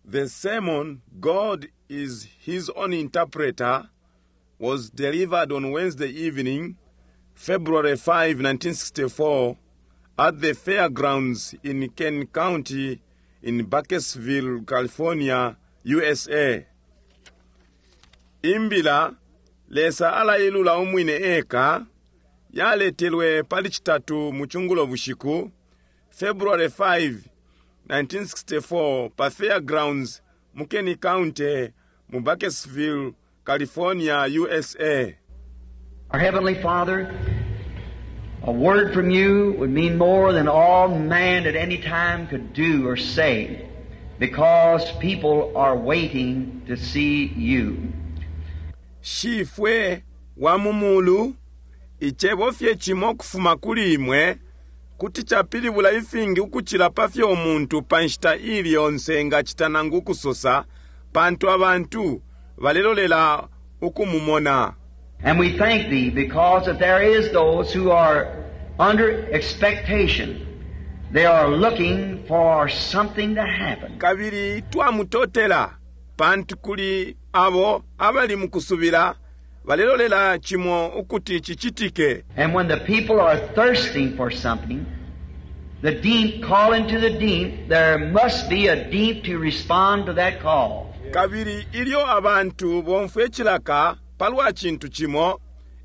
The sermon, God is His Own Interpreter, was delivered on Wednesday evening, February 5, 1964, at the fairgrounds in Kern County in Bakersfield, California, USA. Imbila, Lesa alailula umwine eka, yaletelwe pali Citatu mu cungulo bushiku, February 5, 1964, pa fairgrounds mu Kern County mu Bakersfield, California, USA. Our Heavenly Father, a word from you would mean more than all man at any time could do or say, because people are waiting to see you. Shifwe wa mu mulu, icebo fye cimo ukufuma kuli imwe kuti capilibula ifingi ukucila pa fyo umuntu pa nshita iili yonse engacita nangu ukusosa, pantu abantu balelolela ukumumona. And we thank Thee because that there is those who are under expectation. They are looking for something to happen. Kabili twamutotela pantu kuli abo abali mu kusubila balelolela cimo ukuti cicitike. And when the people are thirsting for something, the deep calling to the deep, there must be a deep to respond to that call. Kabili ilyo abantu bomfwe cilaka palwa cintu cimo,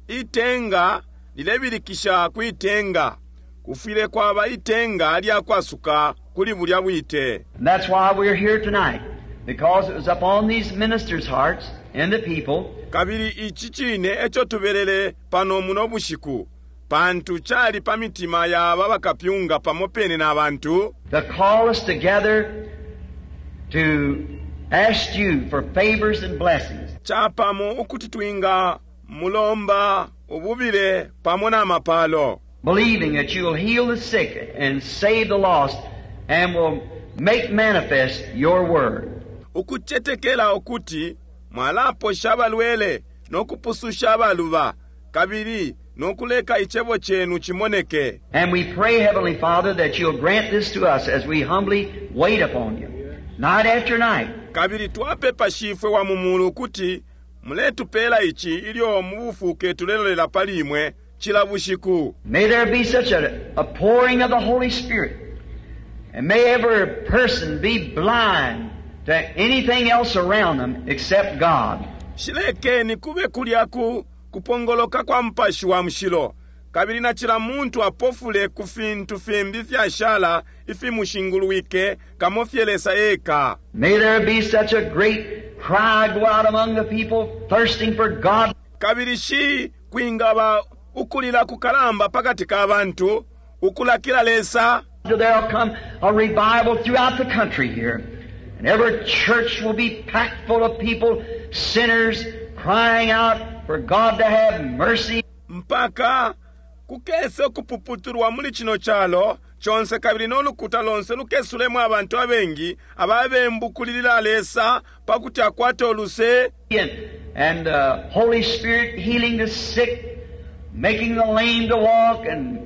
itenga lilebilikisha kwi tenga. Kufwile kwaba itenga lya kwasuka kuli bulya bwite. And that's why we're here tonight, because it was upon these ministers' hearts and the people Kabili ici cine eco tubelele pano muno bushiku, pantu cali pa mitima ya aba bakapyunga pamo pene na bantu, to call us together to ask you for favors and blessings. capamo ukuti twinga mulomba ububile pamo na mapalo. Believing that you will heal the sick and save the lost and will make manifest your word. Ukucetekela ukuti mwalaposha abalwele no kupususha abaluba, kabili no kuleka Icebo Cenu cimoneke. And we pray, Heavenly Father, that you'll grant this to us as we humbly wait upon you, night after night. Kabili twapepa, Shifwe wa mu Mulu, ukuti muletupela ici ilyo mu bufuke tulelolela pali Imwe cila bushiku. May there be such a, a pouring of the Holy Spirit, and may every person be blind to anything else around them except God. Shilekeni kube kulya ku kupongoloka kwa Mupashi wa Mushilo, kabili na cila muntu apofule ku fintu fimbi ifyashala ifimushingulwike, kamo fye Lesa eka. May there be such a great cry go out among the people thirsting for God. Kabili shi kwingaba ukulila kukalamba pakati ka bantu, ukulakila Lesa. There'll come a revival throughout the country here, and every church will be packed full of people, sinners, crying out for God to have mercy. Mpaka kukese ukupuputulwa muli cino calo conse kabili no lukuta lonse lukesulemo abantu abengi ababembu kulilila Lesa pakuti akwate uluse. And, and the Holy Spirit healing the sick, making the lame to walk, and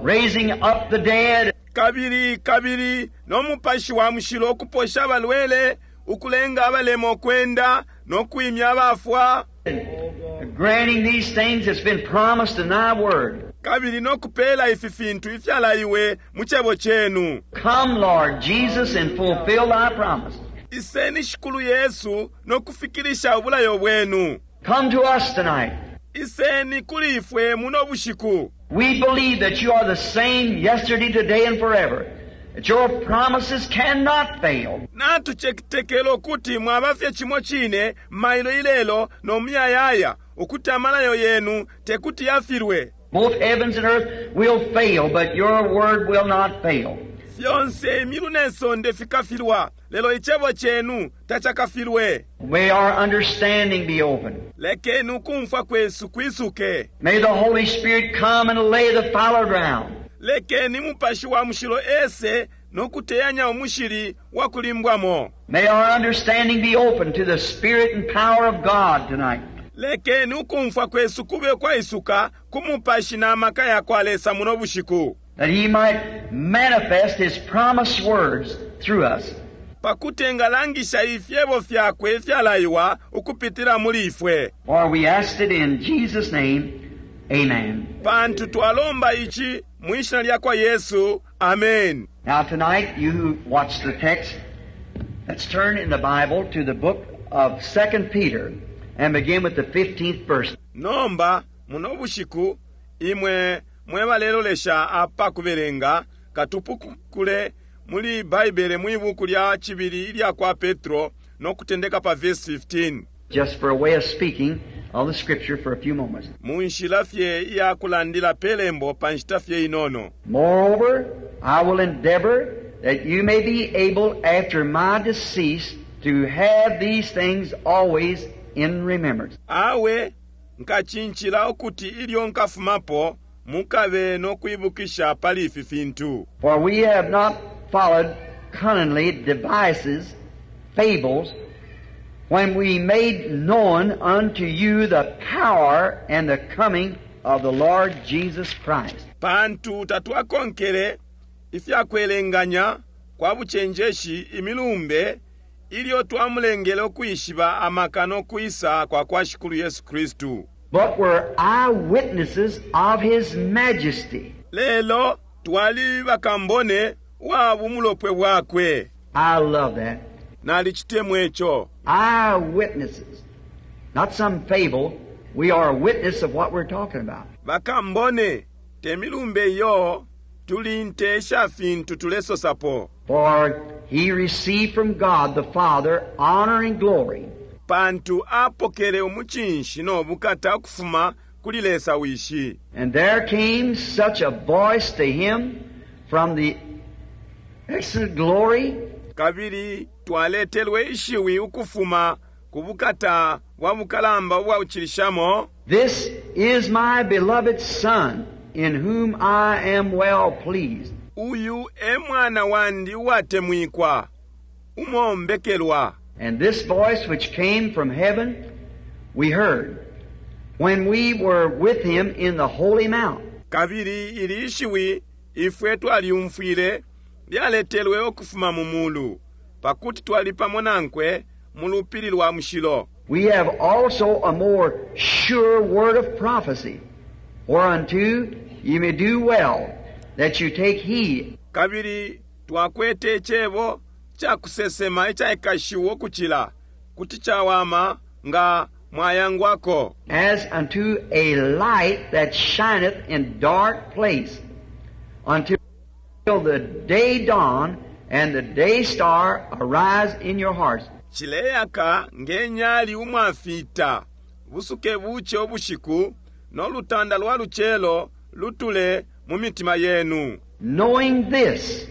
raising up the dead. Kabili, kabili no Mupashi wa Mushilo ukuposha abalwele, ukulenga abalema ukwenda, no kwimya abafwa. And granting these things that's been promised in thy word. Kabili no kupela ifi fintu ifyalaiwe mu Cebo Cenu. Come, Lord Jesus, and fulfill thy promise. Iseni, Shikulu Yesu, no kufikilisha ubulayo bwenu. Come to us tonight. Iseni kuli ifwe muno bushiku. We believe that you are the same yesterday, today, and forever. That your promises cannot fail. Natucetekela ukuti mwaba fye cimo cine mailo, ilelo, no muyayaya, ukuti amalayo yenu tekuti yafilwe. Both heavens and earth will fail, but your word will not fail. Fyonse imyulu ne sonde fikafilwa, lelo Icebo cenu tacakafilwe. May our understanding be open. Lekeni ukumfwa kwesu kwisuke. May the Holy Spirit come and lay the fallow ground. Lekeni Mupashi wa Mushilo ese no kuteyanya umushili wa kulimbwamo. May our understanding be open to the Spirit and power of God tonight. Lekeni ukumfwa kwesu kube ukwaisuka ku Mupashi na maka yakwa Lesa muno bushiku. That He might manifest His promised words through us. Pakuti engalangisha ifyebo fyakwe ifyalaiwa ukupitila muli ifwe. For we asked it in Jesus' name. Amen. Pantu twalomba ici mwi shina lya kwa Yesu. Amen. Now tonight, you who watch the text, let's turn in the Bible to the book of 2 Peter and begin with the 15th verse. Nomba muno bushiku imwe mwe balelolesha apa kubelenga katupukule muli Baibele mwi buku lya cibili ilya kwa Petro no kutendeka pa verse 15. Just for a way of speaking of the Scripture for a few moments. Mu nshila fye iya kulandila pe lembo pa nshita fye inono. Moreover, I will endeavor that you may be able after my decease to have these things always in remembrance. Awe nkacincila ukuti ilyo nkafumapo mukabe no kwibukisha pali ifi fintu. For we have not followed cunningly devices, fables, when we made known unto you the power and the coming of the Lord Jesus Christ. Pantu tatwakonkele ifyakwelenganya kwa bucenjeshi imilumbe ilyo twamulengele ukwishiba amaka no kwisa kwa kwa Shikulu Yesu Kristu. But were eyewitnesses of His majesty. Lelo twali bakambone wa bumulopwe bwakwe. I love that. Nalicitemwa ico. Eyewitnesses. Not some fable. We are a witness of what we're talking about. Bakambone te milumbe iyo tuli nte sha fintu tulesosapo. For he received from God the Father honor and glory. Pantu apokele umucinshi no bukata ukufuma kuli Lesa Wishi. And there came such a voice to him from the excellent glory. Kabili twaletelwe ishiwi ukufuma ku bukata bwa bukalamba ubwaucilishamo. This is my beloved Son, in whom I am well pleased. Uyu e mwana wandi uwatemwikwa, umombekelwa. And this voice which came from heaven we heard when we were with him in the holy mount. Kabili ili ishiwi ifwe twalyumfwile lyaletelwe ukufuma mu mulu, pakuti twali pamo nankwe mu lupili lwa mushilo. We have also a more sure word of prophecy, whereunto ye may do well that you take heed. Kabili twakwete icebo ca kusesema icaikashiwa ukucila, kuti cawama nga mwayangwako. As unto a light that shineth in dark place, until the day dawn and the day star arise in your hearts. Cileyaka nge nyali umwafita, busuke buce ubushiku, no lutanda lwa lucelo lutule mu mitima yenu. Knowing this,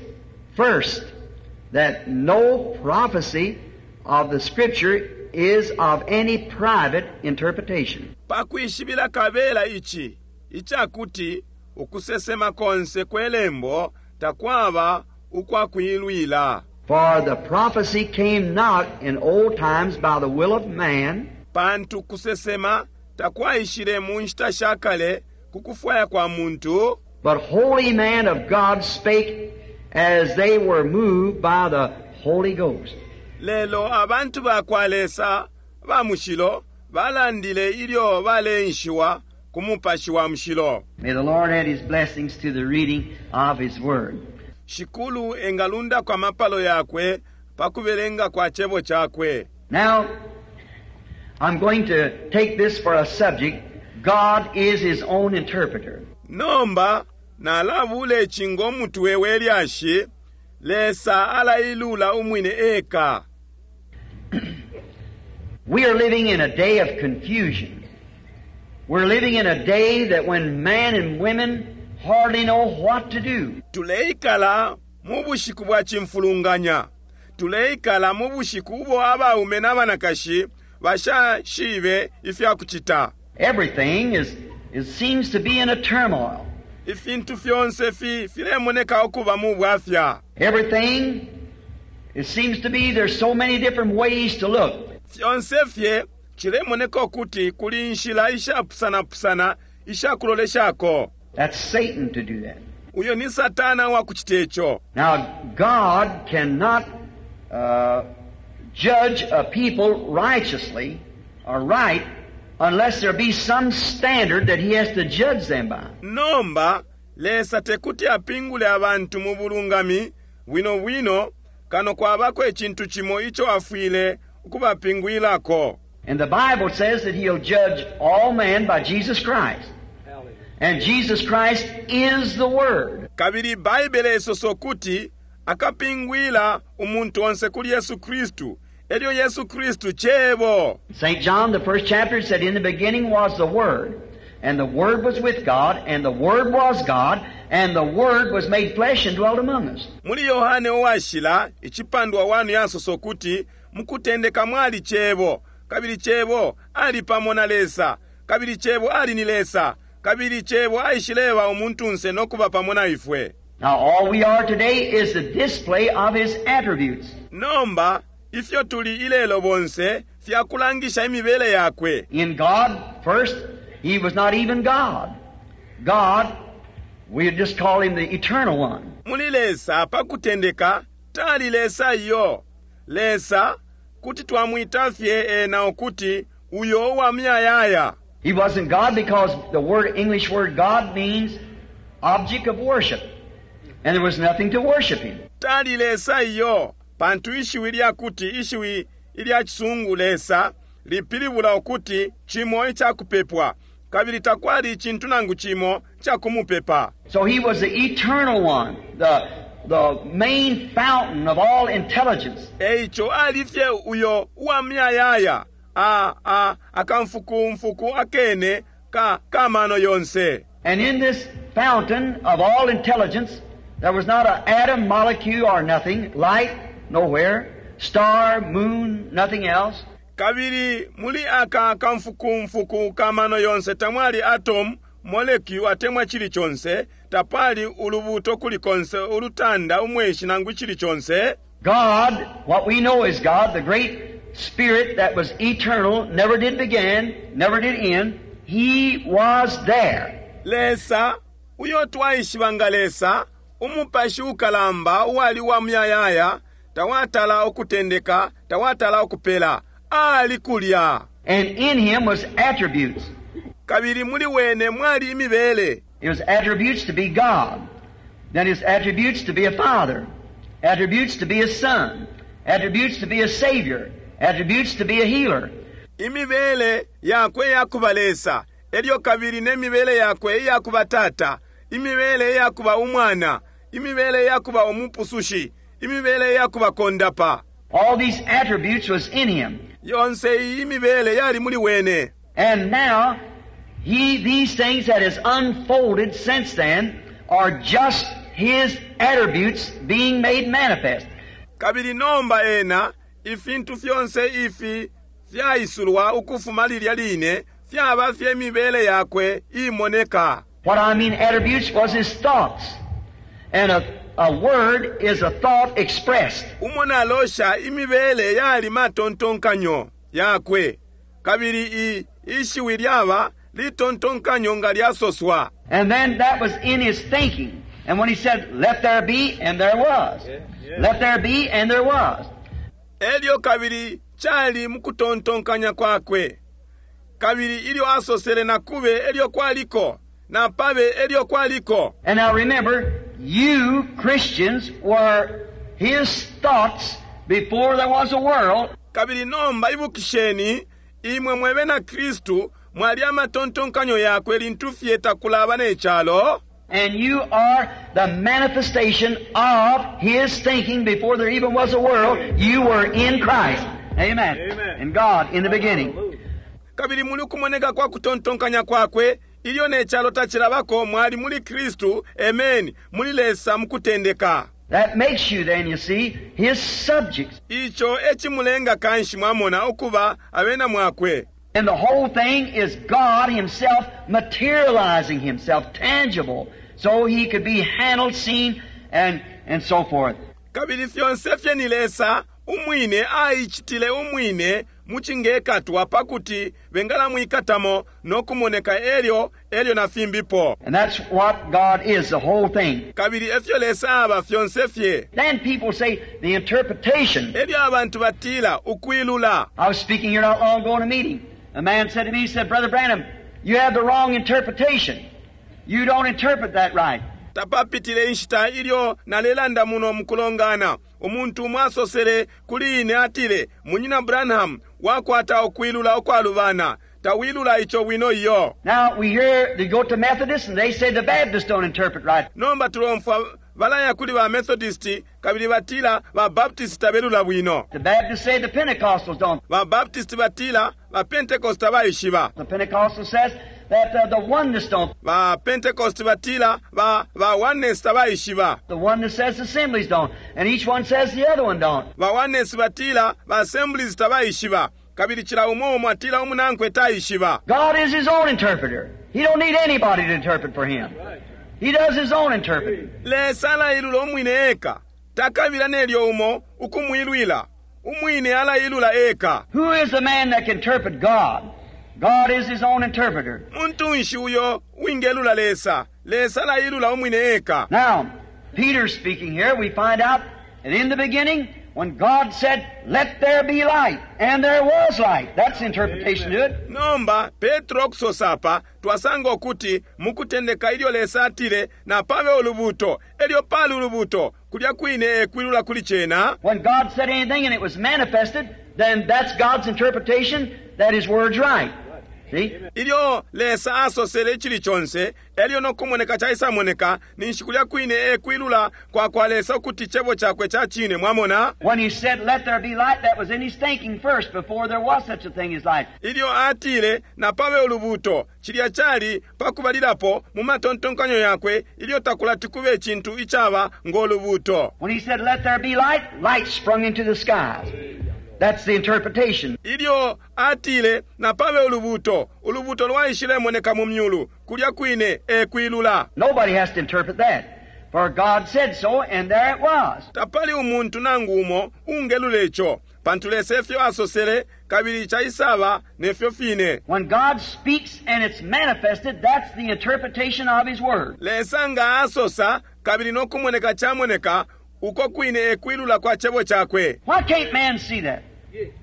first, that no prophecy of the Scripture is of any private interpretation. Pakwishibila kabela ici, icakuti ukusesema konse kwe lembo takwaba ukwa kuilwila. For the prophecy came not in old times by the will of man, Pantu kusesema takwaishile mu nshita sha kale ku kufwaya kwa muntu, but holy men of God spake as they were moved by the Holy Ghost. Lelo abantu ba kwa Lesa ba mushilo balandile ilyo baleenshiwa ku Mupashi wa Mushilo. May the Lord add His blessings to the reading of His Word. Shikulu engalundako amapalo yakwe pa kubelenga kwa cebo cakwe. Now, I'm going to take this for a subject. God is His own interpreter. Nomba nalabula ici ngo mutwe we lyashi, Lesa alailula umwine eka. We are living in a day of confusion. We're living in a day that when men and women hardly know what to do. Tuleikala mu bushiku bwa cimfulunganya. Tuleikala mu bushiku ubo abaume na banakashi bashashibe ifya kucita. Everything is, it seems to be in a turmoil. Ifintu fyonse fi filemoneka ukuba mu bwafya. Everything, it seems to be there's so many different ways to look. Fyonse fye cilemoneka ukuti kuli inshila ishapusana-pusana ishakuloleshako. That's Satan to do that. Uyo ni Satana wa kucita ico. Now, God cannot judge a people righteously or right unless there be some standard that He has to judge them by. Nomba Lesa tekuti apingule abantu mu bulungami bwino bwino kano kwabako icintu cimo ico afwile ukubapingwilako. And the Bible says that He'll judge all men by Jesus Christ. And Jesus Christ is the Word. Kabili Baibele isosa ukuti akapingwila umuntu onse kuli Yesu Kristu, elyo Yesu Kristu Cebo. St. John, the first chapter, said, In the beginning was the Word, and the Word was with God, and the Word was God, and the Word was made flesh and dwelt among us. Muli Yohane uwashila icipandwa 1 yasosa ukuti mukutendeka mwali Cebo, kabili Cebo ali pamo na Lesa, kabili Cebo ali ni Lesa, kabili Cebo aishileba umuntunse no kuba pamo na ifwe. Now, all we are today is the display of His attributes. Nomba ifyo tuli ilelo bonse fyakulangisha imibele yakwe. In God, first, He was not even God. God, we just call Him the Eternal One. Muli Lesa pakutendeka tali Lesa iyo. Lesa kuti twamwita fye ena ukuti uyo uwa muyayaya. He wasn't God because the word English word God means object of worship. And there was nothing to worship him. Tali Lesa iyo, pantu ishiwi lyakuti ishiwi ilya Cisungu Lesa lipilibula ukuti cimo icakupepwa, kabili takwali icintu nangu cimo icakumupepa. So he was the eternal one, the main fountain of all intelligence. Eico ali fye uyo uwa muyayaya, a, a, akamfukumfuku akene ka, kamano yonse. And in this fountain of all intelligence, there was not an atom, molecule, or nothing, light, nowhere, star, moon, nothing else. Kabili muli aka kamfukumfuku kamano yonse tamwali atom, molecule atemwa chili chonse, tapali ulubuto kuli konse, ulutanda, umweshi nangu chili chonse. God, what we know is God, the great Spirit that was eternal, never did begin, never did end, He was there. Lesa, uyo twaishiba nga Lesa, umupashi ukalamba uwali wa muyayaya, tawatala ukutendeka, tawatala ukupela, ali kulya. And in Him was attributes. Kabili muli wene mwali imibele. It was attributes to be God. Then His attributes to be a Father. Attributes to be a Son. Attributes to be a Savior. Attributes to be a healer. Imibele yakwe yakuba Lesa, elyo kabili ne mibele yakwe iyakuba Tata, imibele iyakuba Umwana, imibele iyakuba Umupusushi, imibele iyakuba Kondapa. All these attributes was in Him. Yonse iyi imibele yali muli wene. And now, these things that has unfolded since then are just His attributes being made manifest. Kabili nomba ena, ifintu fyonse ifi fyaisulwa ukufuma lilya line, fyaba fye mibele yakwe imoneka. What I mean attributes was His thoughts. And a word is a thought expressed. Umo nalosha imibele yali matontonkanyo yakwe. Kabili ishiwi lyaba litontonkanyo nga lyasoswa. And then that was in His thinking. And when He said, let there be, and there was. Let there be, and there was. Elyo kabili chali mukutontonkanya kwakwe. Kabili ilyo asosele na kube elyo kwaliko, na pabe elyo kwaliko. And now remember, you Christians were His thoughts before there was a world. Kabili nomba ibukisheni, imwe mwebe na Kristu mwali amatontonkanyo yakwe lintu fye takulaba ne chalo. And you are the manifestation of His thinking before there even was a world. You were in Christ. Amen. Amen. And God in the beginning. Kabili muli kumoneka kwa kutontonkanya kwakwe, ilyo ne chalo tachilabako mwali muli Kristu, amen, muli Lesa mukutendeka. That makes you then, you see, His subjects. Icho echimulenga kanshi mwamona ukuba abena mwakwe. And the whole thing is God Himself materializing Himself, tangible, so He could be handled, seen, and so forth. Kabili fyonse fye ni Lesa umwine aicitile umwine mucingekatwa pakuti bengalamwikatamo no kumoneka elyo elyo na fimbipo. And that's what God is, the whole thing. Kabili efyo Lesa aba fyonse fye. Then people say the interpretation. Elyo abantu batila ukwilula. I was speaking here not long ago in a meeting. A man said to me, he said, Brother Branham, you have the wrong interpretation. You don't interpret that right. Tapapitile inshita ilyo nalelanda muno mukulongana, umuntu umo asosele kuli ine atile, Munyina Branham, wakwata ukwilula ukwalubana. Tawilula ico bwino iyo. Now we hear they go to Methodists and they say the Baptists don't interpret right. Nomba tulomfwa balaya kuli ba Methodist kabili batila ba Baptist tabelula bwino. The Baptists say the Pentecostals don't. Ba Baptist batila ba Pentecost tabaishiba. The Pentecostal says that the Oneness don't. Ba Pentecost batila ba ba Oneness tabaishiba. The Oneness says the Assemblies don't. And each one says the other one don't. Ba Oneness batila ba Assemblies tabaishiba. Kabili cila umo umo atila umunankwe taishiba. God is His own interpreter. He don't need anybody to interpret for Him. He does His own interpreting. Lesa alailula umwine eka. Takabila nelyo umo ukumwilwila. Umwine alailula eka. Who is the man that can interpret God? God is His own interpreter. Muntu nshi uyo wingelula Lesa? Lesa alailula umwine eka. Now, Peter speaking here, we find out that in the beginning, when God said, let there be light, and there was light. That's the interpretation to it. Nomba, Petro kusosa apa, twasanga ukuti mukutendeka ilyo Lesa atile, napabe ulubuto, elyo pali ulubuto, kulya kwine ekwilula kuli cena. When God said anything and it was manifested, then that's God's interpretation that His word's right. See? Ilyo Lesa asosele icili conse, elyo no kumoneka caisamoneka, ninshi kulya kwine ekwilula kwa kwa Lesa ukuti cebo cakwe ca cine, mwamona? When He said, let there be light, that was in His thinking first, before there was such a thing as light. Ilyo atile, napabe ulubuto, cilya cali pakubalilapo mu matontonkanyo yakwe, ilyo takulati kube icintu icaba ngo lubuto. When He said, let there be light, light sprung into the skies. That's the interpretation. Ilyo atile, napabe ulubuto, ulubuto lwaishilemoneka mu myulu, kulya kwine ekwilula. Nobody has to interpret that. For God said so, and there it was. Tapali umuntu nangu umo ungelula ico, pantu Lesa efyo asosele, kabili caisaba nefyo fine. When God speaks and it's manifested, that's the interpretation of His Word. Lesa nga asosa, kabili no kumoneka camoneka, uko kwine ekwilula kwa cebo cakwe. Why can't man see that?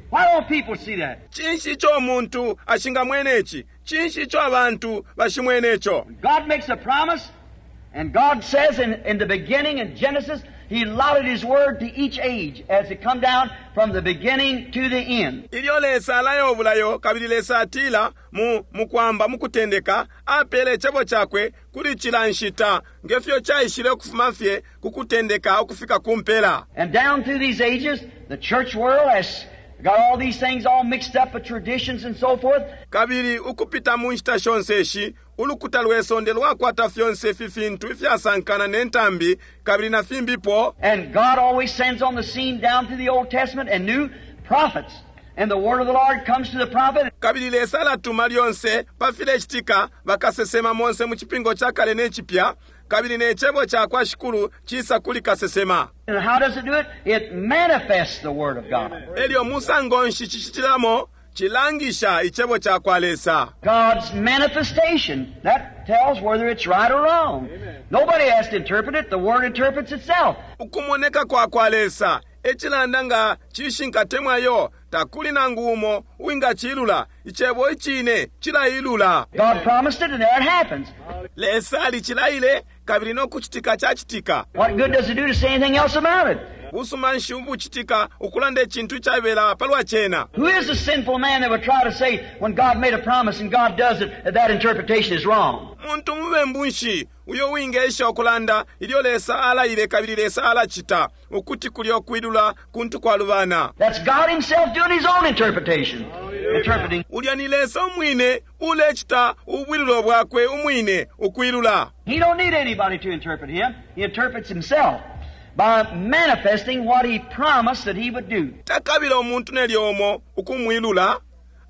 Why don't people see that? Cinshi ico umuntu ashingamwene ici? Cinshi ico abantu bashimwene ico? God makes a promise, and God says in the beginning, in Genesis, He allotted His Word to each age as it come down from the beginning to the end. Ilyo Lesa alaya ubulayo, kabili Lesa atila mu mukwamba mukutendeka, apele icebo cakwe kuli cila nshita, ngefyo caishile ukufuma fye ku kutendeka ukufika ku mpela. And down through these ages, the church world has got all these things all mixed up with traditions and so forth. Kabili ukupita mu nshita shonse ishi, ulukuta lwe sonde lwakwata fyonse ifi fintu ifyasankana ne ntambi kabili na fimbipo. And God always sends on the scene down through the Old Testament and New prophets. And the word of the Lord comes to the prophet. Kabili Lesa alatuma lyonse pa filecitika bakasesema monse mu cipingo ca kale ne cipya, kabili ne cebo ca kwa Shikulu cisa kuli kasesema. And how does it do it? It manifests the word of God. Elyo musango nshi cicitilamo cilangisha icebo ca kwa Lesa. God's manifestation. That tells whether it's right or wrong. Amen. Nobody has to interpret it. The word interprets itself. Ukumoneka kwa kwa Lesa ecilanda nga cishinka temwayo, takuli nangu umo uwingacilula. Icebo icine cilailula. God promised it and there it happens. Lesa alicilaile kabili no kucitika cacitika. What good does it do to say anything else about it? Busuma nshi ubucitika ukulanda icintu icabela palwa cena? Who is the sinful man that would try to say when God made a promise and God does it, that that interpretation is wrong? Muntu mubembu nshi uyo wingesha ukulanda ilyo Lesa alaile kabili Lesa alacita ukuti kulyo kwilula kuntu kwalubana? That's God Himself doing His own interpretation. Interpreting. Ulya ni Lesa umwine ulecita ubwilulo bwakwe umwine ukwilula. He don't need anybody to interpret Him. He interprets Himself by manifesting what He promised that He would do. Takabila umuntu nelyo umo ukumwilula.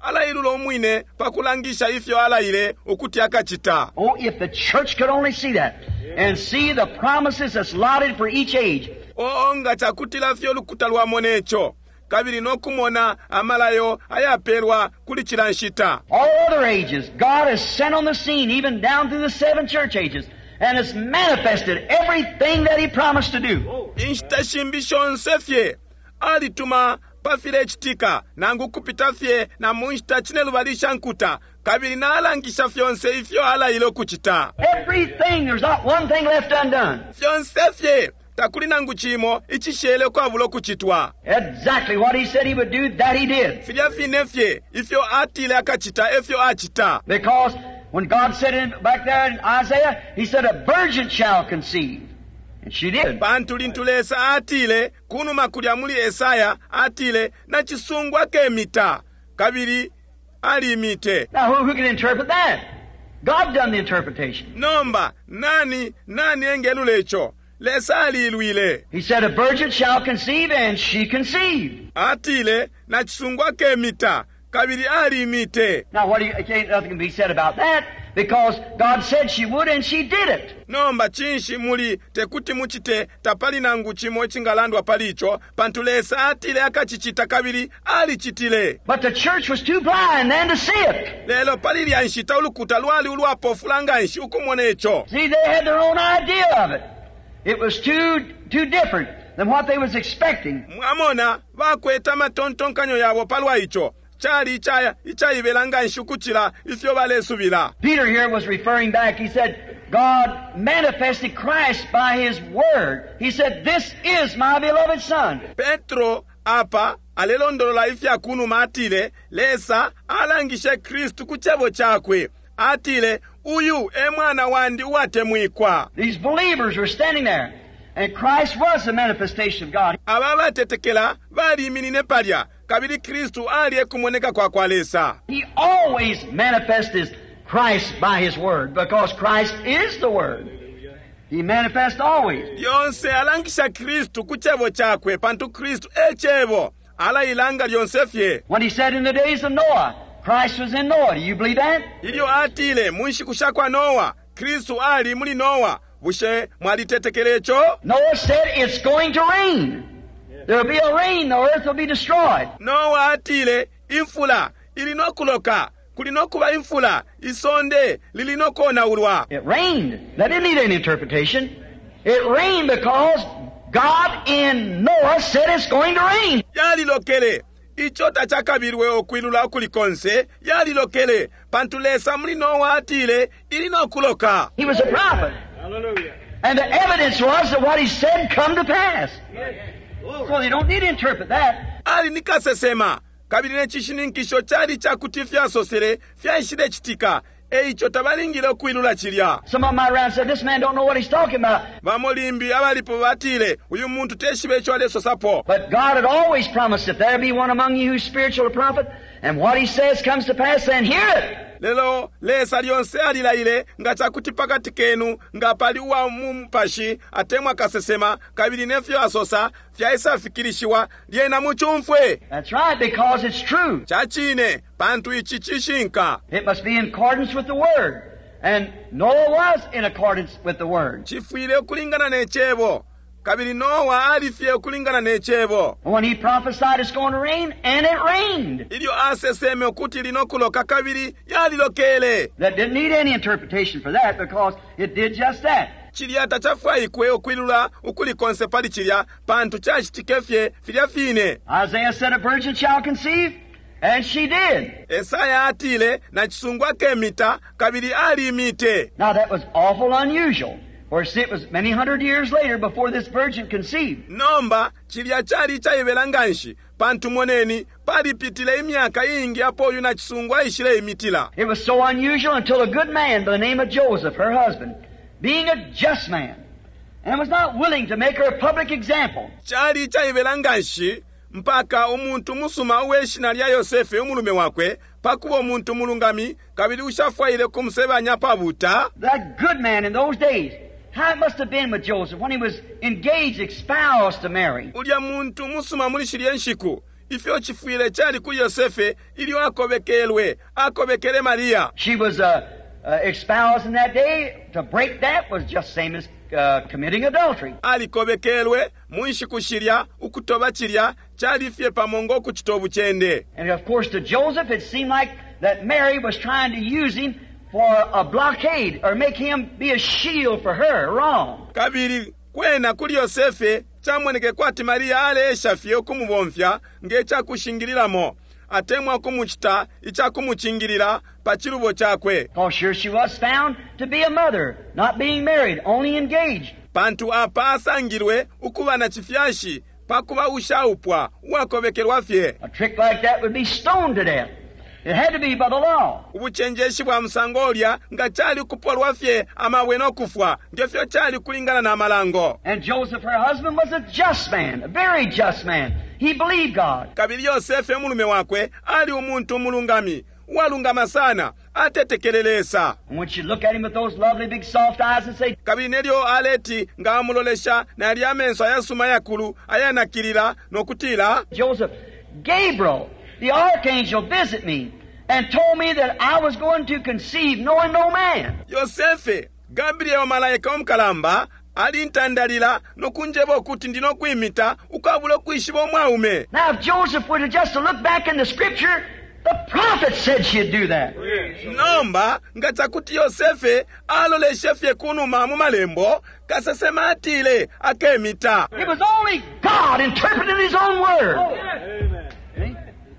Alailula umwine pakulangisha ifyo alaile ukuti akacita. Oh, if the church could only see that and see the promises that's allotted for each age. Oh, nga cakutila fye ulukuta lwamona ico. kabili no kumona amalayo ayapelwa kuli cila nshita. All other ages, God has sent on the scene, even down through the seven church ages, and has manifested everything that He promised to do. Inshita shimbi shonse fye alituma pa filecitika nangu kupita fye na mu nshita cinelubali isha nkuta kabili nalangisha fyonse ifyo alaile ukucita. Everything, there's not one thing left undone. Fyonse fye takuli nangu cimo icishele ukwabula ukucitwa. Exactly what He said He would do, that He did. Filya fine fye ifyo atile akacita efyo acita. Because when God said it back there in Isaiah, He said, a virgin shall conceive. And she did. Pantu lintu Lesa atile kunuma kulya muli Esaya atile nacisungu akemita kabili alimite. Now who can interpret that? God done the interpretation. Nomba nani nani engelula ico? Lesa aliilwile. He said, a virgin shall conceive, and she conceived. Atile nacisungu akemita kabili alimite. Now what do you, can't, nothing can be said about that, because God said she would, and she did it. Nomba cinshi muli tekuti mucite tapali nangu cimo icingalandwa pali ico pantu Lesa atile akacicita kabili alicitile. But the church was too blind then to see it. Lelo pali ilya nshita ulukuta lwali ulwapofula nganshi ukumona ico. See, they had their own idea of it. It was too different than what they was expecting. Mwamona bakwete amatontonkanyo yabo palwa ico. Cali icaibela nganshi ukucila ifyo balesubila. Peter here was referring back. He said, God manifested Christ by His Word. He said, this is my beloved Son. Petro apa alelondolola ifya kunuma atile, Lesa alangishe Kristu ku cebo cakwe. Atile, uyu e mwana wandi uwatemwikwa. These believers were standing there, and Christ was the manifestation of God. Aba batetekela baliminine palya, kabili Kristu ali ekumoneka kwa kwa Lesa. He always manifests His Christ by His Word, because Christ is the Word. He manifests always. Lyonse alangisha Kristu ku cebo cakwe, pantu Kristu e cebo. Alailanga lyonse fye. When He said in the days of Noah, Christ was in Noah. Do you believe that? Ilyo atile mu nshiku sha kwa Noah, Kristu ali muli Noah. Bushe mwalitetekele ico? Noah said it's going to rain. There'll be a rain, the earth will be destroyed. Noah atile imfula ili nokuloka. Kuli nokuba imfula, isonde lili nokonaulwa. It rained. That didn't need any interpretation. It rained because God in Noah said it's going to rain. Yalilokele. Ico tacakabilwe okwilula ukuli konse, yalilokele. Pantu Lesa muli Noah atile ili nokuloka. He was a prophet. Hallelujah. And the evidence was that what he said come to pass. Yes. So they don't need to interpret that. Ali ni kasesema. Kabili ne cishininkisho cali cakuti fyasosele fyaishile citika. Eico tabalingile ukwilula cilya. Some of my round said, this man don't know what he's talking about. Bamo limbi abalipo batile, uyu muntu teshibe ico alesosapo. But God had always promised, if there be one among you who's spiritual a prophet, and what he says comes to pass, then hear it. Lelo Lesa lyonse alilaile nga cakuti pakati kenu nga pali uwa mu mupashi atemwa kasesema kabili nefyo asosa fyaisafikilishiwa lyena mucumfwe. That's right, because it's true. Ca cine, pantu ici cishinka. It must be in accordance with the Word. And Noah was in accordance with the Word. Cifwile ukulingana ne cebo. Kabili Noah alifye ukulingana ne cebo. When he prophesied it's going to rain, and it rained. Ilyo aseseme ukuti linokuloka kabili yalilokele. That didn't need any interpretation for that, because it did just that. Cilya tacafwaikwe ukwilula ukuli konse pali cilya, pantu cacitike fye filya fine. Isaiah said a virgin shall conceive, and she did. Esaya atile nacisungu akemita kabili alimite. Now that was awful unusual. For see, it was many hundred years later before this virgin conceived. Nomba cilya cali caibela nganshi, pantu moneni palipitile imyaka iingi apo uyu nacisungu aishile imitila. It was so unusual until a good man by the name of Joseph, her husband, being a just man, and was not willing to make her a public example. Cali caibela nganshi mpaka umuntu musuma uwe shina lya Yosefe umulume wakwe, pakuba umuntu mulungami kabili ushafwaile kumusebanya pabuta. That good man in those days, how it must have been with Joseph when he was engaged, espoused to Mary. Ulya muntu musuma muli shilye nshiku, ifyo chifwile chali kuli Yosefe ilyo akobekelwe, akobekele Maria. She was espoused in that day. To break that was just same as committing adultery. Alikobekelwe mu nshiku shilya, ukutoba chilya, Cali fye pamo ngo kucita ubucende. And of course to Joseph it seemed like that Mary was trying to use him for a blockade or make him be a shield for her. Wrong. Kabili kwena kuli Yosefe camoneke kwati Maria aleesha fye ukumubomfya nge cakushingililamo atemwa ukumucita icakumucingilila pa cilubo cakwe. Because sure she was found to be a mother, not being married, only engaged. Pantu apa asangilwe ukuba na cifyashi pa kuba ushaupwa uwakobekelwa fye. A trick like that would be stoned to death. It had to be by the law. Ubucenjeshi bwa musango ulya nga cali kupolwa fye amabwe no kufwa, nge fyo cali kulingana na malango. And Joseph, her husband, was a just man, a very just man. He believed God. Kabili Yosefe umulume wakwe ali umuntu umulungami, uwalungama sana, atetekele Lesa. And when she looked at him with those lovely big soft eyes and say, Kabili nelyo aleti nga amulolesha nali amenso ayasuma ayakulu ayanakilila no kutila, Joseph, Gabriel, the archangel, visit me and told me that I was going to conceive knowing no man. Yosefe, Gabriel malaika umukalamba alintandalila no kunjeba ukuti ndi no kwimita ukwabula ukwishiba umwaume. Now if Joseph would have just looked back in the scripture, the prophet said she'd do that. Nomba nga cakuti Yosefe aloleshe fye kunuma mu malembo, kasesema atile akemita. It was only God interpreting His own word.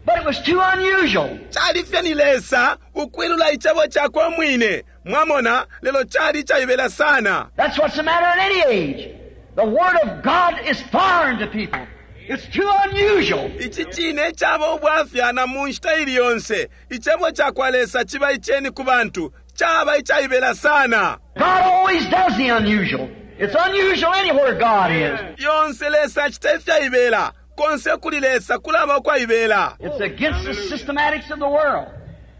But it was too unusual. Cali fye ni Lesa ukwilula icebo cakwe umwine. Mwamona, lelo cali icaibela sana. That's what's the matter in any age. The Word of God is foreign to people. It's too unusual. Ici cine caba ubwafya na mu nshita ili yonse. Icebo cakwa Lesa ciba iceni ku bantu. Caba icaibela sana. God always does the unusual. It's unusual anywhere God is. Yonse Lesa acita ifyaibela. Konse kuli Lesa kulaba ukwaibela. It's against the systematics of the world.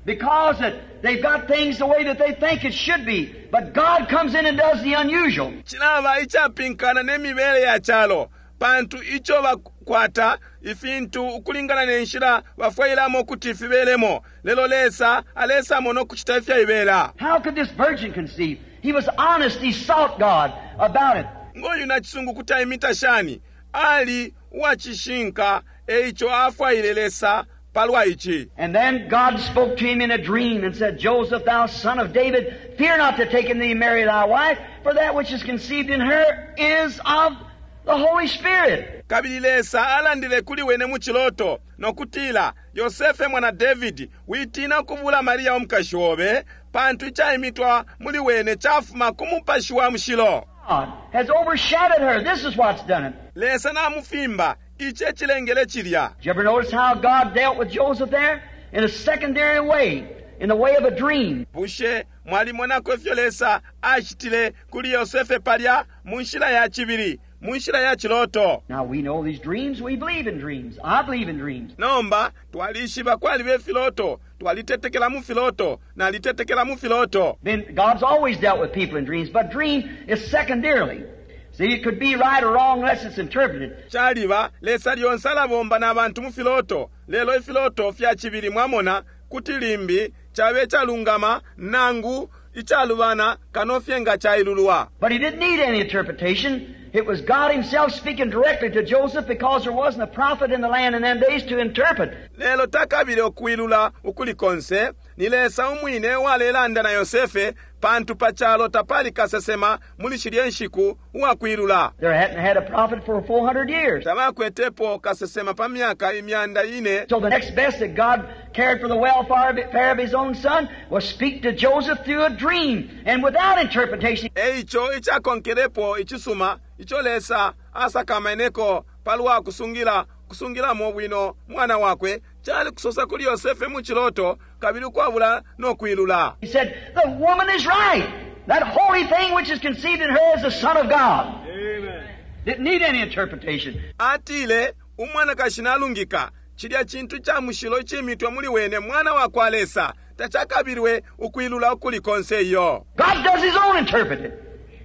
Because they've got things the way that they think it should be. But God comes in and does the unusual. Cilaba icapinkana ne mibele ya calo. Pantu ico bakwata ifintu ukulingana ne nshila bafwailamo kuti fibelemo. Lelo Lesa alesamo no kucita ifyaibela. How could this virgin conceive? He was honest. He sought God about it. Ngoyu nacisungu kuti aimita shani? Ali uwacishinka, eico afwaile Lesa palwa ici. And then God spoke to him in a dream and said, Joseph, thou son of David, fear not to take unto thee Mary thy wife, for that which is conceived in her is of the Holy Spirit. Kabili Lesa alandile kuli wene mu ciloto no kutila, Yosefe mwana David, witina ukubula Maria umukashi obe, pantu icaimitwa muli wene cafuma ku mupashi wa mushilo. God has overshadowed her. This is what's done it. Lesa namufimba, ici ecilengele cilya. Did you ever notice how God dealt with Joseph there? In a secondary way, in the way of a dream. Bushe mwalimonako ifyo Lesa acitile kuli Yosefe palya mu nshila ya cibili, mu nshila ya ciloto. Now we know these dreams. We believe in dreams. I believe in dreams. Nomba twalishiba kwaliba ifiloto, twalitetekela mu filoto, nalitetekela mu filoto. Then God's always dealt with people in dreams, but dream is secondarily. See, it could be right or wrong unless it's interpreted. Caliba Lesa lyonse alabomba n'abantu mu filoto, lelo ifiloto fya cibili mwamona kuti limbi cabe calungama nangu icalubana kano fye nga cailulwa. But he didn't need any interpretation. It was God himself speaking directly to Joseph because there wasn't a prophet in the land in them days to interpret. Lelo takabile ukwilula ukuli konse, ni Lesa umwine walelanda na Yosefe pantu pa calo tapali kasesema muli shilye nshiku uwakwilula. There hadn't had a prophet for 400 years. Tabakwetepo kasesema pa myaka imyanda ine. So the next best that God cared for the welfare of his own son was speak to Joseph through a dream and without interpretation. Eico icakonkelepo icisuma ico Lesa asakameneko palwa kusungila kusungilamo bwino mwana wakwe cali kusosa kuli Yosefe mu ciloto kabili ukwabula no kwilula. He said, the woman is right. That holy thing which is conceived in her is the Son of God. Amen. Didn't need any interpretation. Atile umwanakashi nalungika cilya cintu ca mushilo icimitwe muli wene mwana wa kwa Lesa tacakabilwe ukwilula ukuli konse iyo. God does his own interpreting.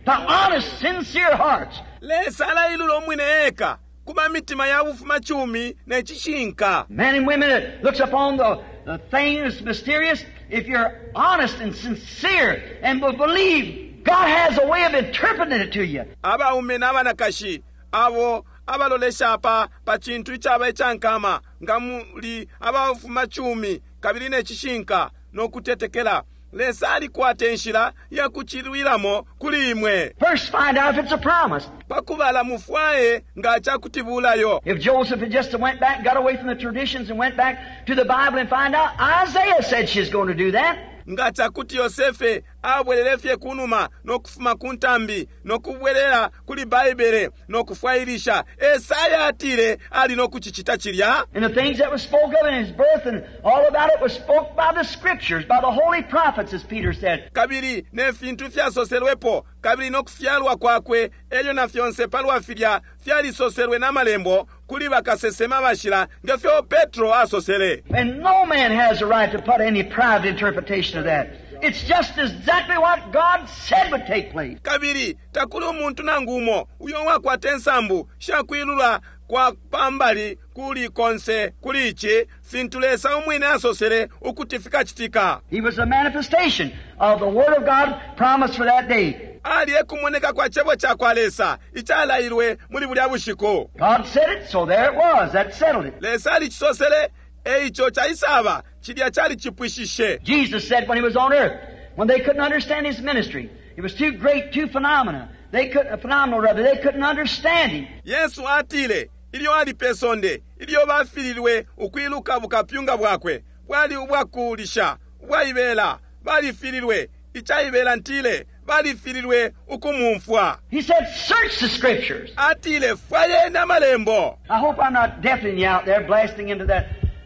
To honest, sincere hearts. Lesa alailula umwine eka kuba mitima ya bufuma cumi ne cishinka. Men and women that looks upon the thing that's mysterious, if you're honest and sincere and will believe, God has a way of interpreting it to you. Abaume n'abanakashi abo abalolesha pa pa cintu icaba icankama, nga muli abafumacumi kabili ne cishinka no kutetekela, Lesa alikwata inshila ya kucilwilamo kuli imwe. First find out if it's a promise. Pakubala mufwaye nga cakuti bulayo. If Joseph had just went back, got away from the traditions and went back to the Bible and find out, Isaiah said she's going to do that. Nga cakuti Yosefe abwelele fye kunuma no kufuma ku ntambi no kubwelela kuli Baibele no kufwailisha, Esaya atile ali no kucicita cilya. And the things that was spoke of in his birth and all about it was spoke by the Scriptures, by the holy prophets, as Peter said. Kabili ne fintu ifyasoselwepo, kabili no kufyalwa kwakwe, elyo na fyonse palwa filya fyalisoselwe na malembo kuli bakasesema bashila, nge fyo Petro asosele. And no man has the right to put any private interpretation of that. It's just exactly what God said would take place. Kabili takuli umuntu nangu umo uyo wakwata insambu shakwilula kwa pambali kuli konse kuli ici, fintu Lesa umwine asosele ukuti fikacitika. He was a manifestation of the Word of God promised for that day. Ali ekumoneka kwa cebo ca kwa Lesa icalailwe muli bulya bushiku. God said it, so there it was. That settled it. Lesa alicisosele, eico caisaba, cilya calicipwishishe. Jesus said when he was on earth, when they couldn't understand his ministry, it was too great, too phenomena. They couldn't, phenomenal rather, they couldn't understand him. Yesu atile ilyo ali pe sonde, ilyo bafililwe ukwiluka bukapyunga bwakwe, bwali ubwakulisha, ubwaibela, balifililwe, icaibela ntile, balifililwe ukumumfwa. He said, search the Scriptures. Atile, fwayeni amalembo. I hope I'm not deafening you out there, blasting into that.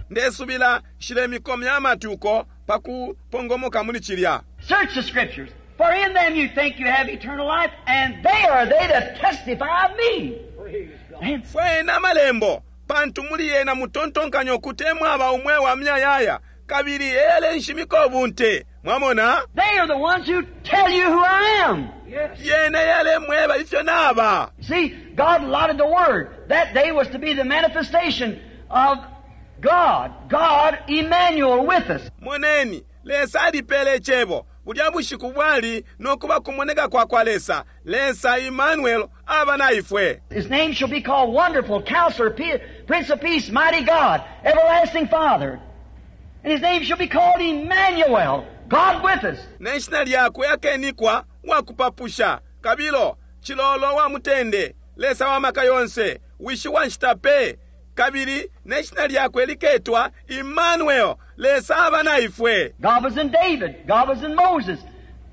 Ndesubila nshilemikomya amatwi uko pa kupongomoka muli cilya. Search the Scriptures, for in them you think you have eternal life, and they are they that testify of me. Amen. Fwayeni amalembo, pantu muli yena mutontonkanya ukuti emwaba umweo wa muyayaya, kabili eyalenshimika ubunte. Mwamona? They are the ones who tell you who I am. Yena eyalemweba ifyo naba. See, God allotted the Word. That day was to be the manifestation of God. God, Emmanuel, with us. Moneni, Lesa alipele icebo. Bulya bushiku bwali nokuba kumoneka kwa kwa Lesa. Lesa Emmanuel aba na ifwe. His name shall be called Wonderful, Counselor, Prince of Peace, Mighty God, Everlasting Father. And his name shall be called Emmanuel, God with us. Ne shina lyakwe akenikwa wakupapusha, kabilo cilolo wa mutende, Lesa wa maka yonse, wishi wa nshita pe. Kabili ne shina lyakwe liketwa Emmanuel, Lesa aba na ifwe. God was in David, God was in Moses.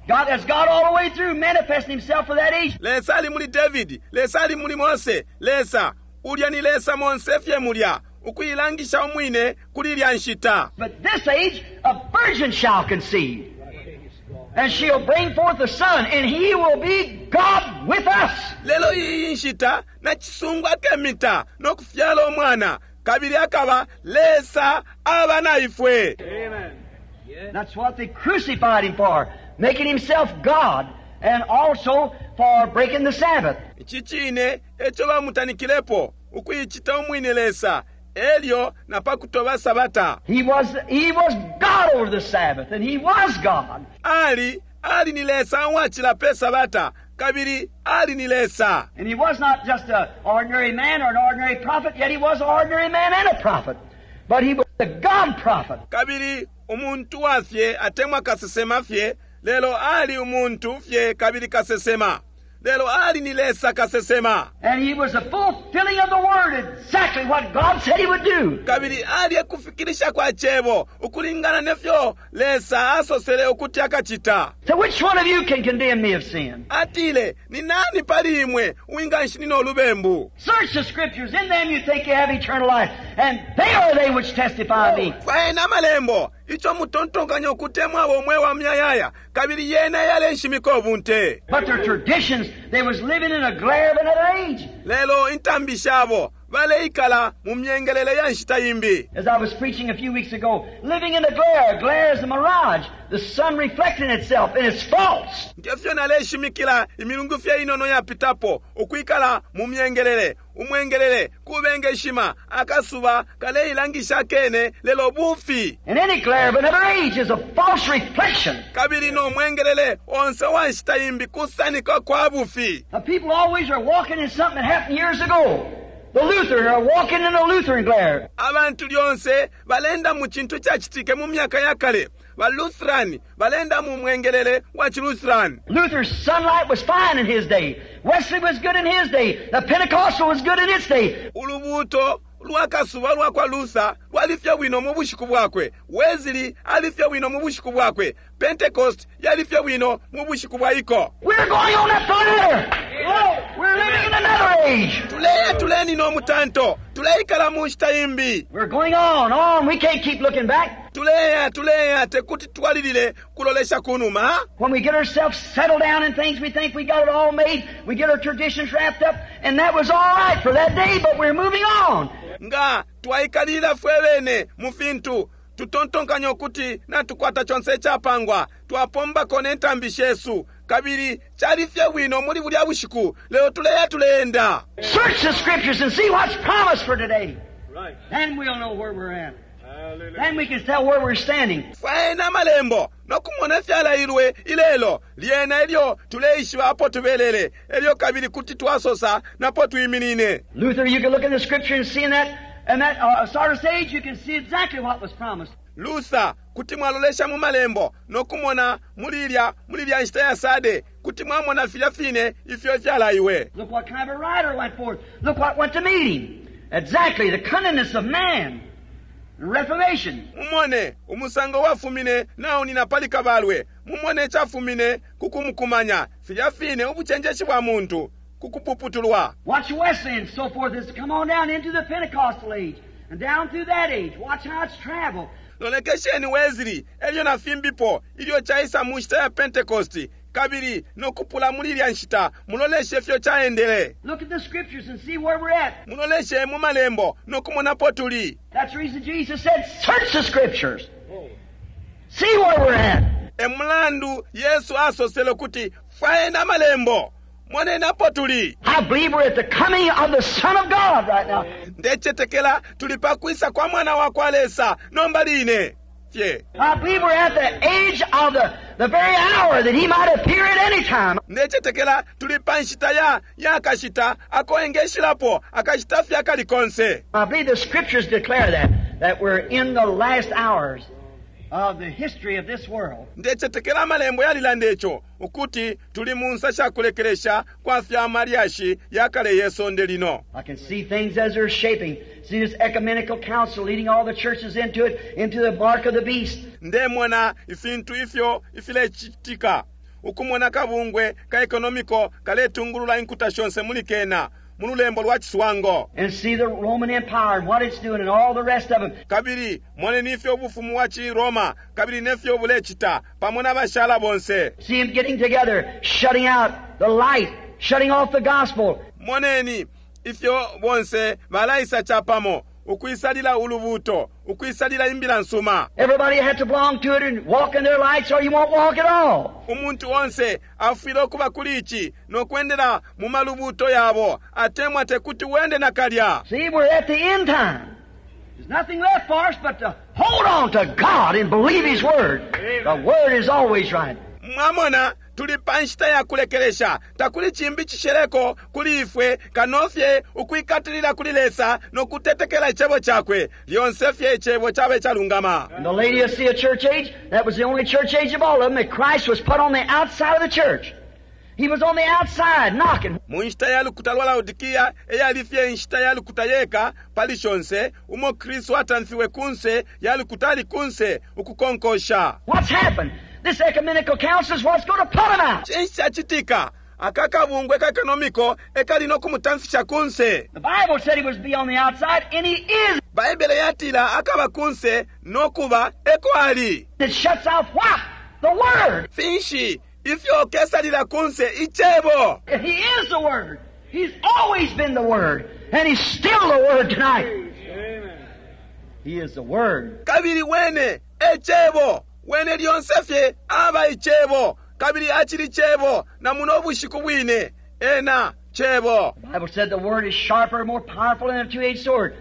God has God all the way through manifesting himself for that age. Lesa ali muli David, Lesa ali muli Mose, Lesa ulya ni Lesa monse fye mulya, ukuilangisha umwine kuli ilya nshita. But this age a virgin shall conceive, and she'll bring forth a son, and he will be God with us. Lelo iyi nshita nacisungu akemita no kufyala umwana, kabili akaba Lesa aba na ifwe. Amen. That's what they crucified him for, making himself God, and also for breaking the Sabbath. Ici cine eco bamutanikilepo, ukuicita umwine Lesa, elyo na pa kutoba Sabata. He was God over the Sabbath, and he was God. Ali, ali ni Lesa uwacila pe Sabata, kabili ali ni Lesa. And he was not just an ordinary man or an ordinary prophet, yet he was an ordinary man and a prophet. But he was the God prophet. Kabili umuntu wafye atemwa kasesema fye, lelo ali umuntu fye kabili kasesema. Lelo ali ni Lesa kasesema. And he was the fulfilling of the word, exactly what God said he would do. Kabili ali ekufikirisha kwa cebo, ukulingana nefyo Lesa asosele ukuti akacita. So which one of you can condemn me of sin? Atile, ni nani pali imwe uwinganshinina ulubembu? Search the scriptures, in them you think you have eternal life, and they are they which testify of me. Fwayeni amalembo, ico mutontonkanya ukuti emwaba umweo wa muyayaya, kabili yena yalenshimika ubunte. But their traditions, they was living in a glare of another age. Lelo intambi shabo baleikala mu myengelele ya nshita imbi. As I was preaching a few weeks ago, living in the glare. Glare is a mirage, the sun reflecting itself, and it's false. Ngefyo naleshimikila imilungu fye inono yapitapo, ukwikala mu myengelele, umwengelele kubengeshima, akasuba kaleilangisha kene lelo bufi. And any glare of another age is a false reflection. Kabili no mwengelele onse wa nshita imbi kusanika kwa bufi. Now, people always are walking in something that happened years ago. The Lutheran are walking in the Lutheran glare. Abantu lyonse balenda mu cintu icacitike mu myaka ya kale. Ba Lutheran balenda mu mwengelele wa ci Lutheran. Luther's sunlight was fine in his day. Wesley was good in his day. The Pentecostal was good in its day. Ulubuuto lwa kasuba lwa kwa Luther lwali fye bwino mu bushiku bwakwe. Wesley ali fye bwino mu bushiku bwakwe. Pentecost yali fye bwino mu bushiku bwa iko. We're going on up the ladder. We're living in another age. Tuleya tuleni no mutanto. Tuleikala mu nshita imbi. We're going on, on. We can't keep looking back. Tuleya tuleya tekuti twalilile kulolesha kunuma. When we get ourselves settled down in things, we think we got it all made. We get our traditions wrapped up, and that was all right for that day, but we're moving on. Nga twaikalila fwe bene mu fintu tutontonkanya ukuti natukwata conse icapangwa twapombako ne ntambi shesu kabili cali fye bwino muli bulya bushiku lelo tuleya tuleenda. Search the Scriptures and see what's promised for today. Right. Then we'll know where we're at. Hallelujah. Then we can tell where we're standing. Fwayeni amalembo no kumona ifyalailwe ilelo lyena ilyo tuleishiba apo tubelele elyo kabili kuti twasosa napo twiminine. Luther, you can look in the Scripture and see in that Sardis age, you can see exactly what was promised. Luther kuti mwalolesha mu malembo no kumona muli ilya nshita ya Sade kuti mwamona filya fine ifyo ifyalaiwe. Look what kind of a rider went forth. Look what went to meet him. Exactly, the cunningness of man. The Reformation. Mumone umusango wafumine naunina pali kabalwe. Mumone chafumine kukumukumanya filya fine ubucenjeshi bwa muntu kukupuputulwa. Watch Wesley and so forth as come on down into the Pentecostal age and down through that age. Watch how it's traveled. Lolekesheni Wesley elyo na fimbipo ilyo chaisa mu nshita ya Pentecost kabili nokupula muli ilya nshita muloleshe ifyo chaendele. Look at the Scriptures and see where we're at. Muloleshe mu malembo nokumonapo tuli. That's the reason Jesus said, search the Scriptures. See where we're at. E mulandu Yesu asosele kuti fwayeni amalembo monenapo tuli. I believe we're at the coming of the Son of God right now. Ndecetekela tuli pakwisa kwa mwana wa kwa Lesa nomba line fye. I believe we're at the age of the very hour that He might appear at any time. Ndecetekela tuli pa nshita ya kashita akoengeshilapo akashita fye akali konse. I believe the Scriptures declare that we're in the last hours of the history of this world. Ndecetekela amalembo yalilanda ico ukuti tuli mu nsa shakulekelesha kwa fya malyashi ya kale ye sonde lino. I can see things as they're shaping. See this ecumenical council leading all the churches into it, into the mark of the beast. Ndemona ifintu ifyo ifilecitika. Ukumona kabungwe ka economico kaletungulula inkuta shonse muli kena mu lulembo lwa ciswango. And see the Roman Empire and what it's doing and all the rest of them. Kabili moneni ifyo ubufumu wa ci Roma kabili nefyo bulecita pamo n'abashala bonse. See them getting together, shutting out the light, shutting off the gospel. Moneni ifyo bonse balaisa chapamo ukwisalila ulubuto, ukwisalila imbila nsuma. Everybody had to belong to it and walk in their lights or you won't walk at all. Umuntu onse afwile okuba kuli ici nokwendela mu malubuto yabo atemwa tekuti wende nakalya. See, we're at the end time. There's nothing left for us but to hold on to God and believe His Word. The Word is always right. Mwamona tuli pa nshita ya kulekelesha takuli chimbi chisheleko kuli ifwe kanofye ukwikatilila kuli Lesa nokutetekela icebo chakwe lyonse fye icebo chabe chalungama. In the Laodicea church age, that was the only church age of all of them that Christ was put on the outside of the church. He was on the outside knocking. Mu nshita ya lukuta lwa Laodikia eyali fye nshita ya lukuta yeka pali shonse umo Kristu atamfiwe kunse ya lukuta ali kunse ukukonkosha. What's happened? This ecumenical council is what's going to put him out. Cinshi cacitika? Aka kabungwe ka economico ekali nokumutamfisha kunse. The Bible said he was be on the outside, and he is. Baibele yatila akaba kunse nokuba eko ali. It shuts off what? The Word. Finshi ifyo kesalila kunse icebo. He is the Word. He's always been the Word, and He's still the Word tonight. Amen. He is the Word. Kabili wene ecebo. Wene lyonse fye aba icebo. Kabili achili cebo na muno bushiku bwine ena cebo. The Bible said the Word is sharper, more powerful than a two-edged sword.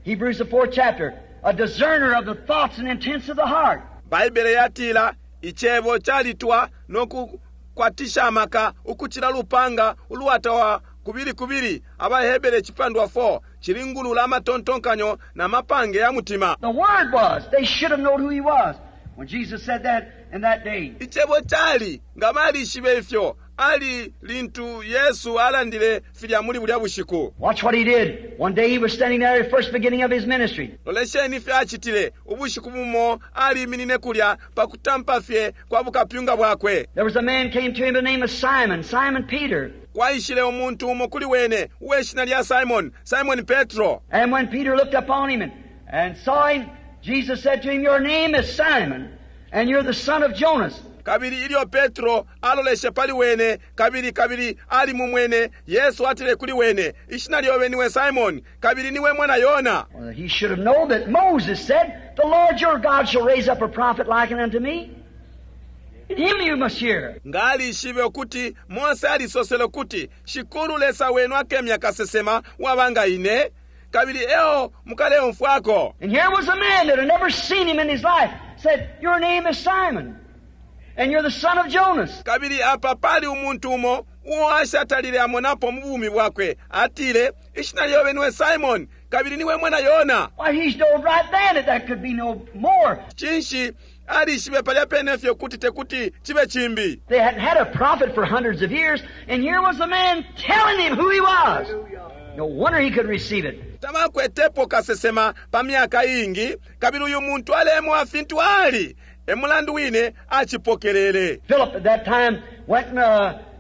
Hebrews the 4th chapter. A discerner of the thoughts and intents of the heart. Baibele yatila icebo chalitwa nokukwatisha amaka ukuchila lupanga uluwatawa kubili kubili. Abahebere chipandwa 4. Cilingulula amatontonkanyo na mapange ya mutima. The Word was. They should have known who He was when Jesus said that in that day. Icebo cali nga balishibe ifyo ali lintu Yesu alandile filya muli bulya bushiku. Watch what He did. One day He was standing there at the first beginning of His ministry. Lolesheni ifyo acitile. Ubushiku bumo aliminine kulya pa kutampa fye kwa bukapyunga bwakwe. There was a man came to him by the name of Simon, Simon Peter. Kwaishile umuntu umo kuli wene uwe shina lya Simon, Simon Petro. And when Peter looked upon him and saw him, Jesus said to him, Your name is Simon, and you're the son of Jonas. Kabili ilyo Petro aloleshe pali wene, kabili kabili ali mumwene, Yesu atile kuli wene, Ishina lyobe niwe Simon, kabili niwe mwana Yona. Well, he should have known that Moses said, The Lord your God shall raise up a prophet like unto me. And him you must hear. Nga alishibe ukuti Mose alisosele ukuti Shikulu Lesa wenu akemya kasesema waba ine, kabili eo mukaleumfwako. And here was a man that had never seen him in his life, said, Your name is Simon, and you're the son of Jonas. Kabili apa pali umuntu umo uo ashatalile amonapo mu bumi bwakwe, atile, Ishina lyobe niwe Simon, kabili niwe mwana Yona. Why, he knowed right then that that could be no more. Cinshi alishibe palya pene fye kuti tekuti chibe chimbi. They hadn't had a prophet for hundreds of years, and here was the man telling him who he was. No wonder he could receive it. Tabakwetepo kasesema pa myaka iingi, kabili uyu muntu alemwa fintu ali. E mulandu wine achipokelele. Philip at that time went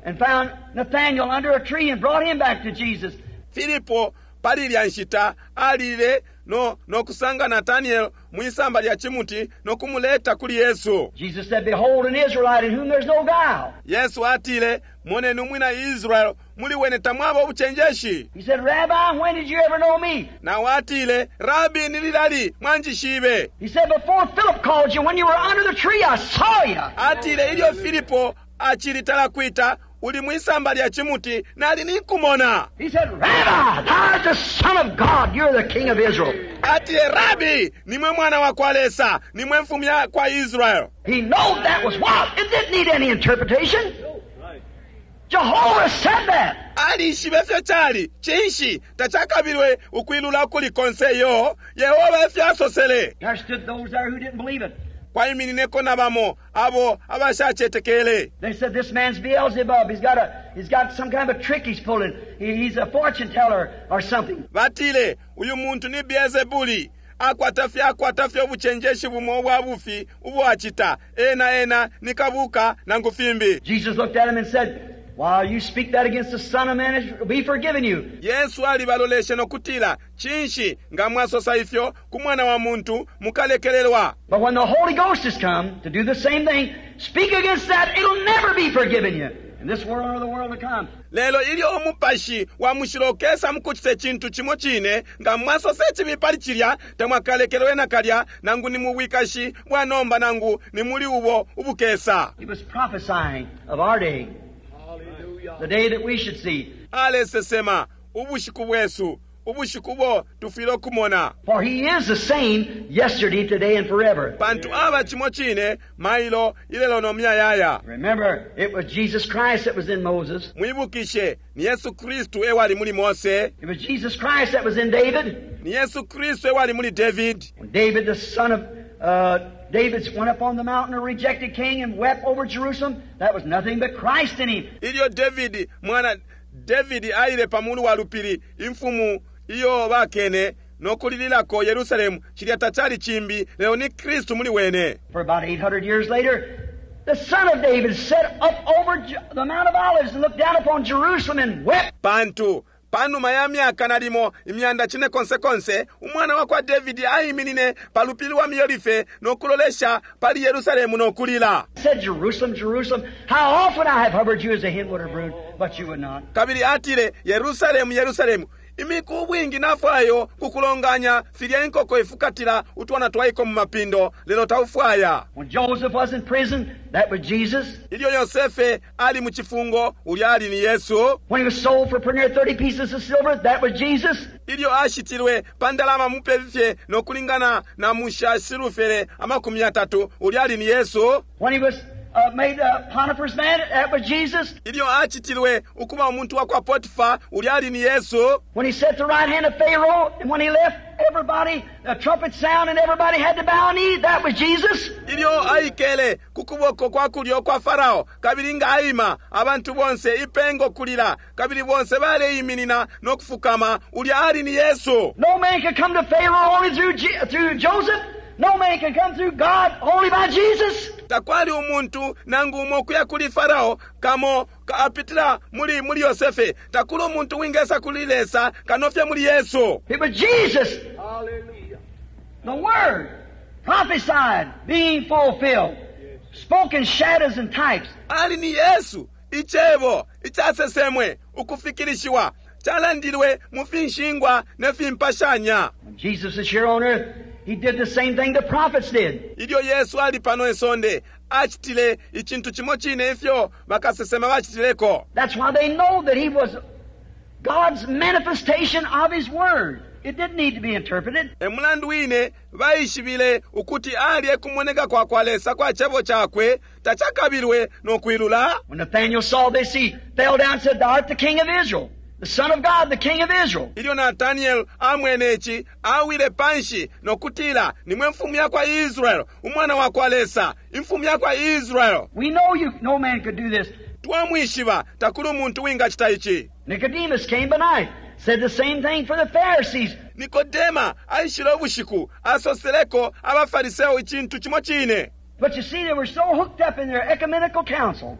and found Nathanael under a tree and brought him back to Jesus. Filipo pali ilya nshita alile no kusanga Nathanael mwisamba lya chimuti no kumuleta kuli Yesu. Jesus said, Behold an Israelite in whom there's no guile. Yesu atile, Moneni umwina Israel muli wene tamwaba ubuchenjeshi. He said, Rabbi, when did you ever know me? Na atile, Rabbi, nililali mwanjishibe. He said, Before Philip called you, when you were under the tree, I saw you. Atile, ilyo Filipo achilitala kwita uli mwisamba lya chimuti nali ninkumona. He said, Rabbi, thou art the Son of God, you're the King of Israel. Atile, Rabbi, nimwe mwana wa kwa Lesa, nimwe mfumu ya kwa Israel. He knowed that was what? It didn't need any interpretation. Jehovah said that. Alishibe fyo chali, chinshi, tachakabilwe ukwilula kuli konse yo, Yehova efyo asosele. There stood those there who didn't believe it. Kwaiminineko na bamo abo abashachetekele. They said, This man's Beelzebub. He's got some kind of a trick he's pulling. He's a fortune teller or something. Batile, uyu muntu ni Beelzebuli. Akwata fye ubuchenjeshi bumo bwa bufi ubo achita. Ena ena nikabuka nangu fimbi. Jesus looked at him and said, While you speak that against the Son of Man, it will be forgiven you. Yesu alibaloleshe nokutila, Chinshi nga mwasosa ifyo ku mwana wa muntu mukalekelelwa. But when the Holy Ghost has come to do the same thing, speak against that, it'll never be forgiven you. In this world or the world to come. Lelo ilyo umupashi wa mushilo ukesa mukuchita chintu chimo chine, nga mwasosa chibi pali chilya, tamwakalekelwe nakalya, nangu ni mubwikashi bwa nomba nangu ni muli ubo ubukesa. He was prophesying of our day. The day that we should see. Alesesema ubushiku bwesu, ubushiku bo tufwile okumona. For he is the same yesterday, today, and forever. Pantu aba chimo chine, mailo ilelo no myayaya. Remember, it was Jesus Christ that was in Moses. Mwibukishe, ni Yesu Kristu ewali muli Mose. It was Jesus Christ that was in David. Ni Yesu Kristu ewali muli David. When David, the son of David, went up on the mountain, a rejected king, and wept over Jerusalem, that was nothing but Christ in him. Ilyo David, mwana David aile pamulu wa lupili, imfumu iyo bakene nokulililako Yerusalemu, chilya tachali chimbi, leo ni Kristu muli wene. For about 800 years later, the son of David sat up over the Mount of Olives and looked down upon Jerusalem and wept. Pantu panuma ya myaka nalimo imyanda chine konse konse, umwana wa kwa David aiminine palupili wa Miolife nokulolesha pali Yerusalemu nokulila. Said, Jerusalem, Jerusalem, how often I have hovered you as a hen would her brood, but you would not. Kabili atile, Yerusalemu, Yerusalemu, imiku bwingi nafwayo kukulonganya filya inkoko ifukatila utwana twaiko mu mapindo, lelo taufwaya. When Joseph was in prison, that was Jesus. Ilyo Yosefe ali mu chifungo, ulya ali ni Yesu. When he was sold for near 30 pieces of silver, that was Jesus. Ilyo ashitilwe pandalama mupefye nokulingana na musha silufere amakumi atatu, ulya ali ni Yesu. When he was made Potiphar's man, that was Jesus. Ilyo acitilwe ukuba umuntu wa kwa Potifa, ulya ali ni Yesu. When he sat at the right hand of Pharaoh, and when he left, everybody, the trumpet sound, and everybody had to bow knee, that was Jesus. Ilyo aikele ku kuboko kwa kulyo kwa Farao, kabili nga aima, abantu bonse ipengo kulila, kabili bonse baleiminina no kufukama, ulya ali ni Yesu. No man could come to Pharaoh only through Joseph. No man can come through God only by Jesus. Takwali umuntu nangu umo kuya kuli Farao kamo apitila muli Yosefe. Takuli umuntu wingesa kuli Lesa kanofye muli Yesu. It was Jesus. Hallelujah. The Word prophesied being fulfilled. Spoken shadows and types. Ali ni Yesu icebo icasesemwe ukufikilishiwa calandilwe mu finshingwa ne fimpashanya. When Jesus was here on earth, he did the same thing the prophets did. Ilyo Yesu ali pano isonde, acitile icintu cimo cine ifyo bakasesema bacitileko. That's why they know that he was God's manifestation of his word. It didn't need to be interpreted. E mulandu wine baishibile ukuti ali ekumoneka kwa kwa Lesa kwa cebo cakwe, tacakabilwe no kwilula. When Nathanael saw this, he fell down and said, Thou art the King of Israel. The Son of God, the King of Israel. Ilyo Nathanael amwene ici, awile panshi nokutila, nimwe mfumu ya kwa Israel, umwana wa kwa Lesa, imfumu ya kwa Israel. We know you, no man could do this. Twamwishiba, takuli umuntu wingacita ici. Nicodemus came by night, said the same thing for the Pharisees. Nikodema aishile ubushiku, asoseleko abafariseo icintu cimo cine. But you see, they were so hooked up in their ecumenical council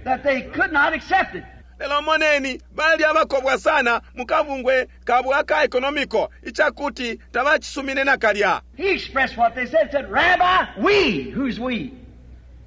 that they could not accept it. Lelo moneni, bali abakobwa sana mukabungwe kabwe aka economico icakuti tabacisumine nakalya. He expressed what they said, said, Rabbi, we, who's we?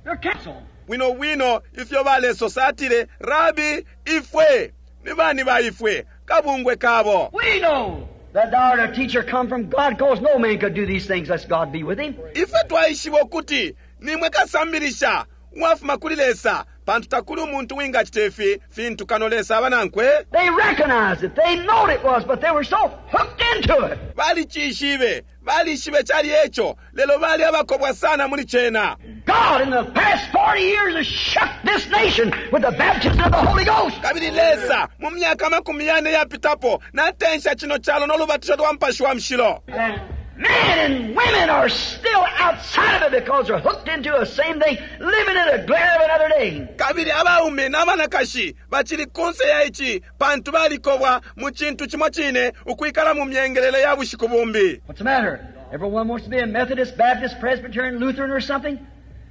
Their council. Bwino bwino ifyo balesosa atile, Rabbi, ifwe, ni bani ba ifwe, kabungwe kabo. We know that thou art a teacher come from God, because no man could do these things lest God be with him. Ifwe twaishiba ukuti nimwe kasambilisha uwafuma kuli Lesa, pantu takuli umuntu wingacita ifi fintu kano Lesa aba nankwe. They recognized it. They knowed it was, but they were so hooked into it. Balicishibe, balishibe cali eco, lelo bali abakobwa sana muli cena. God in the past 40 years has shook this nation with the baptism of the Holy Ghost. Kabili Lesa mu myaka 40 yapitapo natensha chino chalo n'olubatisho lwa Mupashi wa Mushilo. And men and women are still outside of it because they're hooked into the same thing, living in the glare of another day. Kabili abaume n'abanakashi bacili kunse ya ici pantu balikobwa mu cintu cimo cine ukwikala mu myengelele ya bushiku bumbi. What's the matter? Everyone wants to be a Methodist, Baptist, Presbyterian, Lutheran or something?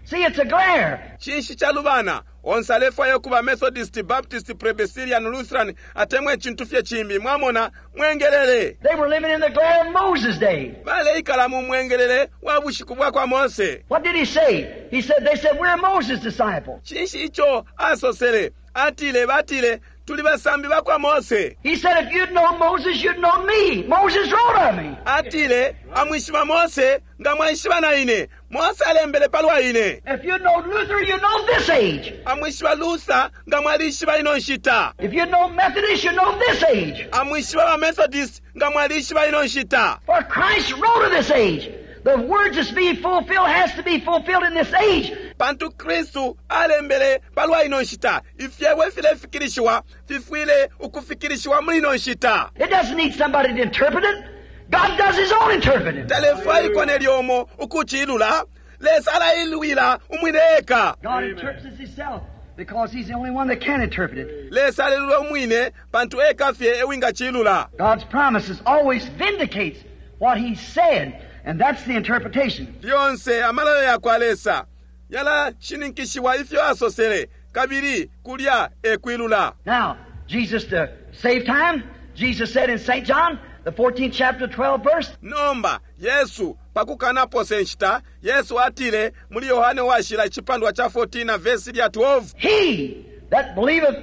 See, it's a glare. Cinshi calubana? Onse alefwaya kuba Methodist, Baptist, Presbyterian, Lutheran, atemwe cintu fye cimbi. Mwamona, mwengelele. They were living in the glare of Moses' day. Baleikala mu mwengelele wa bushiku bwa kwa Mose. What did he say? He said, they said, we're Moses' disciples. Cinshi ico asosele? Atile, batile, tuli basambi ba kwa Mose. He said, if you'd known Moses, you'd known me. Moses wrote of me. Atile, amwishiba Mose, nga mwaishiba na ine. Mose alembele palwa ine. If you'd known Luther, you'd known this age. Amwishiba Luther, nga mwalishiba ino nshita. If you'd known Methodist, you'd known this age. Amwishiba ba Methodist, nga mwalishiba ino nshita. For Christ wrote of this age. The words that's being fulfilled has to be fulfilled in this age. Pantu Kristu alembele palwa ino nshita. Ifyebo ifilefikilishiwa fifwile ukufikilishiwa muli ino nshita. It doesn't need somebody to interpret it. God does his own interpreting. Talefwaikwa nelyo umo ukucilula. Lesa alailwila umwine eka. God interprets himself because he's the only one that can interpret it. Lesa alelula umwine pantu eka fye ewingacilula. God's promises always vindicates what he said, and that's the interpretation. Lyonse amalayo ya kwa Lesa yalashininkishiwa ifyo asosele, kabili kulya ekwilula. Now, Jesus, to save time, Jesus said in St. John, the 14th chapter, 12th verse. Nomba, Yesu, pakukanapose nshita, Yesu atile muli Yohane washila icipandwa cha 14 na verse lya 12. He that believeth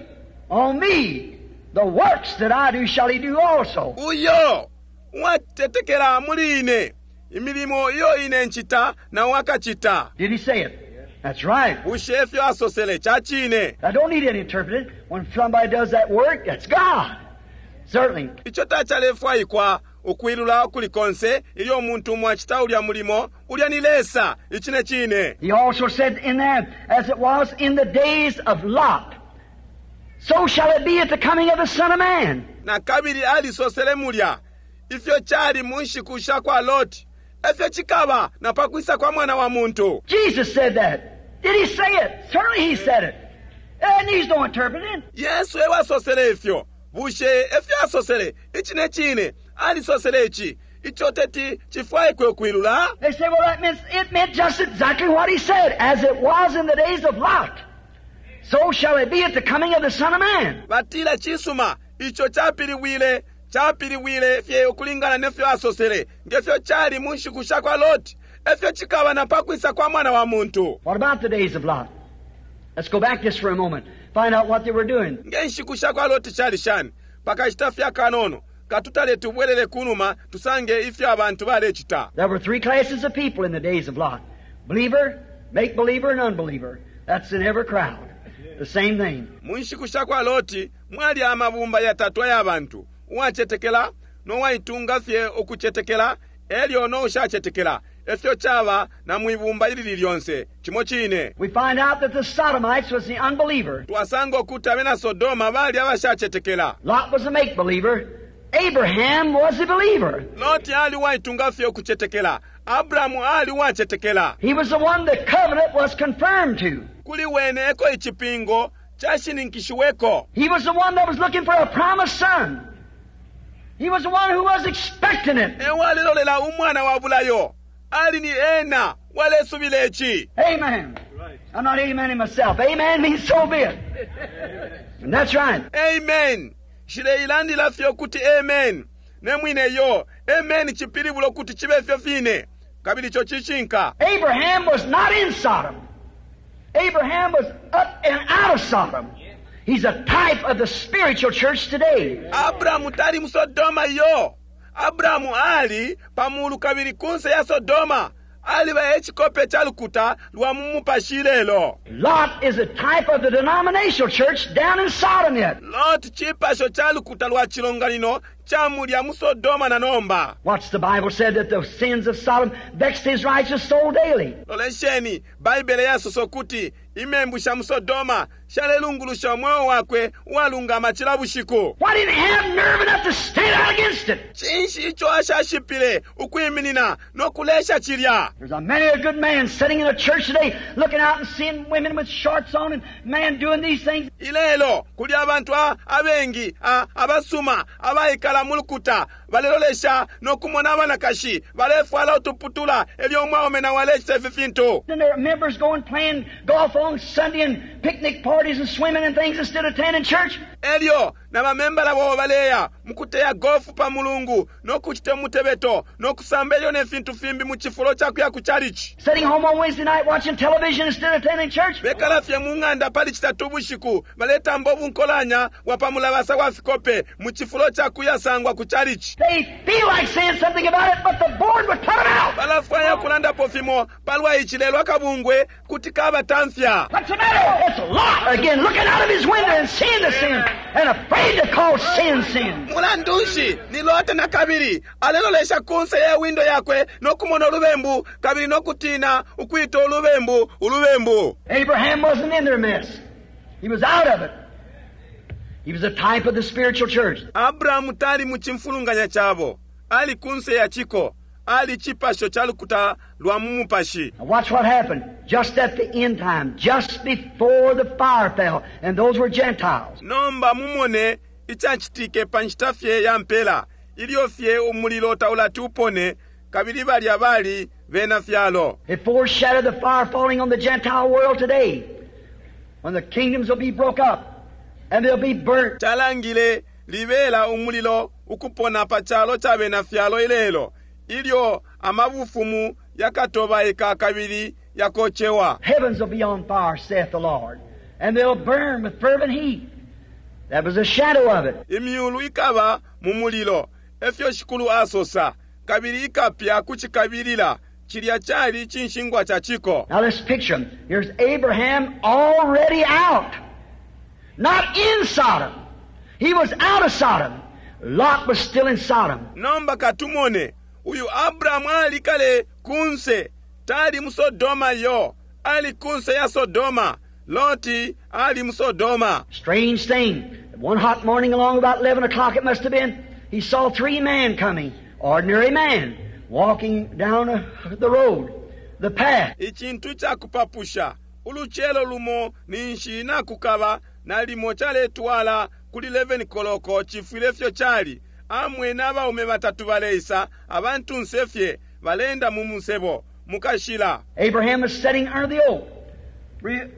on me, the works that I do shall he do also. Uyo uwatetekela muli ine, imilimo iyo ine nchita na wakachita. Did he say it? That's right. Bushe efyo asosele cha chine. I don't need any interpreting. When somebody does that work, that's God. Certainly. Icho tachalefwaikwa Ukwilula ukuli konse ilyo umuntu umo acita ulya mulimo, ulya ni Lesa. Icine cine. He also said in there, as it was in the days of Lot, so shall it be at the coming of the Son of Man. Na kabili alisosele mulya, ifyo cali mu nshiku sha kwa Loti, efyo cikaba na pa kwisa kwa Mwana wa muntu. Jesus said that. Did he say it? Certainly he said it. It needs no interpreting. Yesu e wasosele ifyo. Bushe efyo asosele? Icine cine, alisosele ici. Ico teti cifwaikwe ukwilula? They say, well, that meant, it meant just exactly what he said. As it was in the days of Lot, so shall it be at the coming of the Son of Man. Batila cisuma, ico capiliwile, capiliwile fye ukulingana nefyo asosele, ngefyo cali mu nshiku sha kwa Loti, efyo cikaba na pa kwisa kwa Mwana wa muntu. What about the days of Lot? Let's go back just for a moment. Find out what they were doing. Nge nshiku sha kwa Loti cali shani? Pakashita fye akanono, katutale tubwelele kunuma tusange ifyo abantu balecita. There were three classes of people in the days of Lot. Believer, make-believer, and unbeliever. That's in every crowd. The same thing. Mu nshiku sha kwa Loti mwali amabumba yatatu aya bantu, uwacetekela no waitunga fye ukucetekela, elyo no ushacetekela. Efyo caba na mwibumba ilili lyonse, cimo cine. We find out that the Sodomites was the unbeliever. Twasanga ukuti abena Sodoma bali abashacetekela. Lot was a make-believer. Abraham was a believer. Loti ali uwaitunga fye ukucetekela. Abrahamu ali uwacetekela. He was the one the covenant was confirmed to. Kuli wene eko icipingo cashininkishiweko. He was the one that was looking for a promised son. He was the one who was expecting it. E walelolela umwana wa bulayo. Ali ni ena walesubila ici. Amen. I'm not amening myself. Amen means so be it. And that's right. Amen. Nshileilandila fye ukuti amen. Ne mwine yo, amen cipilibula ukuti cibe fyo fine. Kabili ico cishinka. Abraham was not in Sodom. Abraham was up and out of Sodom. He's a type of the spiritual church today. Abrahamu tali mu Sodoma yo. Abrahamu ali pa mulu kabili kunse ya Sodoma. Aliba e cikope ca lukuta lwa mu mupashi ilelo. Lot is a type of the denominational church down in Sodom yet. Lot cipasho ca lukuta lwa cilonganino ca mulya mu Sodoma na nomba. Watch, the Bible said that the sins of Sodom vexed his righteous soul daily. Lolesheni, Baibele yasosa ukuti imembu sha mu Sodoma shalelungulusha umweo wakwe uwalungama cila bushiku. Why didn't he have nerve enough to stand out against it? Cinshi ico ashashipile ukwiminina no kulesha cilya? There's a many a good man sitting in a church today looking out and seeing women with shorts on and men doing these things. Ilelo kuli abantu abengi abasuma abaikala mu lukuta balelolesha no kumona abanakashi balefwala utuputula elyo umwaume na walecita ifi fintu. And their members going playing golf on Sunday and picnic parties and swimming and things instead of attending church. Elyo na bamembala babo baleya mukuteya golf pa mulungu no kucita umutebeto no kusamba elyo ne fintu fimbi mu cifulo ca kuya ku chalichi. Sitting home on Wednesday night watching television instead of attending church. Bekala fye mu ng'anda pali citatu bushiku baletamba ubunkolanya bwa pa mulabasa wa fikope mu cifulo ca kuya sangwa ku chalichi. They feel like saying something about it, but the board would put them out. Balafwaya kulandapo fimo palwa ici lelo akabungwe kuti kabatamfya. What's the matter? It's Lot again looking out of his window and seeing the sin and afraid to call sin sin. Mulandu nshi ni Lote na kabili alelolesha kunse ya windo yakwe no kumona ulubembu kabili no kutina ukwita ulubembu ulubembu. Abraham wasn't in their mess. He was out of it. He was a type of the spiritual church. Abrahamu tali mu cimfulunganya cabo. Ali kunse ya ciko. Ali cipasho ca lukuta lwa mu mupashi. Now watch what happened. Just at the end time, just before the fire fell, and those were Gentiles. Nomba mumone icacitike pa nshita fye ya mpela, ilyo fye umulilo taulati upone, kabili balya bali bena fyalo. It foreshadowed the fire falling on the Gentile world today, when the kingdoms will be broke up and they'll be burnt. Calangile libela umulilo ukupona pa calo ca bena fyalo ilelo, ilyo amabufumu yakatobaika kabili yakocewa. Heavens will be on fire, saith the Lord, and they'll burn with fervent heat. That was a shadow of it. Imyulu ikaba mu mulilo, efyo Shikulu asosa, kabili ikapya ku cikabilila. Cilya cali cinshingwa ca ciko. Now let's picture him. Here's Abraham already out. Not in Sodom. He was out of Sodom. Lot was still in Sodom. Nomba katumone uyu Abrahamu ali kale kunse, tali mu Sodoma yo, ali kunse ya Sodoma. Loti ali mu Sodoma. Strange thing. One hot morning along about 11 o'clock it must have been, he saw three men coming, ordinary men, walking down the road, the path. Icintu cakupapusha, ulucelo lumo ninshi nakukaba nalimo caletwala kuli 11 koloko cifwile fyo cali. Amwene abaume batatu baleisa, abantunse fye, balenda mu musebo, mukashila. Abraham was sitting under the oak,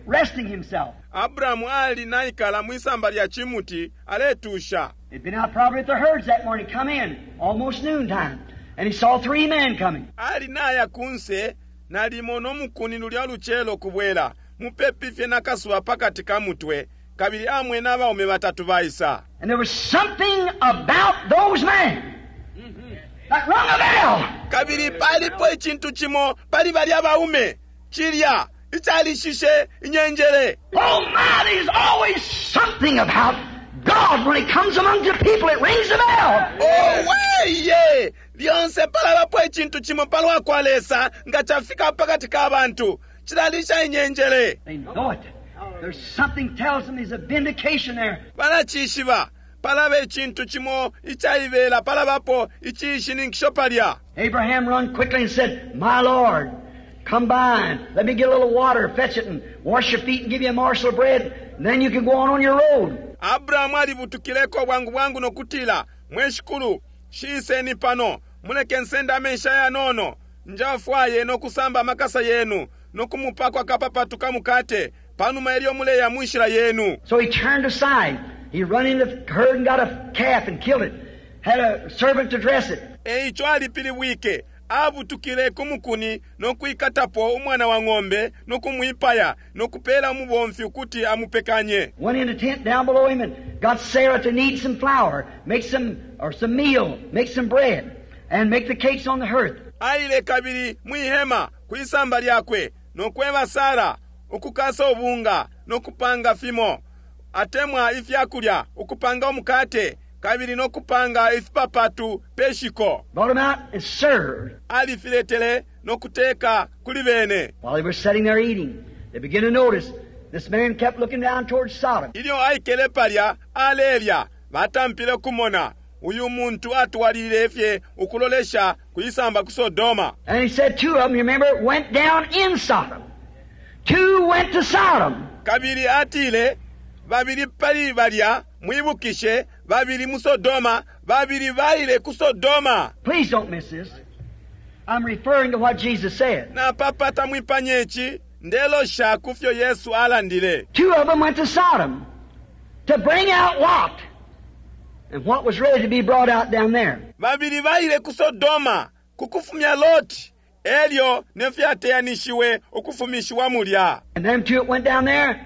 resting himself. Abrahamu ali naikala mwisamba lya chimuti aletusha. He'd been out probably at the herds that morning, come in, almost noontime, and he saw three men coming. Ali naya kunse nalimo nomukuni lulya lucelo kubwela, mupepi fye nakasuba pakati ka mutwe, kabili amwene abaume batatu baisa. And there was something about those men that rung a bell. Kabili palipo icintu cimo pali balya baume, cilya icalishishe inyenjele. Oh my, there's always something about God when He comes among the people, it rings the bell. Oh weye, lyonse palabapo icintu cimo palwa kwa Lesa nga cafika pakati ka bantu, cilalisha inyenjele. They know it. There's something tells them there's a vindication there. Balacishiba, palaba icintu cimo icaibela, palabapo icishininkisho palya. Abraham run quickly and said, My Lord, come by and let me get a little water, fetch it and wash your feet and give you a morsel of bread, and then you can go on your road. Abrahamu alibutukileko bwangu bwangu nokutila, mwe shikulu, shiiseni pano, muleke nsende amensha yanono, njafwaye nokusamba amakasa yenu, nokumupakwa kapapatu kamukate, panuma elyo muleya munshila yenu. So he turned aside. He run in the herd and got a calf and killed it. Had a servant to dress it. Eico alipilibwike, abutukile ku mukuni nokwikatapo umwana wa ng'ombe nokumwipaya nokupela umubomfi ukuti amupekanye. Went in the tent down below him and got Sarah to knead some flour, make some, or some meal, make some bread, and make the cakes on the hearth. Aile kabili mwihema kwisamba lyakwe nokweba Sara ukukasa ubunga nokupanga fimo, atemwa ifyakulya, ukupanga umukate kabili nokupanga ifipapatu peshiko. Brought them out and served. Alifiletele nokuteka kuli bene. While they were sitting there eating, they began to notice this man kept looking down towards Sodom. Ilyo aikele palya alelya, batampile kumona uyu muntu atwalile fye ukulolesha kuisamba ku Sodoma. And he said two of them, you remember, went down in Sodom. Two went to Sodom. Kabili atile babili pali balya, mwibukishe, babili mu Sodoma, babili baile ku Sodoma. Please don't miss this. I'm referring to what Jesus said. Napapata mwipanye ici, ndelosha kufyo Yesu alandile. Two of them went to Sodom to bring out Lot and what was ready to be brought out down there. Babili baile ku Sodoma kukufumya Lot, elyo nefyateyanishiwe ukufumishiwa mulya. And them two that went down there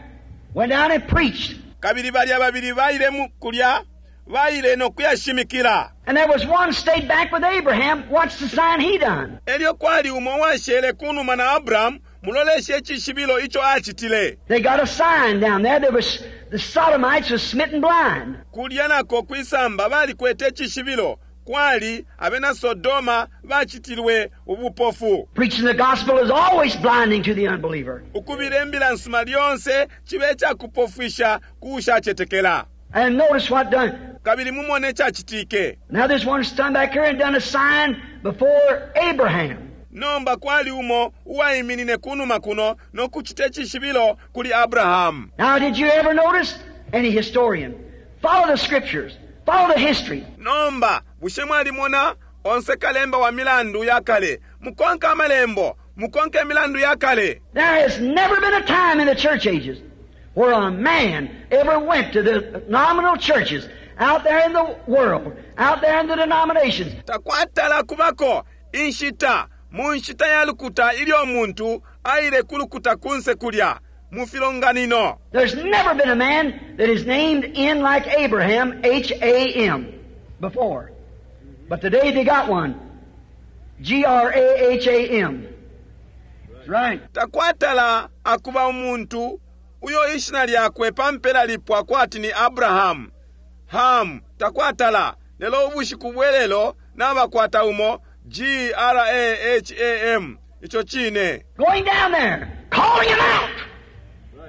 went down and preached. Kabili balya babili baile mu kulya, baile nokuyashimikila. And there was one stayed back with Abraham. What's the sign he done? Elyo kwali umo washele kunuma na Abrahamu, muloleshe icishibilo ico acitile. They got a sign down there. There was the Sodomites was smitten blind. Kulya nako kwisamba balikwete icishibilo, kwali abena Sodoma bacitilwe ubupofu. Preaching the gospel is always blinding to the unbeliever. Ukubila imbila nsuma lyonse chibe icakupofwisha kuushacetekela. And notice what done. Kabili mumone icacitike. Now there's one stand back here and done a sign before Abraham. Nomba kwali umo uwaiminine kunuma kuno nokuchita icishibilo kuli Abrahamu. Now did you ever notice any historian? Follow the scriptures. Follow the history. Nomba bushe mwalimona onse kalemba wa milandu ya kale, mukonke amalembo, mukonke imilandu ya kale. There has never been a time in the church ages where a man ever went to the nominal churches out there in the world, out there in the denominations. Takwatala kubako inshita mu nshita ya lukuta ilyo muntu aile kulukuta kunse kulya mu filonganino. There's never been a man that is named in like Abraham, H-A-M, before. But today they got one, G-R-A-H-A-M. That's right. Takwatala akuba umuntu uyo ishina lyakwe pampela lipwa kwati ni Abrahamu. Ham takwatala. Lelo ubushiku bwelelo nabakwata umo G-R-A-H-A-M. Ico cine. Going down there, calling him out.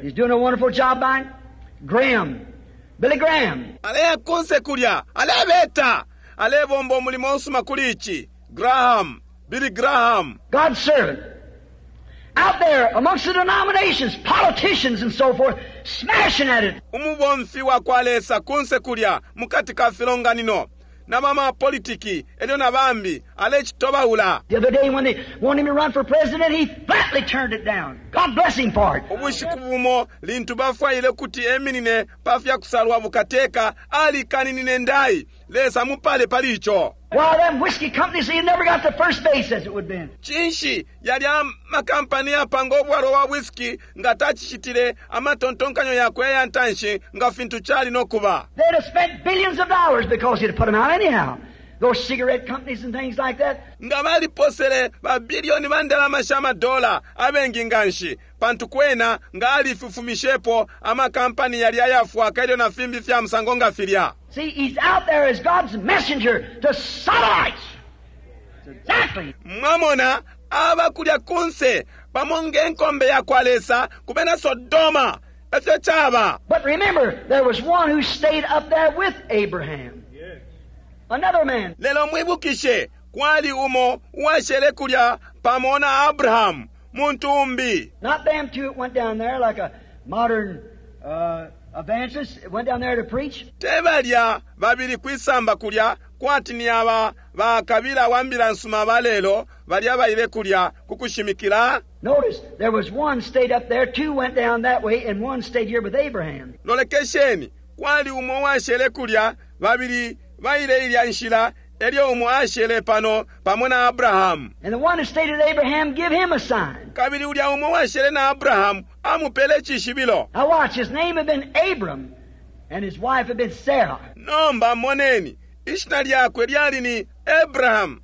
He's doing a wonderful job by it. Graham, Billy Graham. Aleya kunse kulya, alebeta. Alebomba umulimo usuma kuli ici. Graham, Billy Graham. God's servant. Out there amongst the denominations, politicians and so forth, smashing at it. Umubomfi wa kwa Lesa kunse kulya mukati ka filonganino na bamapolitiki elyo na bambi alecitobaula. The other day when they wanted him to run for president, he flatly turned it down. God bless him for it. Ubushiku bumo lintu bafwaile kuti eminine pa fya kusalwa bukateka alikaninine ndai. Lesa mupale pali ico. Why, them whiskey companies, he never got to first base as it would been. Cinshi yalya makampani yapanga ubwalwa wa whisky nga tacicitile amatontonkanyo yakwe aya ntanshi nga fintu cali no kuba. They'd have spent billions of dollars because he'd have put them out anyhow. Those cigarette companies and things like that. Nga baliposele ba bilioni ba ndalama sha madola abengi nganshi pantu kwena nga alifufumishepo amakampani yali ayafwaka elyo na fimbi fya musango nga filya. See, he's out there as God's messenger to Sodomites. Exactly. Mwamona aba kulya kunse pamo nge nkombe ya kwa Lesa ku bena Sodoma. Efyo caba. But remember, there was one who stayed up there with Abraham. Another man. Lelo mwibukishe kwali umo uwashele kulya pamo na Abrahamu, muntu umbi. Not them two that went down there like a modern evangelist went down there to preach. Te balya babili kwisamba kulya kwati ni aba bakabila wa mbila nsuma ba lelo balya baile kulya ku kushimikila. Notice, there was one stayed up there, two went down that way, and one stayed here with Abraham. Lolekesheni, kwali umo uwashele kulya, babili baile ilya nshila, elyo umo ashele pano pamo na Abrahamu. And the one who stayed with Abraham, give him a sign. Kabili ulya umo uwashele na Abrahamu amupele icishibilo. Now watch, his name had been Abram, and his wife had been Sarah. Nomba moneni, ishina lyakwe lyali ni Abraham,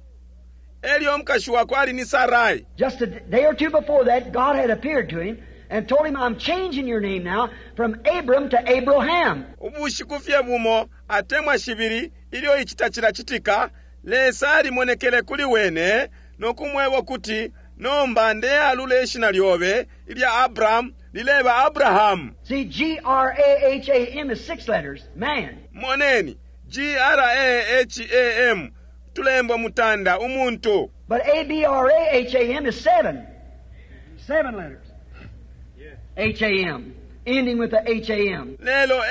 elyo umukashi wakwe ali ni Sarai. Just a day or two before that, God had appeared to him and told him, I'm changing your name now from Abram to Abraham. Ubushiku fye bumo atemwa shibili ilyo ici tacilacitika, Lesa alimonekele kuli wene no kumweba ukuti, Nomba ndealula ishina lyobe ilya Abram lileba Abrahamu. See, G-R-A-H-A-M is 6 letters, man. Moneni, G-R-A-H-A-M tulembo mutanda umuntu. But A-B-R-A-H-A-M is 7. 7 letters. H-A-M, ending with the H-A-M. Lelo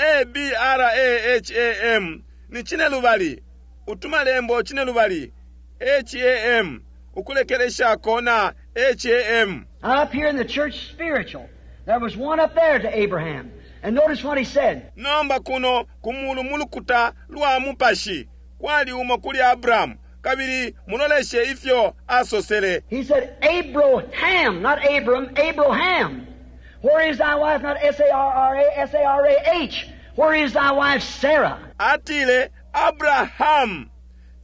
A-B-R-A-H-A-M ni cine lubali, utumalembo cine lubali, H-A-M, ukulekeleshako na H-A-M. Up here in the church spiritual, there was one up there to Abraham. And notice what he said. Nomba kuno kumulu mulukuta lwa mupashi, kwali umo kuli Abrahamu, kabili muloleshe ifyo asosele. He said, Abraham, not Abram, Abraham. Where is thy wife? Not S-A-R-R-A, S-A-R-A-H. Where is thy wife, Sarah? Atile, Abraham,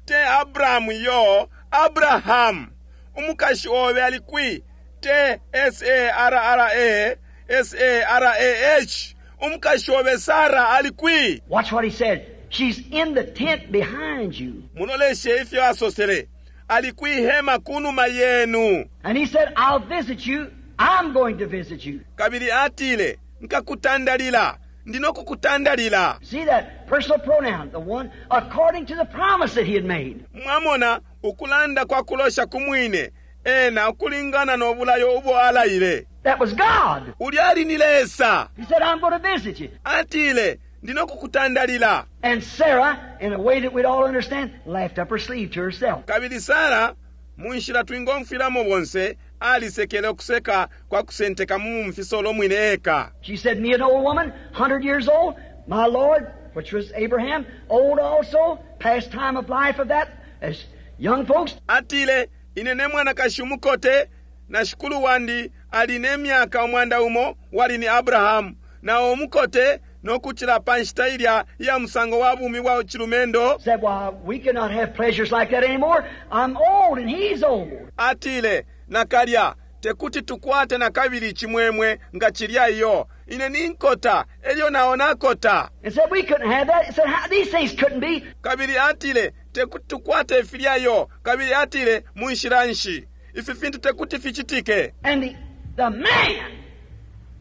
te Abrahamu yo, Abraham. Umukashi obe ali kwi, te S-A-R-R-A, S-A-R-A-H. Umukashi obe Sarah ali kwi. Watch what he said. She's in the tent behind you. Muloleshe ifyo asosele. Ali kwi hema kunuma yenu. And he said, I'll visit you. I'm going to visit you. Kabili atile, nkakutandalila. Ndino kukutandalila. See that personal pronoun, the one according to the promise that he had made. Mwamona ukulanda kwa kulosha kumwine, ena ukulingana no bulayo ubo alaile. That was God. Ulya ali ni Lesa. He said, I'm going to visit you. Atile, ndino kukutandalila. And Sarah, in a way that we'd all understand, laughed up her sleeve to herself. Kabili Sarah, munshila twingomfwilamo bonse, alisekele ukuseka kwa kusenteka mu mfisolo mwine eka. She said, me an old woman, 100 years old, my Lord, which was Abraham, old also, past time of life of that, as young folks. Atile, ine ne mwanakashi umukote, na shikulu wandi ali ne myaka umwanda umo, wali ni Abrahamu, na umukote no kuchila pa nshita ilya iya musango wa bumi bwa chilumendo. Said, well, we cannot have pleasures like that anymore. I'm old and he's old. Atile, nakalya, Tekuti tukwate nakabili icimwemwe nga cilya iyo. Ine ninkota, elyo nao nakota. And said we couldn't have that. He said how, these things couldn't be. Kabili atile, tekuti tukwate filya iyo. Kabili atile, munshila nshi? Ifi fintu tekuti ficitike. And the man,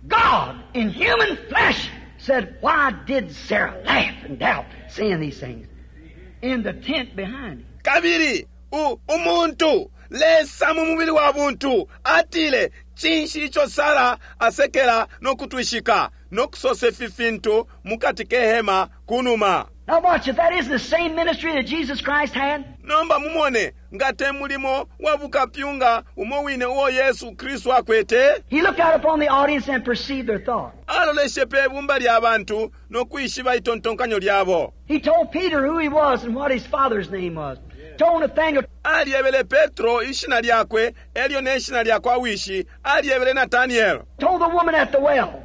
God in human flesh, said, why did Sarah laugh and doubt saying these things? In the tent behind him. Kabili, u, umuntu, Lesa mu mubili wa buntu, atile, cinshi ico Sara asekela no kutwishika, no kusosa ifi fintu mukati ke hema kunuma. Now watch, if that isn't the same ministry that Jesus Christ had. Nomba mumone, nga te mulimo wa bukapyunga umo wine uo Yesu Kristu akwete. He looked out upon the audience and perceived their thought. Aloleshe pe bumba lya bantu no kwishiba itontonkanyo lyabo. He told Peter who he was and what his father's name was. Told Nathaniel. Alyebele Petro ishina lyakwe elyo ne shina lya kwa wishi, alyebele Nathaniel. Told the woman at the well.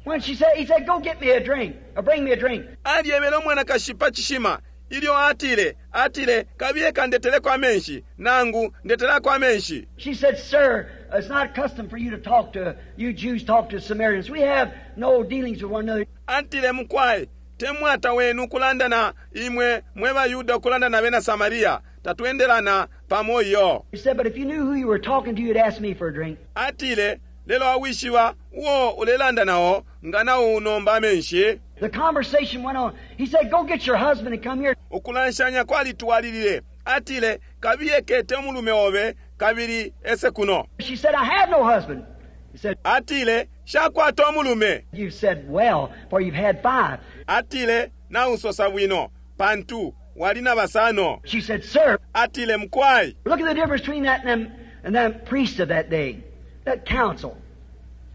When she said, he said, go get me a drink, or bring me a drink. Alyebele umwanakashi pa cishima, ilyo atile, atile, kabiye kandeteleko amenshi, nangu ndetelako amenshi. She said, sir, it's not custom for you to talk to, you Jews talk to Samaritans. We have no dealings with one another. Atile mukwai, te mwata wenu kulanda na imwe mwe Bayuda kulanda na bena Samaria, tatwendelana pamo iyo. He said, but if you knew who you were talking to, you'd ask me for a drink. Atile, lelo awishiba uo ulelanda nao, nga nao unomba amenshi. The conversation went on. He said, go get your husband and come here. Ukulanshanya kwalitwalilile. Atile, kabiye kete umulume obe, kabili ese kuno. She said, I have no husband. He said, Atile, shakwata umulume. You've said well, for you've had 5. Atile, nausosa bwino, pantu wali na basano. She said, sir. Atile, mukwai. Look at the difference between that and them, and them priests of that day, that council,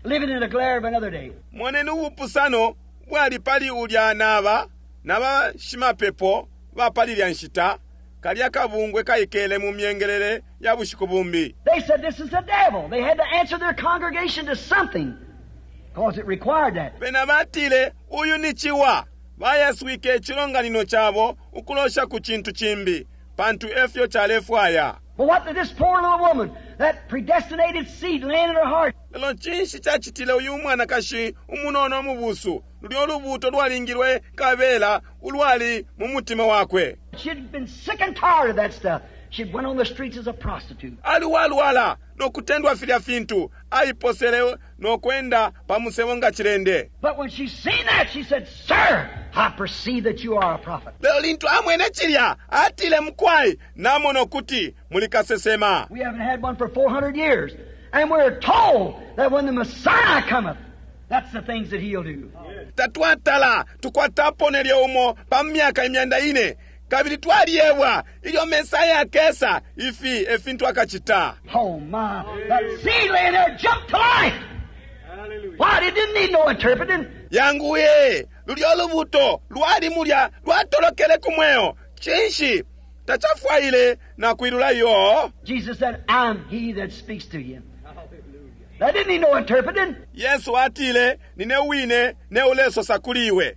living in the glare of another day. Moneni ubupusano bwali pali ulya naba, naba shimapepo ba pali lya nshita, kalya kabungwe kaikele mu myengelele ya bushiku bumbi. They said this is the devil. They had to answer their congregation to something, because it required that. Bena batile, uyu ni ciwa. Bayaswike icilonganino cabo ukulosha ku cintu cimbi, pantu efyo calefwaya. But what did this poor little woman, that predestinated seed laying in her heart? Lelo cinshi cacitile uyu mwanakashi umunono mubusu, lulyo lubuto lwalingilwe kabela ulwali mu mutima wakwe. She'd been sick and tired of that stuff. She went on the streets as a prostitute. Aliwalwala no kutendwa filya fintu, aiposele no kwenda pa musebo nga cilende. But when she seen that, she said, sir, I perceive that you are a prophet. Lelo lintu amwene cilya, atile mukwai, namona ukuti muli kasesema. We haven't had one for 400 years. And we're told that when the Messiah cometh, that's the things that he'll do. Tatwatala, tukwatapo nelyo umo pa myaka imyanda ine. Kabili twaliebwa ilyo Mesaya akesa ifi efintu akacita. Oh my, that seed laying there jumped to life. Why, it didn't need no interpreting. Yanguye, lulyo lubuto lwali mulya lwatolokele ku mweo. Cinshi tacafwaile na kwilula iyo. Jesus said, I'm he that speaks to you. That didn't need no interpreting. Yesu atile, nine wine ne ulesosa kuli iwe.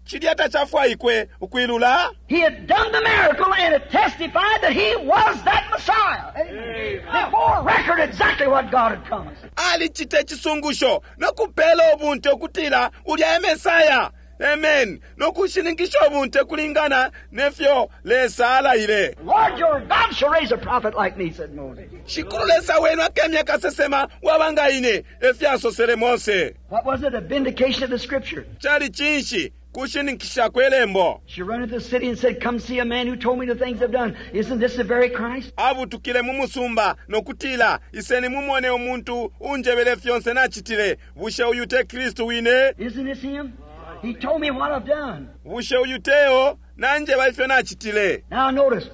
Cilya tacafwaikwe ukwilula. He had done the miracle and it testified that he was that Messiah. Amen. Before record exactly what God had promised. Alicite cisungusho no kupela ubunte ukutila ulya e Mesaya. Amen. No kushininkisha ubunte kulingana nefyo Lesa alaile. Lord your God shall raise a prophet like me, said Moses. Shikulu Lesa wenu akemya kasesema wabanga ine efyasosele Mose. What was it? A vindication of the scripture. Cali cinshi? Kushininkisha kwelembo. She ran into the city and said, come see a man who told me the things I've done. Isn't this the very Christ? Abutukile mu musumba nokutila, iseni mumone umuntu unjebele fyonse nachitile. Bushe uyu te Kristu wine? Isn't this him? He told me what I've done. Bushe uyu teo nanjeba ifyo nachitile. Now notice,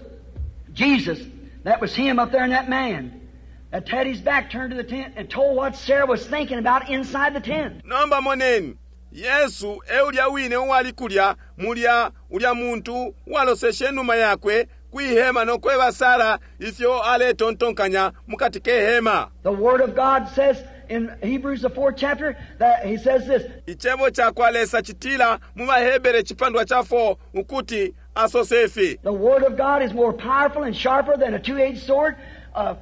Jesus, that was him up there in that man that had his back turned to the tent and told what Sarah was thinking about inside the tent. Nomba moneni, Yesu eulya wine uwali kulya mulya ulya muntu waloseshe numa yakwe kwihema nokweba Sara ifyo aletontonkanya mukati ke hema. The Word of God says in Hebrews the 4th chapter that he says this. Icebo ca kwa Lesa citila mu Bahebere cipandwa ca 4 ukuti asose ifi. The Word of God is more powerful and sharper than a two-edged sword,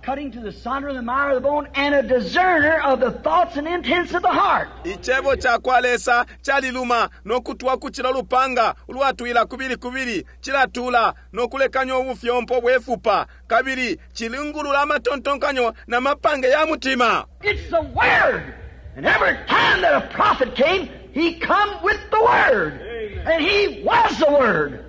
cutting to the sunder of the marrow of the bone, and a discerner of the thoughts and intents of the heart. Icebo ca kwa Lesa caliluma no kutwa kucila ulupanga ulwatwila kubili kubili, cilatula no kulekanya ubufyompo bwe fupa, kabili cilingulula amatontonkanyo na mapange ya mutima. It's the Word. And every time that a prophet came, he come with the Word. And he was the Word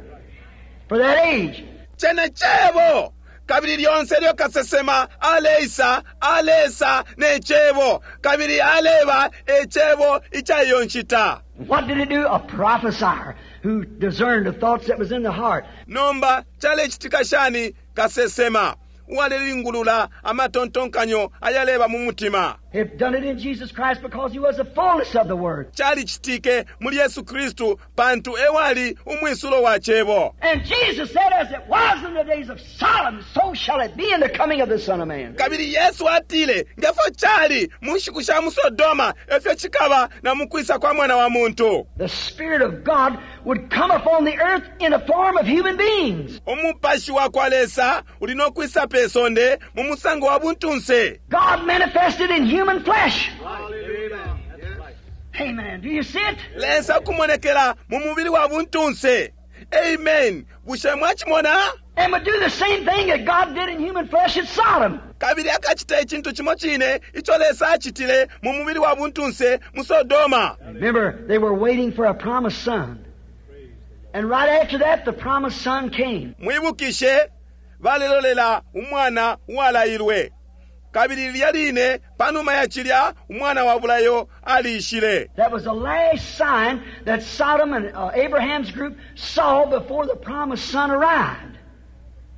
for that age. Cene cebo! Kabili lyonse lyo kasesema aleisa, alesa ne cebo, kabili aleba e cebo ica iyo nshita. What did he do? A prophesier who discerned the thoughts that was in the heart. Nomba calecitika shani? Kasesema uwalelingulula amatontonkanyo ayaleba mu mutima. They've done it in Jesus Christ because he was the fullness of the Word. Calicitike muli Yesu Kristu pantu ewali umwisulo wa cebo. And Jesus said, as it was in the days of Sodom, so shall it be in the coming of the Son of Man. Kabili Yesu atile, ngefyo cali mu nshiku sha mu Sodoma, efyo cikaba na mu kwisa kwa Mwana wa Muntu. The Spirit of God would come upon the earth in the form of human beings. Umupashi wa kwa Lesa uli no kwisa pe sonde mu musango wa buntunse. God manifested in human flesh. Amen. Do you see it? Lesa kumonekela mu mubili wa buntunse. Amen. Bushe mwacimona? And would do the same thing that God did in human flesh at Sodom. Kabili akacita icintu cimo cine ico Lesa acitile mu mubili wa buntunse mu Sodoma. Remember, they were waiting for a promised son. And right after that, the promised son came. Mwibukishe, balelolela umwana uwalailwe. Kabili lilya line panuma ya cilya, umwana wa bulayo aliishile. That was the last sign that Sodom and Abraham's group saw before the promised son arrived.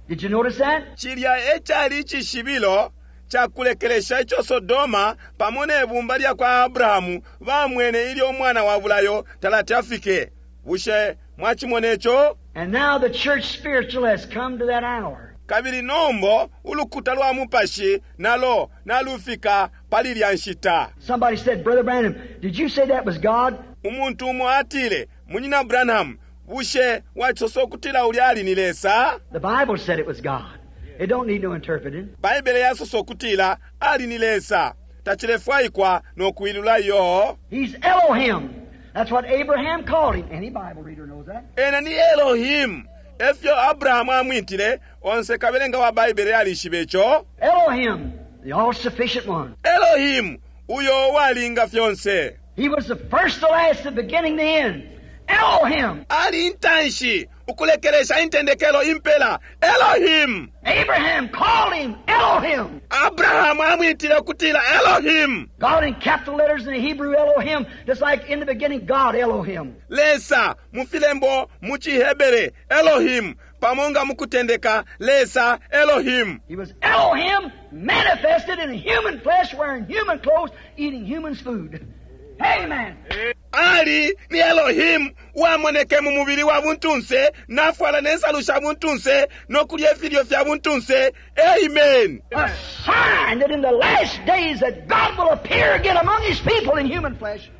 Did you notice that? Cilya e cali icishibilo ca kulekelesha ico Sodoma pamo ne bumba lya kwa Abrahamu bamwene ilyo umwana wa bulayo talati afike. Bushe mwacimona ico? And now the church spiritual has come to that hour. Kabili nombo ulukuta lwa mupashi nalo nalufika pali lya nshita. Somebody said, Brother Branham, did you say that was God? Umuntu umo atile, Munyina Branham, bushe wacisosa ukutila ulya ali ni Lesa? The Bible said it was God. It don't need no interpreting. Baibele yasosa ukutila ali ni Lesa. Tacilefwaikwa no kuilula iyo. He's Elohim. That's what Abraham called him. Any Bible reader knows that. Ena ni Elohim. Efyo Abrahamu amwitile, onse kabelenga wa Baibele alishibe ico. Elohim, the all-sufficient one. Elohim, uyo walinga fyonse. He was the first, the last, the beginning, the end. Elohim. Ali intanshi, ukulekelesha intendekelo impela. Elohim. Abraham called him Elohim. Abrahamu amwitile ukutila Elohim. God in capital letters in the Hebrew Elohim, just like in the beginning God Elohim. Lesa mu filembo mu ciHebere Elohim, pamo nga mu kutendeka Lesa Elohim. He was Elohim manifested in human flesh, wearing human clothes, eating human's food. Amen. Ali ni Elohim uwamoneke mu mubili wa buntunse, nafwala ne nsalu sha buntunse, no kulya ifilyo fya buntunse. Amen. A sign that in the last days that God will appear again among His people in human flesh.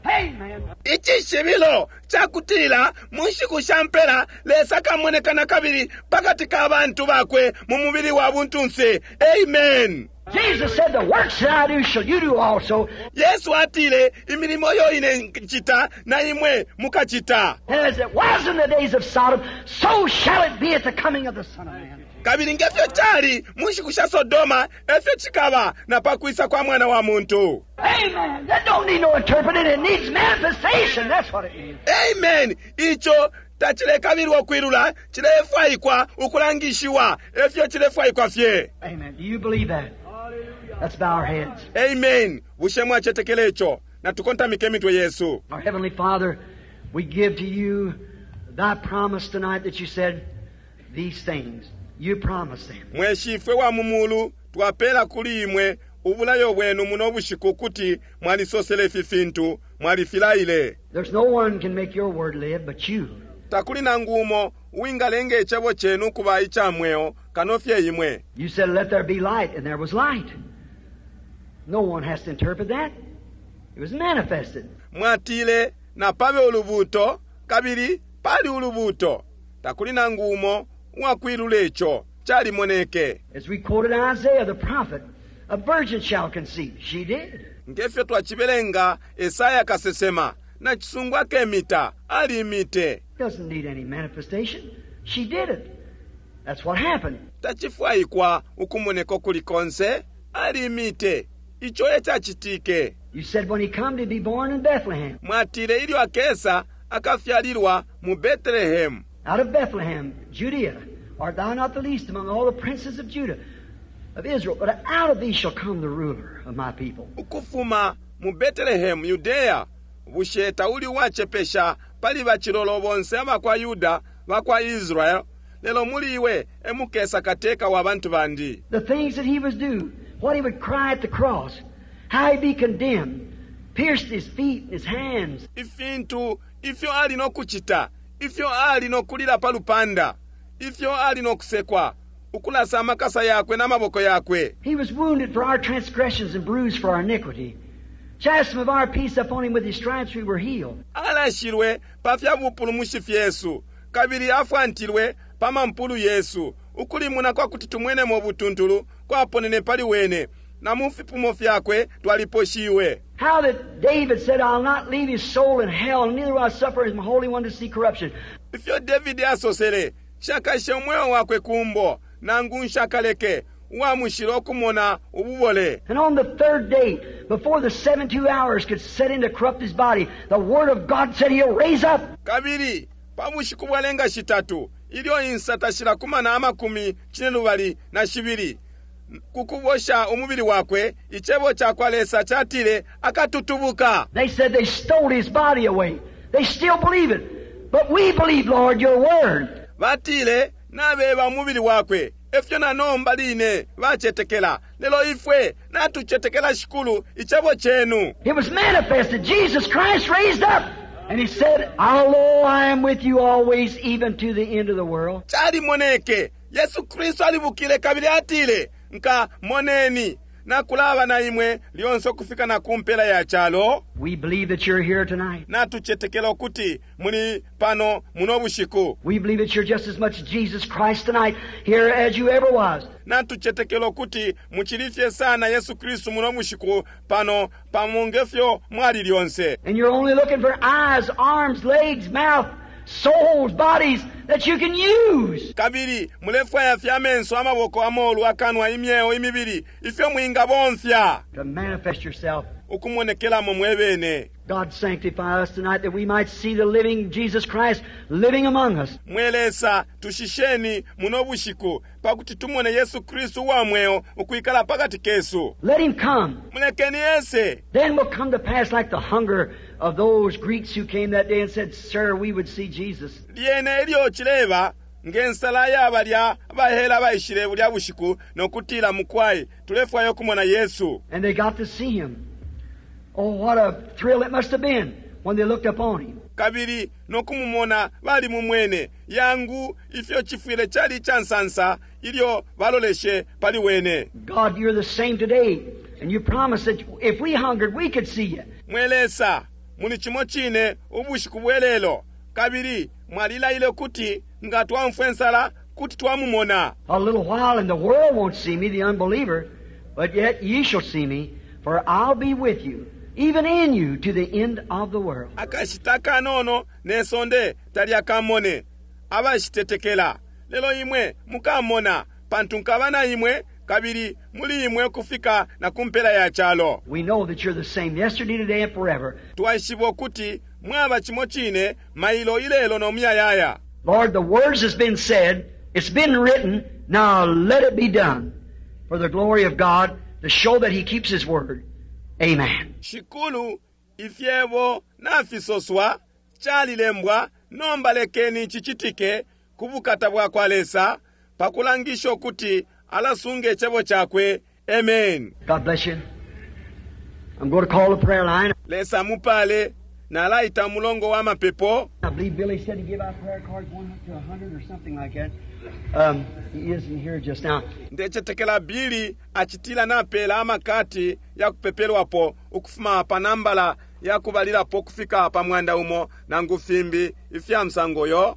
Amen. Icishibilo ca kutila mu nshiku sha mpela Lesa akamoneka na kabili pakati ka bantu bakwe mu mubili wa buntunse. Amen. Jesus said, the works that I do shall you do also. Yesu atile, imilimo yo ine ncita na imwe mukacita. And as it was in the days of Sodom, so shall it be at the coming of the Son of Man. Kabili ngefyo cali mu nshiku sha Sodoma, efyo cikaba na pakwisa kwa Mwana wa Muntu. Amen. That don't need no interpreting. It needs manifestation. That's what it needs. Amen. Ico tacilekabilwa ukwilula, cilefwaikwa ukulangishiwa, efyo cilefwaikwa fye. Amen. Do you believe that? Let's bow our heads. Amen. Bushe mwacetekela ico? Natukontamike imitwe yesu. Our Heavenly Father, we give to you thy promise tonight that you said these things. You promised them. Mwe Shifwe wa mu mulu, twapela kuli imwe ubulayo bwenu muno bushiku ukuti mwalisosele ifi fintu, mwalifilaile. There's no one can make your word live but you. Takuli nangu umo uwingalenga icebo cenu ukuba ica mweo kano fye imwe. You said, let there be light, and there was light. No one has to interpret that. It was manifested. Mwatile, napabe ulubuuto, kabili pali ulubuuto. Takuli nangu umo uwakwilula ico. Calimoneke. As we quoted Isaiah the prophet, a virgin shall conceive. She did. Ngefyo twacibelenga Esaya kasesema, nacisungu akemita, alimite. Doesn't need any manifestation. She did it. That's what happened. Tacifwaikwa ukumoneka ukuli konse, alimite. Ico ecacitike. You said when he come to be born in Bethlehem. Mwatile ilyo akesa akafyalilwa mu Bethlehem. Out of Bethlehem, Judea, art thou not the least among all the princes of Judah, of Israel, but out of thee shall come the ruler of my people. Ukufuma mu Bethlehem, Judea, bushe tauli uwacepesha pali bacilolo bonse abakwa Yuda bakwa Israel, lelo muli iwe emukesa kateka wa bantu bandi. The things that he was due, what he would cry at the cross, how he'd be condemned, pierced his feet and his hands. Ifintu ifyo ali no kucita, ifyo ali no kulila pa lupanda, ifyo ali no kusekwa, ukulasa amakasa yakwe n'amaboko yakwe. He was wounded for our transgressions and bruised for our iniquity. Chastisement of our peace upon him, with his stripes we were healed. Alashilwe pa fya bupulumushi fyesu, kabili afwantilwe pa mampulu yesu. Ukulimuna kwa kuti tumwenemo butuntulu kwaponene pali wene, na mu fipumo fyakwe twaliposhiwe. How that David said, I'll not leave his soul in hell, neither will I suffer his Holy One to see corruption. Ifyo David asosele, nshakashe umweo wakwe kumbo, nangu nshakaleke uwa mushilo ukumona ububole. And on the third day, before the 72 hours could set in to corrupt his body, the Word of God said he'll raise up. Kabili pa bushiku bwalenga shitatu, ilyo insata shilakumana amakumi cinelubali na shibili kukubosha umubili wakwe, icebo ca kwa Lesa catile akatutubuka. They said they stole his body away. They still believe it. But we believe, Lord, your word. Batile nabeba umubili wakwe, efyo na nomba line bacetekela, lelo ifwe natucetekela Shikulu icebo cenu. It was manifested. Jesus Christ raised up. And he said, Although I am with you always, even to the end of the world. Calimoneke Yesu Kristu alibukile kabili atile, nka moneni nakulaba na imwe lyonse ukufika na ku mpela ya calo. We believe that you're here tonight. Natucetekela ukuti muli pano muno bushiku. We believe that you're just as much Jesus Christ tonight here as you ever was. Natucetekela ukuti muchilifye sana Yesu Kristu muno bushiku pano pamo ngefyo mwali lyonse. And you're only looking for eyes, arms, legs, mouth, souls, bodies that you can use. Kabili mulefwaya fye amenso, amaboko, amolu, akanwa, imyeo, imibili ifyo mwingabomfya To manifest yourself. ukumonekelamo mwebene. God sanctify us tonight that we might see the living Jesus Christ living among us. Mwe Lesa, tushisheni muno bushiku pakuti tumone Yesu Kristu uwa mweo ukwikala pakati kesu. Let him come. Mulekeni ese. Then will come to pass like the hunger of those Greeks who came that day and said, Sir, we would see Jesus. Lyene ilyo cileba ngensala yabalya abahela baishile bulya bushiku nokutila mukwai tulefwaya ukumona Yesu. And they got to see him. Oh, what a thrill it must have been when they looked upon him. Kabili nokumumona bali mumwene yangu ifyo chifwile chali chansansa ilyo baloleshe pali wene. God, you're the same today, and you promised that if we hungered, we could see you. Mwe Lesa, muli chimo chine ubushiku bwelelo, kabili mwalilaile kuti nga twamfwe nsala kuti twamumona. A little while and the world won't see me, the unbeliever, but yet ye shall see me, for I'll be with you, even in you, to the end of the world. Akashita kanono ne sonde talyakamone abashitetekela, lelo imwe mukamona, pantu nkaba na imwe kabili muli imwe kufika na kumpela ya chalo. We know that you're the same yesterday, today, and forever. Twaishiba ukuti mwaba chimo chine mailo ilelo no muyayaya. Lord, the words has been said, it's been written, now let it be done for the glory of God, to show that He keeps His word. Amen. Shikulu, ifyebo nafisoswa calilembwa, nomba lekeni cicitike ku bukata bwa kwa Lesa pakulangisha ukuti alasunga icebo cakwe. Amen. God bless you. I'm going to call the prayer line. Lesa mupale nalaita mulongo wa mapepo. I believe Billy said to give out prayer cards 1 to 100 or something like that. He isn't here just now. Ndecetekela Billy acitila napela amakati ya kupepelwapo ukufuma pa nambala ya kubalilapo kufika pa mwanda umo nangu fimbi ifya msango yo.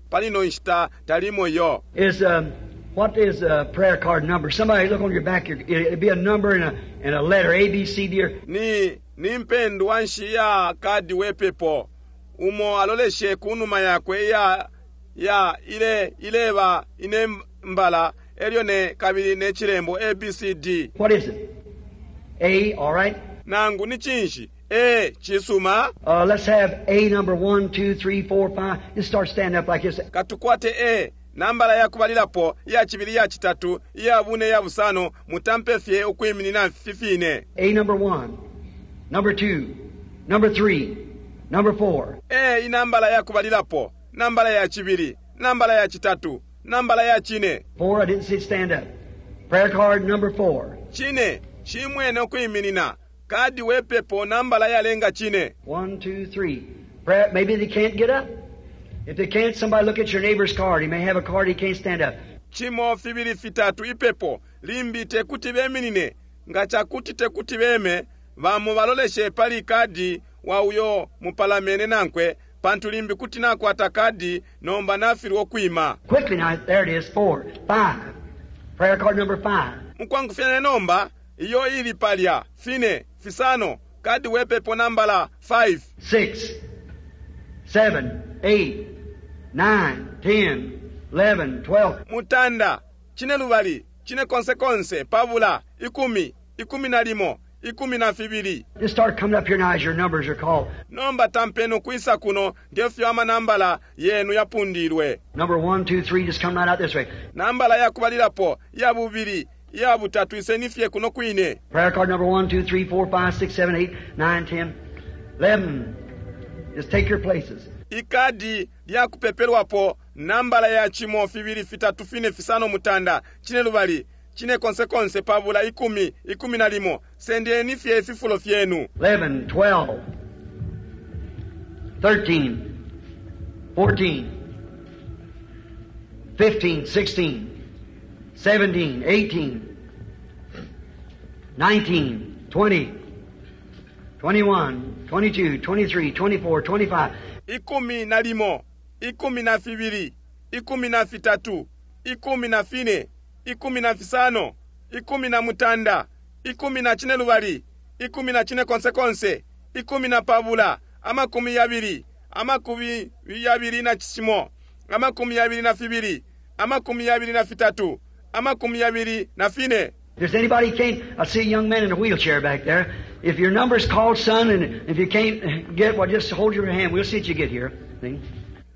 Palino nshita talimo yo. Is What is a prayer card number? Somebody look on your back. It'll be a number and a letter, A, B, C, D, or Ni ni mpendwa nshi ya kadi wepepo umo aloleshe kunuma yakwe iya ya ile ileba ine mbala elyo ne kabili ne chilembo ABCD. What is it? A, all right. Nangu ni cinshi? A cisuma. Let's have A number 1, 2, 3, 4, 5. Just start standing up like this. Katukwate A nambala ya kubalilapo, iya cibili, iya citatu, iya bune, iya busano, mutampe fye ukwiminina fifine. A number 1, number 2, number 3, number 4. A inambala ya kubalilapo, nambala ya cibili, nambala ya citatu, nambala ya cine. 4, I didn't see it stand up. Prayer card number 4. Cine, cimwene ukwiminina. Kadi wepepo nambala yalenga cine. 1, 2, 3. Prayer, maybe they can't get up. If they can't, somebody look at your neighbor's card. He may have a card he can't stand up. Cimo fibili fitatu ipepo limbi tekuti beminine. Nga cakuti tekuti beme, bamo baloleshe pali kadi wa uyo mupalamene nankwe, pantu limbi kuti nakwata kadi nomba nafilwa ukwima. Quickly now, there it is, 4, 5. Prayer card number 5. Mukwangufyanya nomba, iyo ili palya, fine, fisano, kadi wepepo nambala 5. 6, 7, 8, 9, 10, 11, 12. Mutanda, cine lubali, cine konse konse, pabula, ikumi, ikumi na limo, ikumi na fibili. Just start coming up here now as your numbers are called. Nomba tampeni ukwisa kuno ngefyo amanambala yenu yapundilwe. Number 1, 2, 3, just come right out this way. Nambala yakubalilapo, iya bubili, iya butatu, iseni fye kuno kwine. Prayer card number 1, 2, 3, 4, 5, 6, 7, 8, 9, 10, 11. Just take your places. Ikadi lya kupepelwapo nambala ya cimo fibili fitatu fine fisano mutanda cine lubali cine konse konse pabula ikumi ikumi na limo. Sendeni fye ififulo fyenu. 11, 12, 13, 14, 15, 16, 17, 18, 19, 20, 21, 22, 23, 24, 25. Ikumi na limo, ikumi na fibili, ikumi na fitatu, ikumi na fine, ikumi na fisano, ikumi na mutanda, ikumi na cine lubali, ikumi na cine konse konse, ikumi na pabula, amakumi yabili, amakumi yabili na cimo, amakumi yabili na fibili, amakumi yabili na fitatu, amakumi yabili na fine. If there's anybody can't, I see a young man in a wheelchair back there. If your number's called, son, and if you can't get, well, just hold your hand. We'll see what you get here. See?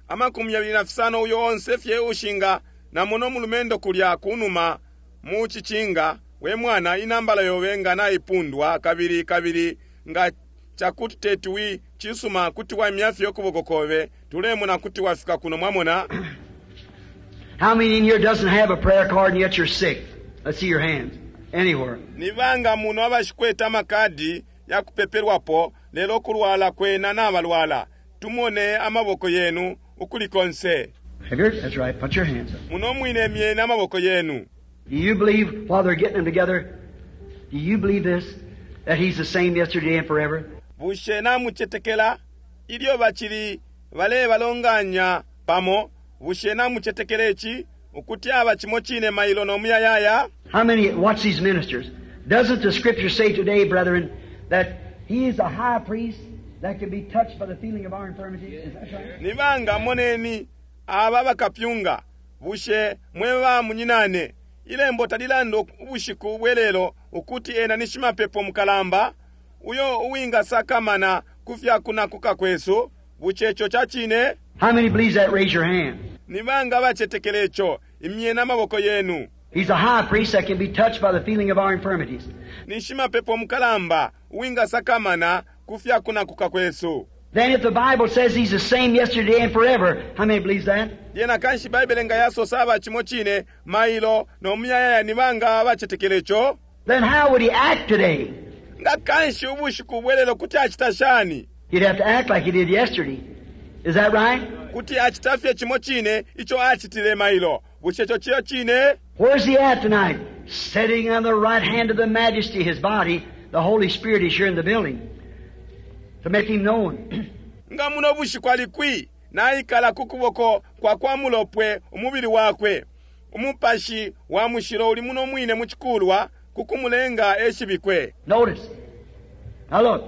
Amakumi yabili na fisano uyo onse fye ushinga na muno mulumendo kulya kunuma mu chicinga we mwana inambala yobe nga naipundwa kabili kabili nga chakuti tetuwi chisuma kuti wamya fye ukuboko kobe tulemona kuti wafika kuno mwamona. How many in here doesn't have a prayer card and yet you're sick? Let's see your hands. Anywhere. Nibanga muno abashikweta amakadi ya kupepelwapo lelo kulwala kwena nabalwala. Tumone amaboko yenu ukulikonse. Have you? That's right. Put your hands up. Muno mwine myene amaboko yenu. Do you believe while they're getting them together? Do you believe this? That he's the same yesterday and forever? Bushe namuchetekela ilyo bachili bale balonganya pamo. Bushe namuchetekela ichi ukuti aba chimo chine mailo no muyayaya. How many watch these ministers? Doesn't the scripture say today, brethren, that he is a high priest that can be touched by the feeling of our infirmities? Is that right? Nibanga moneni aba bakapyunga bushe mweba munyinane ilembo talilando ubushiku bwelelo ukuti ena ni shimapepo mukalamba uyo uwinga sakamana kufya kunakuka kwesu buchecho cha chine. How many believes that? Raise your hand. Nibanga bachetekelecho imyena amaboko yenu. He's a high priest that can be touched by the feeling of our infirmities. Ni shimapepo mukalamba uwinga sakamana kufya kunakuka kwesu. Then if the Bible says he's the same yesterday and forever, how many believes that? Yena kanshi Bible nga yasosa aba chimo chine mailo no muyayaya nibanga bachetekelecho. Then how would he act today? Nga kanshi ubushiku bwelelo kuti achita shani? He'd have to act like he did yesterday. Is that right? Kuti achita fye chimo chine icho achitile mailo. Buchecho chiyo chine. Where's he at tonight? Sitting on the right hand of the majesty, his body, the Holy Spirit is here in the building to make him known. Nga muno bushiku alikwi naikala kukuboko kwa kwa mulopwe umubili wakwe. Umupashi wa Mushilo uli muno mwine mu cikulwa ku kumulenga eshibikwe. Notice. Now look.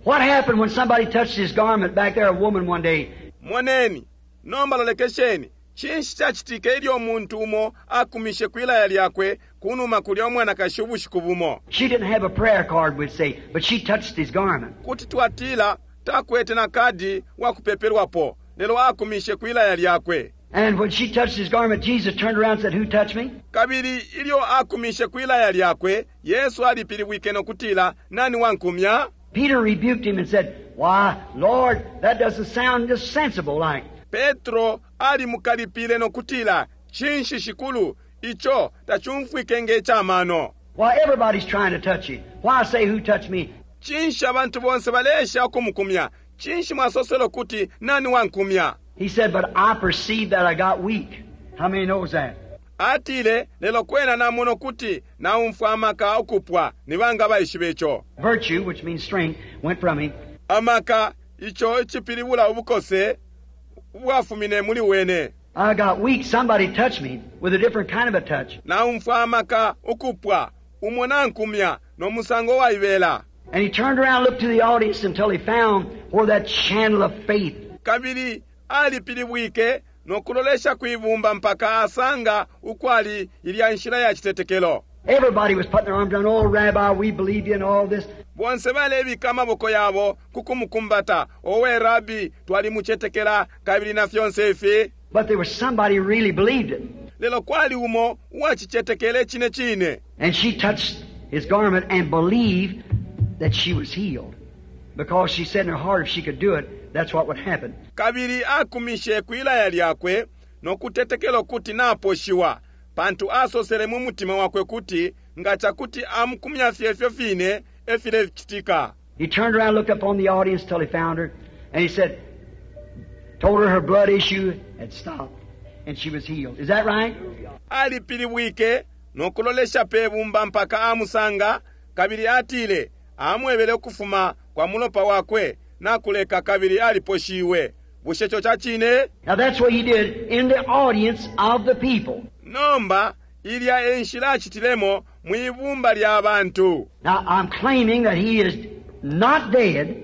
What happened when somebody touched his garment back there, a woman one day? Moneni, nomba lolekesheni, cinshi cacitike ilyo umuntu umo akumishe kwilaya lyakwe kunuma kulya umwanakashi ubushiku bumo? She didn't have a prayer card, we'd say, but she touched his garment. Kuti twatila takwete na kadi wa kupepelwapo, lelo akumishe kwilaya lyakwe. And when she touched his garment, Jesus turned around and said, Who touched me? Kabili ilyo akumishe kwilaya lyakwe, Yesu alipilibwike no kutila, Nani wankumya? Peter rebuked him and said, Why, Lord, that doesn't sound just sensible like. Petro alimukalipile no kutila, Cinshi Shikulu, ico tacumfwike nge camano. Why, everybody's trying to touch you. Why say, Who touched me? Cinshi abantu bonse baleesha ukumukumya? Cinshi mwasosela ukuti, Nani wankumya? He said, But I perceive that I got weak. How many knows that? Atile, lelo kwena namona ukuti naumfwa amaka ukupwa. Ni banga baishiba ico? Virtue, which means strength, went from him. Amaka, ico icipilibula ubukose, ubwafumine muli wene. I got weak. Somebody touched me with a different kind of a touch. Naumfwa amaka ukupwa, umo nankumya no musango waibela. And he turned around and looked to the audience until he found where that channel of faith. Kabili alipilibwike no kulolesha kwibumba mpaka asanga ukwali ilya nshila ya citetekelo. Everybody was putting their arms around, Oh, Rabbi, we believe you and all this. Bonse balebika amaboko yabo ku kumukumbata, Owe Rabi, twalimucetekela kabili na fyonse ifi. But there was somebody who really believed it. Lelo kwali umo uwacicetekele cine cine. And she touched his garment and believed that she was healed. Because she said in her heart if she could do it, that's what would happen. Kabili akumishe kwilaya lyakwe no kutetekelo kuti naposhiwa, pantu asosele mu mutima wakwe kuti nga cakuti amukumya fye ifyo fine e filecitika. He turned around and looked up on the audience till he found her, and he said, told her her blood issue had stopped, and she was healed. Is that right? Alipilibwike no kulolesha pe bumba mpaka amusanga, kabili atile, amwebele ukufuma kwa mulopa wakwe nakuleka kabili aliposhiwe. Bushe ico ca cine? Now that's what he did in the audience of the people. Nomba, ilya e nshila acitilemo mwi bumba lya bantu. Now I'm claiming that he is not dead.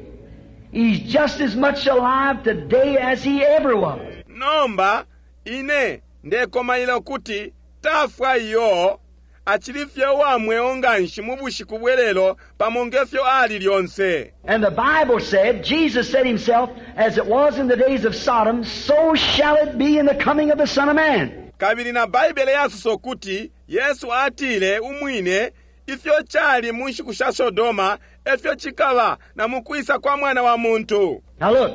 He's just as much alive today as he ever was. Nomba, ine ndekomaila ukuti tafwa iyo, acili fye uwa mweo nganshi mu bushiku bwe lelo pamo nge fyo ali lyonse. And the Bible said, Jesus said himself, as it was in the days of Sodom, so shall it be in the coming of the Son of Man. Kabili na Baibele yasosa ukuti, Yesu atile umwine, ifyo cali mu nshiku sha Sodoma, efyo cikaba na mu kwisa kwa Mwana wa muntu. Now look,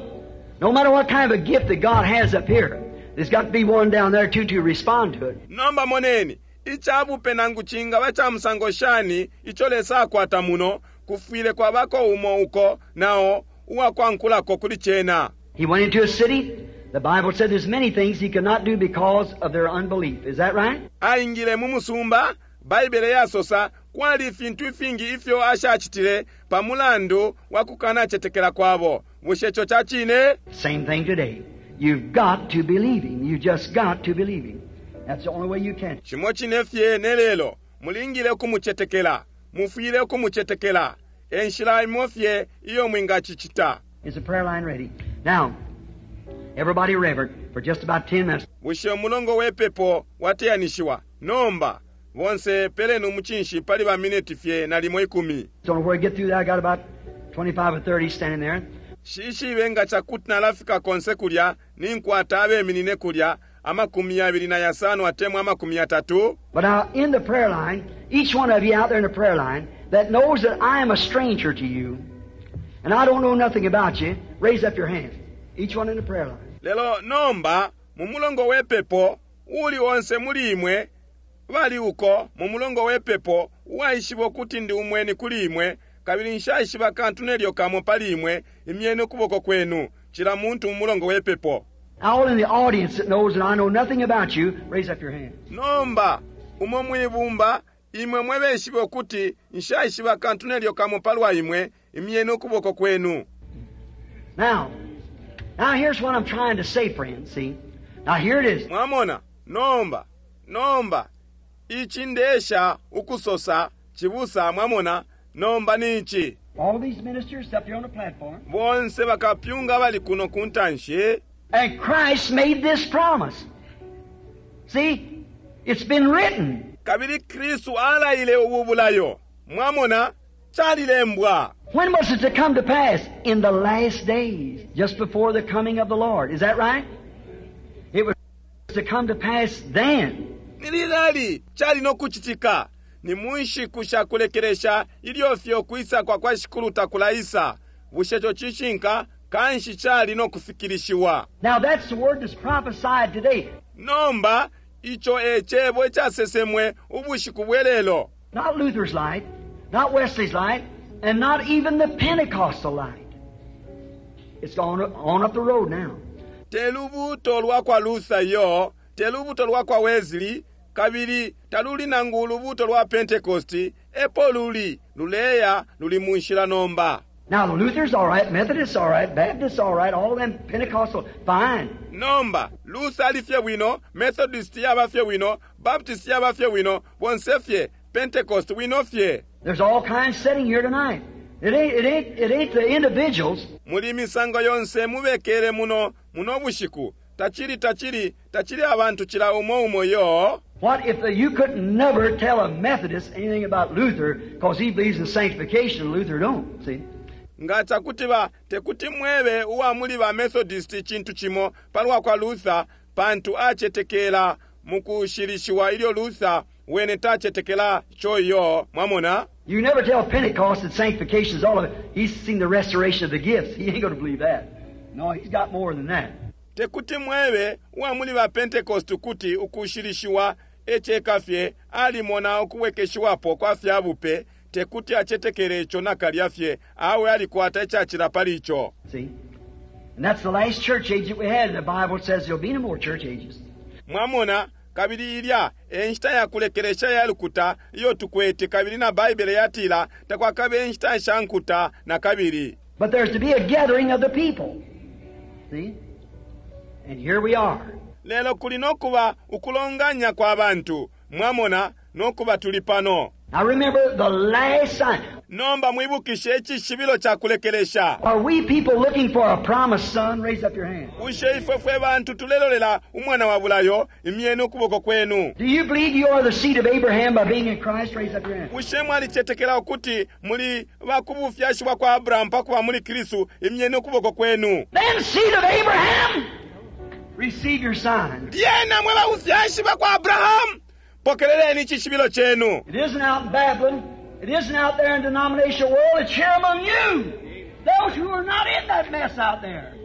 no matter what kind of a gift that God has up here, there's got to be one down there too to respond to it. Nomba moneni, ica bupe nangu cingaba ca musango shani ico Lesa akwata muno, kufwile kwabako umo uko, nao, uwakwankulako kuli cena. He went into a city. The Bible said there's many things he could not do because of their unbelief. Is that right? Aingile mu musumba, Baibele yasosa, kwali ifintu ifingi ifyo ashacitile pa mulandu wa kukanacetekela kwabo. Bushe ico ca cine? Same thing today. You've got to believe him. You just got to believe him. That's the only way you can. Cimo cine fye ne lelo, mulingile ukumucetekela. Mufwile ukumucetekela. E nshila imo fye iyo mwingacicita. Is the prayer line ready? Now, everybody reverent for just about 10 minutes. Bushe umulongo we pepo wateyanishiwa? Nomba, bonse peleni umucinshi pali ba mineti fye nalimo ikumi. So when we get through that, I got about 25 or 30 standing there. Nshishibe nga cakuti nalafika konse kulya, ninkwata abeminine kulya, 25 atemwa 30. But now, in the prayer line, each one of you out there in the prayer line that knows that I am a stranger to you, and I don't know nothing about you, raise up your hand. Each one in the prayer line. Lelo nomba, mu mulongo we pepo, uuli onse muli imwe bali uko mu mulongo we pepo, uwaishiba ukuti ndi umweni kuli imwe, kabili nshaishiba kantu nelyo kamo pali imwe, imyeni ukuboko kwenu, cila muntu mu mulongo we pepo. All in the audience that knows that I know nothing about you, raise up your hand. Nomba, umo mwi bumba, imwe mwe beshibe ukuti nshaishiba kantu nelyo kamo palwa imwe, imyeni ukuboko kwenu. Now, now here's what I'm trying to say, friends, see. Now here it is. Mwamona, nomba, Nomba, ici ndesha ukusosa, cibusa, mwamona, nomba ni ici. All these ministers up here on the platform. Bonse bakapyunga abali kuno ku ntanshi. And Christ made this promise. See, it's been written. Kabili Kristu alaile ubu bulayo. Mwamona, calilembwa. When was it to come to pass? In the last days, just before the coming of the Lord. Is that right? It was to come to pass then. Ni lilali cali no kucitika? Ni mu nshiku sha kulekelesha ilyo fye ukwisa kwa kwa Shikulu takulaisa. Bushe co cishinka? Kanshi cali no kufikilishiwa. Now that's the word that's prophesied today. Nomba, ico e cebo icasesemwe ubushiku bwe lelo. Not Luther's light, not Wesley's light, and not even the Pentecostal light. It's gone on up the road now. Te lubuuto lwa kwa Luther iyo, te lubuuto lwa kwa Wesley, kabili taluli nangu ulubuuto lwa Pentecost, epo luli, luleya, luli mu nshila nomba. Now, Luther's all right, Methodist's all right, Baptist's all right, all them Pentecostal, fine. Nomba, Luther ali fye bwino, Methodist yaba fye bwino, Baptist yaba fye bwino, bonse fye, Pentecost bwino fye. There's all kinds sitting here tonight. It ain't, it ain't, it ain't the individuals. Muli imisango yonse mubekele muno, muno bushiku. Tacili, tacili, tacili abantu cila umo umo yo. What if you could never tell a Methodist anything about Luther because he believes in sanctification and Luther don't, see? Nga cakuti ba tekuti mwebe uwa muli ba Methodist icintu cimo palwa kwa Luther, pantu acetekela mukushilishiwa ilyo Luther wene tacetekela ico iyo, mwamona? You never tell Pentecost that sanctification is all of it. He's seen the restoration of the gifts. He ain't going to believe that. No, he's got more than that. Tekuti mwebe uwa muli ba Pentecost ukuti ukushilishiwa e ceka fye, alimona ukubwekeshiwapo kwa fya bupe, tekuti acetekele ico nakalya fye, awe alikwata icacila pali ico. See? And that's the last church age that we had. The Bible says there'll be no more church ages. Mwamona, kabili ilya e nshita ya kulekelesha ya lukuta iyo tukwete, kabili na Baibele yatila takwakabe inshita sha nkuta na kabili. But there's to be a gathering of the people. See? And here we are. Lelo kuli no kuba ukulonganya kwa bantu. Mwamona, no kuba tuli pano. Now remember the last sign. Nomba mwibukishe icishibilo ca kulekelesha. Are we people looking for a promised son? Raise up your hand. Bushe ifwe fwe bantu tulelolela umwana wa bulayo? Imyeni ukuboko kwenu. Do you believe you are the seed of Abraham by being in Christ? Raise up your hand. Bushe mwalicetekela ukuti muli ba ku bufyashi bwa kwa Abrahamu pa kuba muli Kristu? Imyeni ukuboko kwenu. Then seed of Abraham, receive your sign. Lyena mwe ba bufyashi bwa kwa Abrahamu, pokeleleni icishibilo cenu. It isn't out in Babylon. It isn't out there in the denominational world. It's here among you. Those who are not in that mess out there.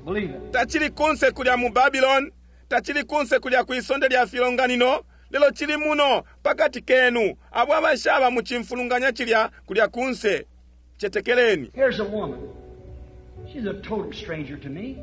Believe it. Tacili kunse kulya mu Babylon, tacili kunse kulya kwi sonde lya filonganino, lelo cili muno pakati kenu, abo abashaba mu cimfulunganya cilya kulya kunse. Cetekeleni. Here's a woman. She's a total stranger to me.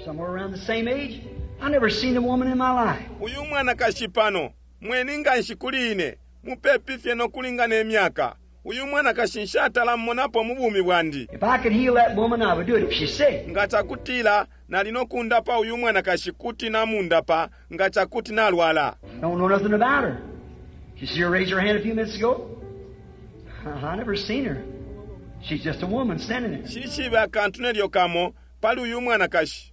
Somewhere around the same age. I never seen a woman in my life. Uyu mwanakashi pano, mweni nganshi kuli ine, mupepi fye no kulingana imyaka. Uyu mwanakashi nshatala mmonapo mu bumi bwandi. If I could heal that woman, I would do it if she's sick. Nga cakutila nali no kundapa uyu mwanakashi kuti namundapa nga cakuti nalwala. I don't know nothing about her. Did you see her raise her hand a few minutes ago? I never seen her. She's just a woman standing there. Nshishibe akantu nelyo kamo pali uyu mwanakashi.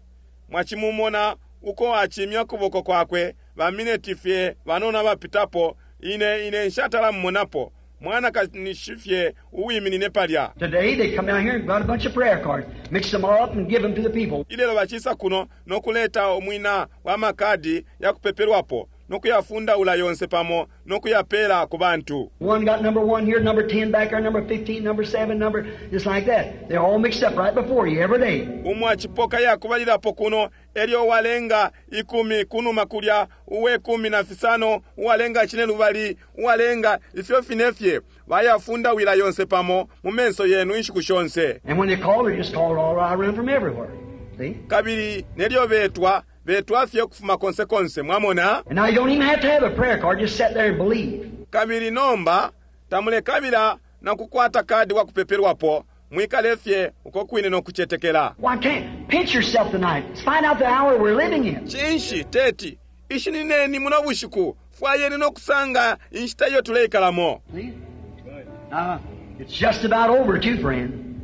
Mwacimumona uko acimya ukuboko kwakwe ba mineti fye banono abapitapo, ine, ine nshatala mumonapo. Mwanakashi fye uwiminine palya. Today they come down here and got a bunch of prayer cards, mix them all up and give them to the people. Ilelo bacisa kuno no kuleta umwina wa makadi ya kupepelwapo, no kuyafundaula yonse pamo no kuyapela ku bantu. One got number 1 here, number 10 back there, number 15, number 7, number just like that. They're all mixed up right before you every day. Umo acipoka ya kubalilapo kuno, elyo uwalenga ikumi kunuma kulya, uwe kumi na fisano, uwalenga cine lubali, uwalenga ifyo fine fye, bayafundawila yonse pamo mu menso yenu inshiku shonse. And when they call, they just call all right around from everywhere. See? Kabili nelyo betwa, betwa fye ukufuma konse konse, mwamona? And now you don't even have to have a prayer card, just sit there and believe. Kabili nomba tamulekabila na kukwata kadi wa kupepelwapo, mwikale fye uko kwine no kucetekela. Why can't pinch yourself tonight? Let's find out the hour we're living in. Cinshi teti? Ishinineni muno bushiku, fwayeni no kusanga inshita iyo tuleikalamo. See? Now, it's just about over too, friend.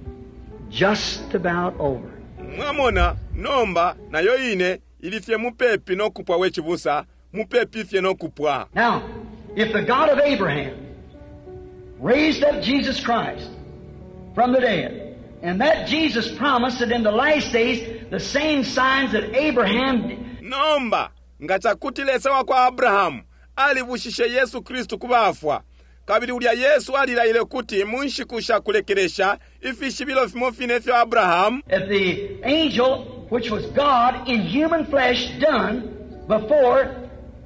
Just about over. Mwamona, nomba nayo ine ili fye mupepi no kupwa we cibusa, mupepi fye no kupwa. Now, if the God of Abraham raised up Jesus Christ from the dead, and that Jesus promised that in the last days the same signs that Abraham Nomba nga cakuti Lesa wa kwa Abrahamu alibushishe Yesu Kristu ku bafwa, kabili ulya Yesu alilaile kuti mu nshiku sha kulekelesha ifishibilo fimo fine ifyo Abrahamu that the angel, which was God in human flesh, done before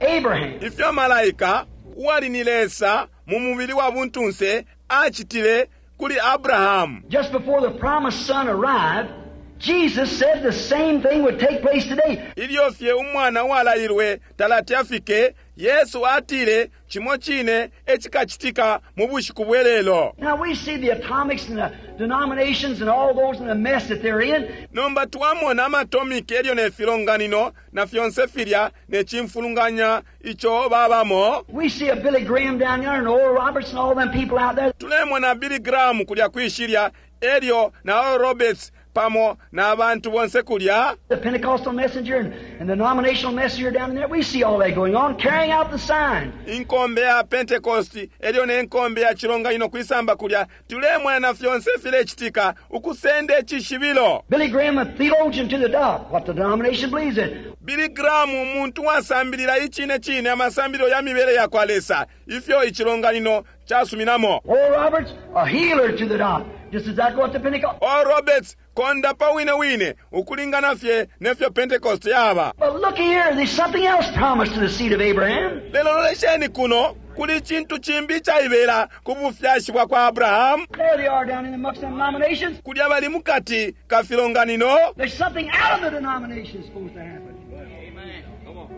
Abraham. ifyo malaika uwali ni Lesa mu mubili wa buntunse acitile kuli Abrahamu. Just before the promised son arrived, Jesus said the same thing would take place today. Ilyo fye umwana uwalailwe talati afike, Yesu atile cimo cine ecikacitika mu bushiku bwe lelo. Now we see the atomics and the denominations and all those in the mess that they're in. Nomba twamona amatomiki elyo ne filonganino na fyonse filya ne cimfulunganya ico babamo. We see a Billy Graham down there and Oral Roberts and all them people out there. Tulemona Billy Graham kulya kwishilya elyo na Oral Roberts pamo na bantu bonse kulya. The Pentecostal messenger and the denominational messenger down there. We see all that going on, carrying out the sign. Inkombe ya Pentecost elyo ne nkombe ya chilonganino kwisamba kulya tulemona na fyonse filecitika ukusenda icishibilo. Billy Graham, a theologian to the dot, what the denomination believes in. Billy Graham umuntu wasambilila icine cine amasambililo ya mibele ya kwa Lesa ifyo ichilonganino chasuminamo. Oral Roberts, a healer to the dot, just exactly what the Pentecost. Oral Roberts kondapa wine wine ukulingana fye nefyo Pentecost yaba. But look here, there's something else promised to the seed of Abraham. Lelo lolesheni kuno kuli chintu chimbi chaibela ku bufyashi bwa kwa Abrahamu. There they are down in the mucks and denominations. Kulya bali mukati ka filonganino. There's something out of the denomination supposed to happen. Amen.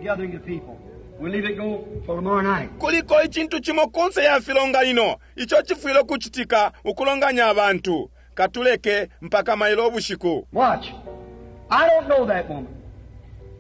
Gathering the people. We'll leave it go for tomorrow night. Kuliko ichintu chimo kunse ya filonganino icho chifwile kuchitika ukulonganya abantu. Katuleke mpaka mailo ubushiku. Watch. I don't know that woman.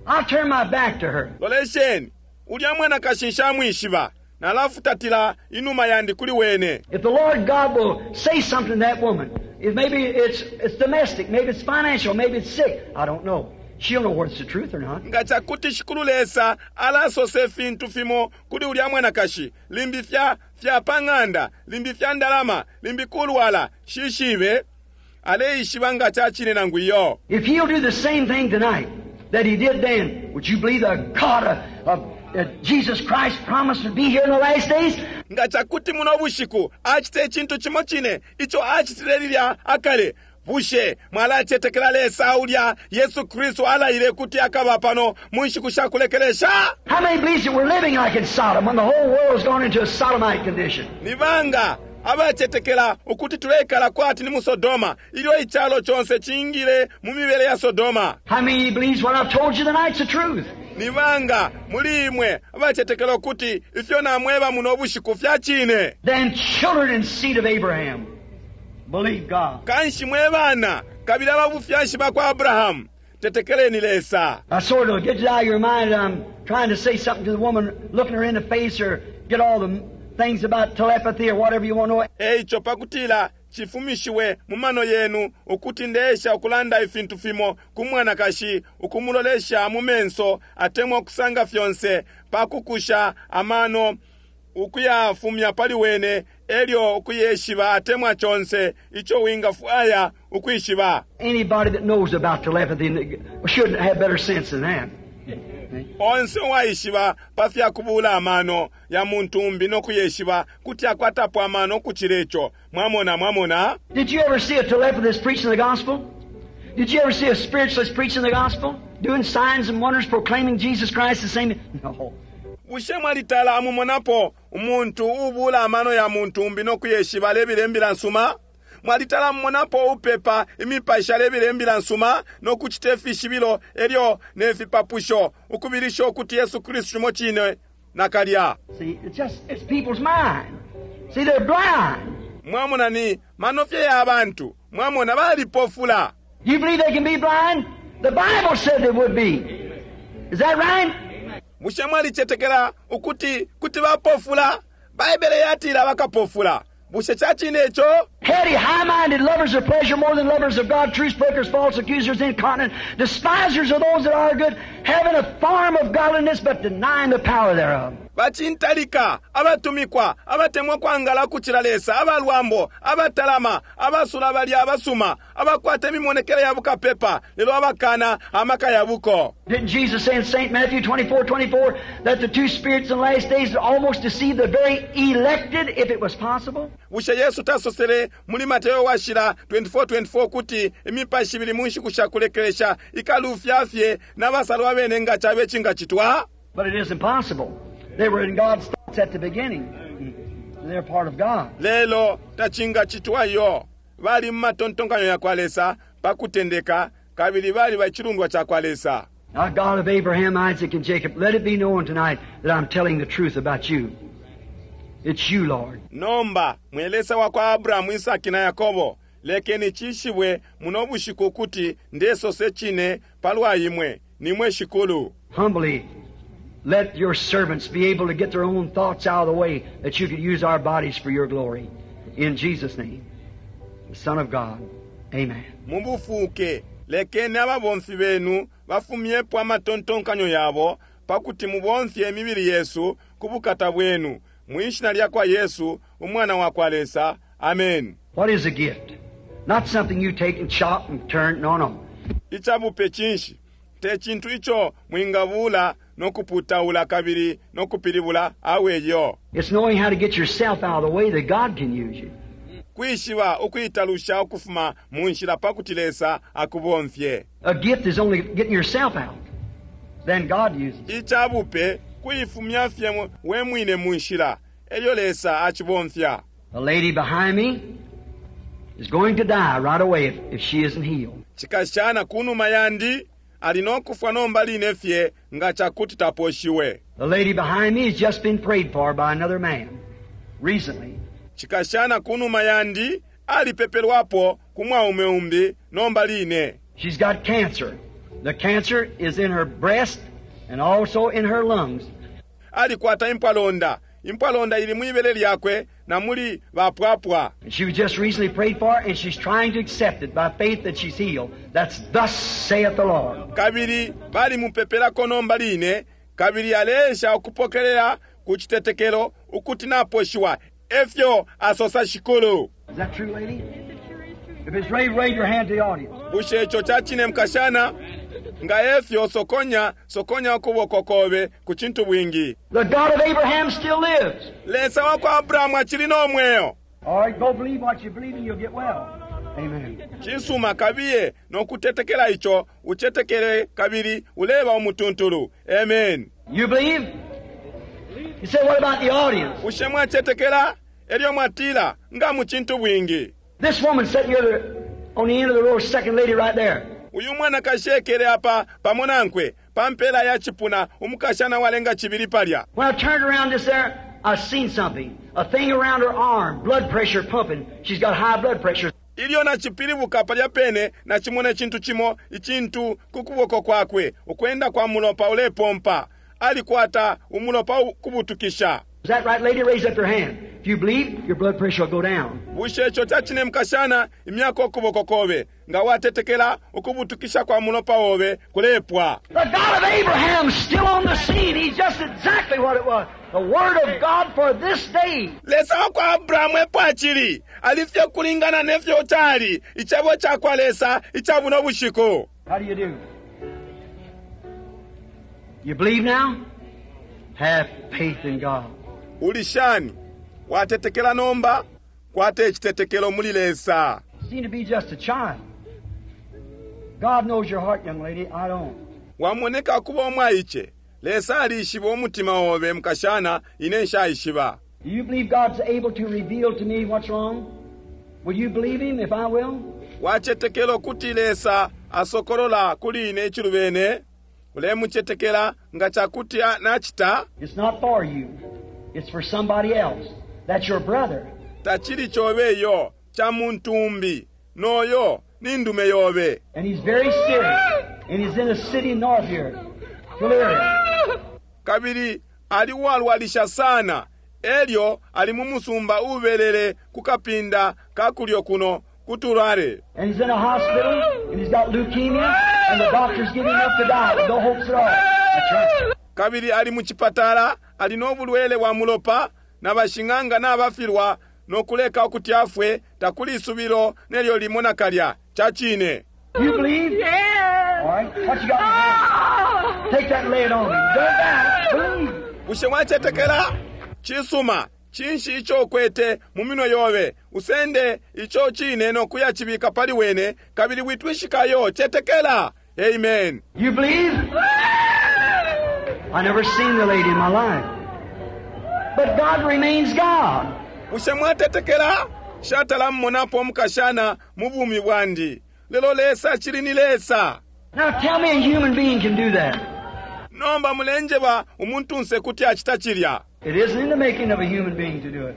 I'll turn my back to her. Lolesheni, ulya mwana kashinsha mwishiba nalafutatila inuma yandi kuli wene. If the Lord God will say something to that woman, if maybe it's domestic, maybe it's financial, maybe it's sick, I don't know. She'll know whether it's the truth or not. Nga chakuti shikulu Lesa alasose fintu fimo kuli ulya mwanakashi, limbi fya pang'anda, limbi fya ndalama, limbi kulwala, shishibe, aleishiba nga chachine nangu iyo. If he'll do the same thing tonight that he did then, would you believe the God of Jesus Christ promised to be here in the last days? Nga chakuti muno bushiku achite chintu chimo chine icho achitile lilya akale. Bushe mwalachetekela Lesa ulya Yesu Kristu alaile kuti akaba pano mu nshiku sha kulekelesha? How many believes that we're living like in Sodom when the whole world's gone into a sodomite condition? Ni banga abachetekela ukuti tulekala kwati ni mu Sodoma ilyo ichalo chonse chingile mu mibele ya Sodoma? How many believes what I've told you tonight's the truth? Ni banga muli imwe abachetekela ukuti ifyo namweba muno bushiku fya chine? Then children and seed of Abraham believe God. Kanshi mwe bana kabili ababufyashi bakwa Abrahamu tetekeleni Lesa. I sort of get it out of your mind. I'm trying to say something to the woman, looking her in the face, or get all the things about telepathy or whatever you want to know. Eicho pakutila chifumishiwe mu mano yenu ukuti ndesha ukulanda ifintu fimo ku mwanakashi ukumulolesha mu menso atemwa kusanga fyonse pakukusha amano ukuyafumya pali wene elyo ukuyeshiba atemwa chonse icho wingafwaya ukwishiba. Anybody that knows about telepathy shouldn't have better sense than that. Onse waishiba pafya kubula amano ya muntu umbi no kuyeshiba kuti akwatapo amano kuchilecho. Mwamona, mwamona. Did you ever see a telepathist preaching the gospel? Did you ever see a spiritualist preaching the gospel? Doing signs and wonders, proclaiming Jesus Christ the same? No. Bushe mwalitala amumonapo umuntu ubula amano ya muntu umbi no kuyeshiba alebile mbila nsuma? Mwalitala mumonapo upepa imipashi alebile mbila nsuma no kuchita ifishibilo elyo ne fipapusho ukubilisha ukuti Yesu Kristu mo chine nakalya. See, it's people's mind. See, they're blind. Mwamona ni manofye ya abantu. Mwamona balipofula. You believe they can be blind? The Bible said they would be. Is that right? Bushe mwalicetekela ukuti kuti bapofula? Baibele yatila bakapofula. Bushe ca cine ico? Heady, high-minded, lovers of pleasure more than lovers of God, truce breakers, false accusers, incontinent, despisers of those that are good, having a form of godliness but denying the power thereof. Bacintalika, abatumikwa, abatemwa kwangala ukucila Lesa, abalwambo, abatalama, abasula balya abasuma, abakwata imimonekele ya bukapepa, lelo abakana amaka ya buko. Didn't Jesus say in St. Matthew 24, 24 that the two spirits in the last days would almost deceive the very elected if it was possible? Bushe Yesu tasosele muli Mateo washila 24:24 kuti imipashi ibili mu nshiku sha kulekelesha ikalufya fye n'abasalwa bene nga cabe cingacitwa? But it isn't possible. They were in God's thoughts at the beginning. They're part of God. Lelo tacingacitwa iyo. Bali mu matontonkanyo ya kwa Lesa pa kutendeka, kabili bali ba cilundwa ca kwa Lesa. Now, God of Abraham, Isaac, and Jacob, let it be known tonight that I'm telling the truth about you. It's you, Lord. Nomba, mwe Lesa wa kwa Abrahamu, Isaki na Yakobo, lekeni cishibwe muno bushiku ukuti ndesose cine palwa imwe, nimwe Shikulu. Humbly, let your servants be able to get their own thoughts out of the way that you could use our bodies for your glory. In Jesus' name, the Son of God. Amen. Mubufuke, lekeni ababomfi benu bafumyepo amatontonkanyo yabo pakuti mubomfye imibili yesu ku bukata bwenu. Mwishina lya kwa Yesu, umwana wa kwa Lesa. Amen. What is a gift? Not something you take and chop and turn. No, no. Icabupe cinshi? Te cintu ico mwingabula no kuputaula kabili no kupilibula awe yo. It's knowing how to get yourself out of the way that God can use you. Kwishiba ukuitalusha ukufuma mu nshila pakuti Lesa akubomfye. A gift is only getting yourself out. Then God uses it. Icabupe kuifumya fye we mwine mu nshila, elyo Lesa acibomfya. The lady behind me is going to die right away if she isn't healed. Cikashana kunuma yandi ali no kufwa nomba line fye nga cakuti taposhiwe. The lady behind me has just been prayed for by another man recently. Cikashana kunuma yandi alipepelwapo ku mwaume umbi nomba line. She's got cancer. The cancer is in her breast and also in her lungs. Alikwata impwalonda. Impwalonda ili mwibele lyakwe na muli bapwapwa. And she was just recently prayed for, and she's trying to accept it by faith that she's healed. That's thus saith the Lord. Kabili bali mupepelako nomba line, kabili aleesha ukupokelela ku citetekelo ukuti naposhiwa. Efyo asosa Shikulu. Is that true, lady? If it's right, raise your hand to the audience. Bushe ico ca cine mukashana? Nga efyo sokonya, sokonya ukuboko kobe ku cintu bwingi. The God of Abraham still lives. Lesa wa kwa Abrahamu acili no mweo. All right, go believe what you believe and you'll get well. Amen. Cisuma kabiye no kutetekela ico, ucetekele kabili uleba umutuntulu. Amen. You believe? You say, what about the audience? Bushe mwacetekela? Elyo mwatila, nga mu cintu bwingi. This woman sitting here on the end of the row, second lady right there. Uyu mwanakashi ekele apa pamo nankwe, pa mpela ya cipuna, umukashana walenga cibili palya. When I turned around just there, I seen something. A thing around her arm, blood pressure pumping. She's got high blood pressure. Ilyo nacipilibuka palya pene, nacimona icintu cimo, icintu ku kuboko kwakwe, ukwenda kwa mulopa ulepompa. Alikwata umulopa kubutukisha. Is that right, lady? Raise up your hand. If you believe, your blood pressure will go down. Bushe ico ca cine mukashana, imyako ukuboko kobe. Nga watetekela, ukubutukisha kwa mulopa obe kulepwa. The God of Abraham is still on the scene. He's just exactly what it was. The Word of God for this day. Lesa wa kwa Abrahamu epo acili. Alifye kulingana nefyo cali. Icebo ca kwa Lesa, ica buno bushiku. How do you do? You believe now? Have faith in God. Uli shani? Watetekela nomba? Kwate icitetekelo muli Lesa. Seem to be just a child. God knows your heart, young lady. I don't. Wamoneka kuba umwaice. Lesa alishiba umutima obe mukashana, ine nshaishiba. Do you believe God's able to reveal to me what's wrong? Will you believe Him if I will? Wacetekela ukuti Lesa asokolola kuli ine icilubene? Ulemucetekela nga cakuti nacita? It's not for you. It's for somebody else. That's your brother. Tacili cobe iyo, ca muntu umbi. Noyo, ni ndume yobe. And he's very serious. And he's in a city north here, Tulare. Kabili ali uwalwalisha sana, elyo ali mu musumba ubelele ku kapinda ka kulyo kuno ku Tulare. And he's in a hospital, and he's got leukemia, and the doctor's giving up to die. No hopes at all. That's right. Kabili ali mu chipatala, ali no bulwele bwa mulopa, na bashing'anga nabafilwa no kuleka ukuti afwe, takuli isubilo nelyo limo nakalya. Ca cine. You believe? Yes. All right. What you got in your hand? Take that and lay it on me. Don't die. Believe. Bushe mwacetekela? Cisuma. Cinshi ico ukwete mu minwe yobe? Usende ico cine no kuyacibika pali wene, kabili witwishikayo. Cetekela. Amen. You believe? I never seen the lady in my life. But God remains God. Bushe mwatetekela? Nshatala mmonapo umukashana mu bumi bwandi. Lelo Lesa acili ni Lesa. Now tell me a human being can do that. Nomba mulenjeba umuntunse kuti acita cilya. It isn't in the making of a human being to do it.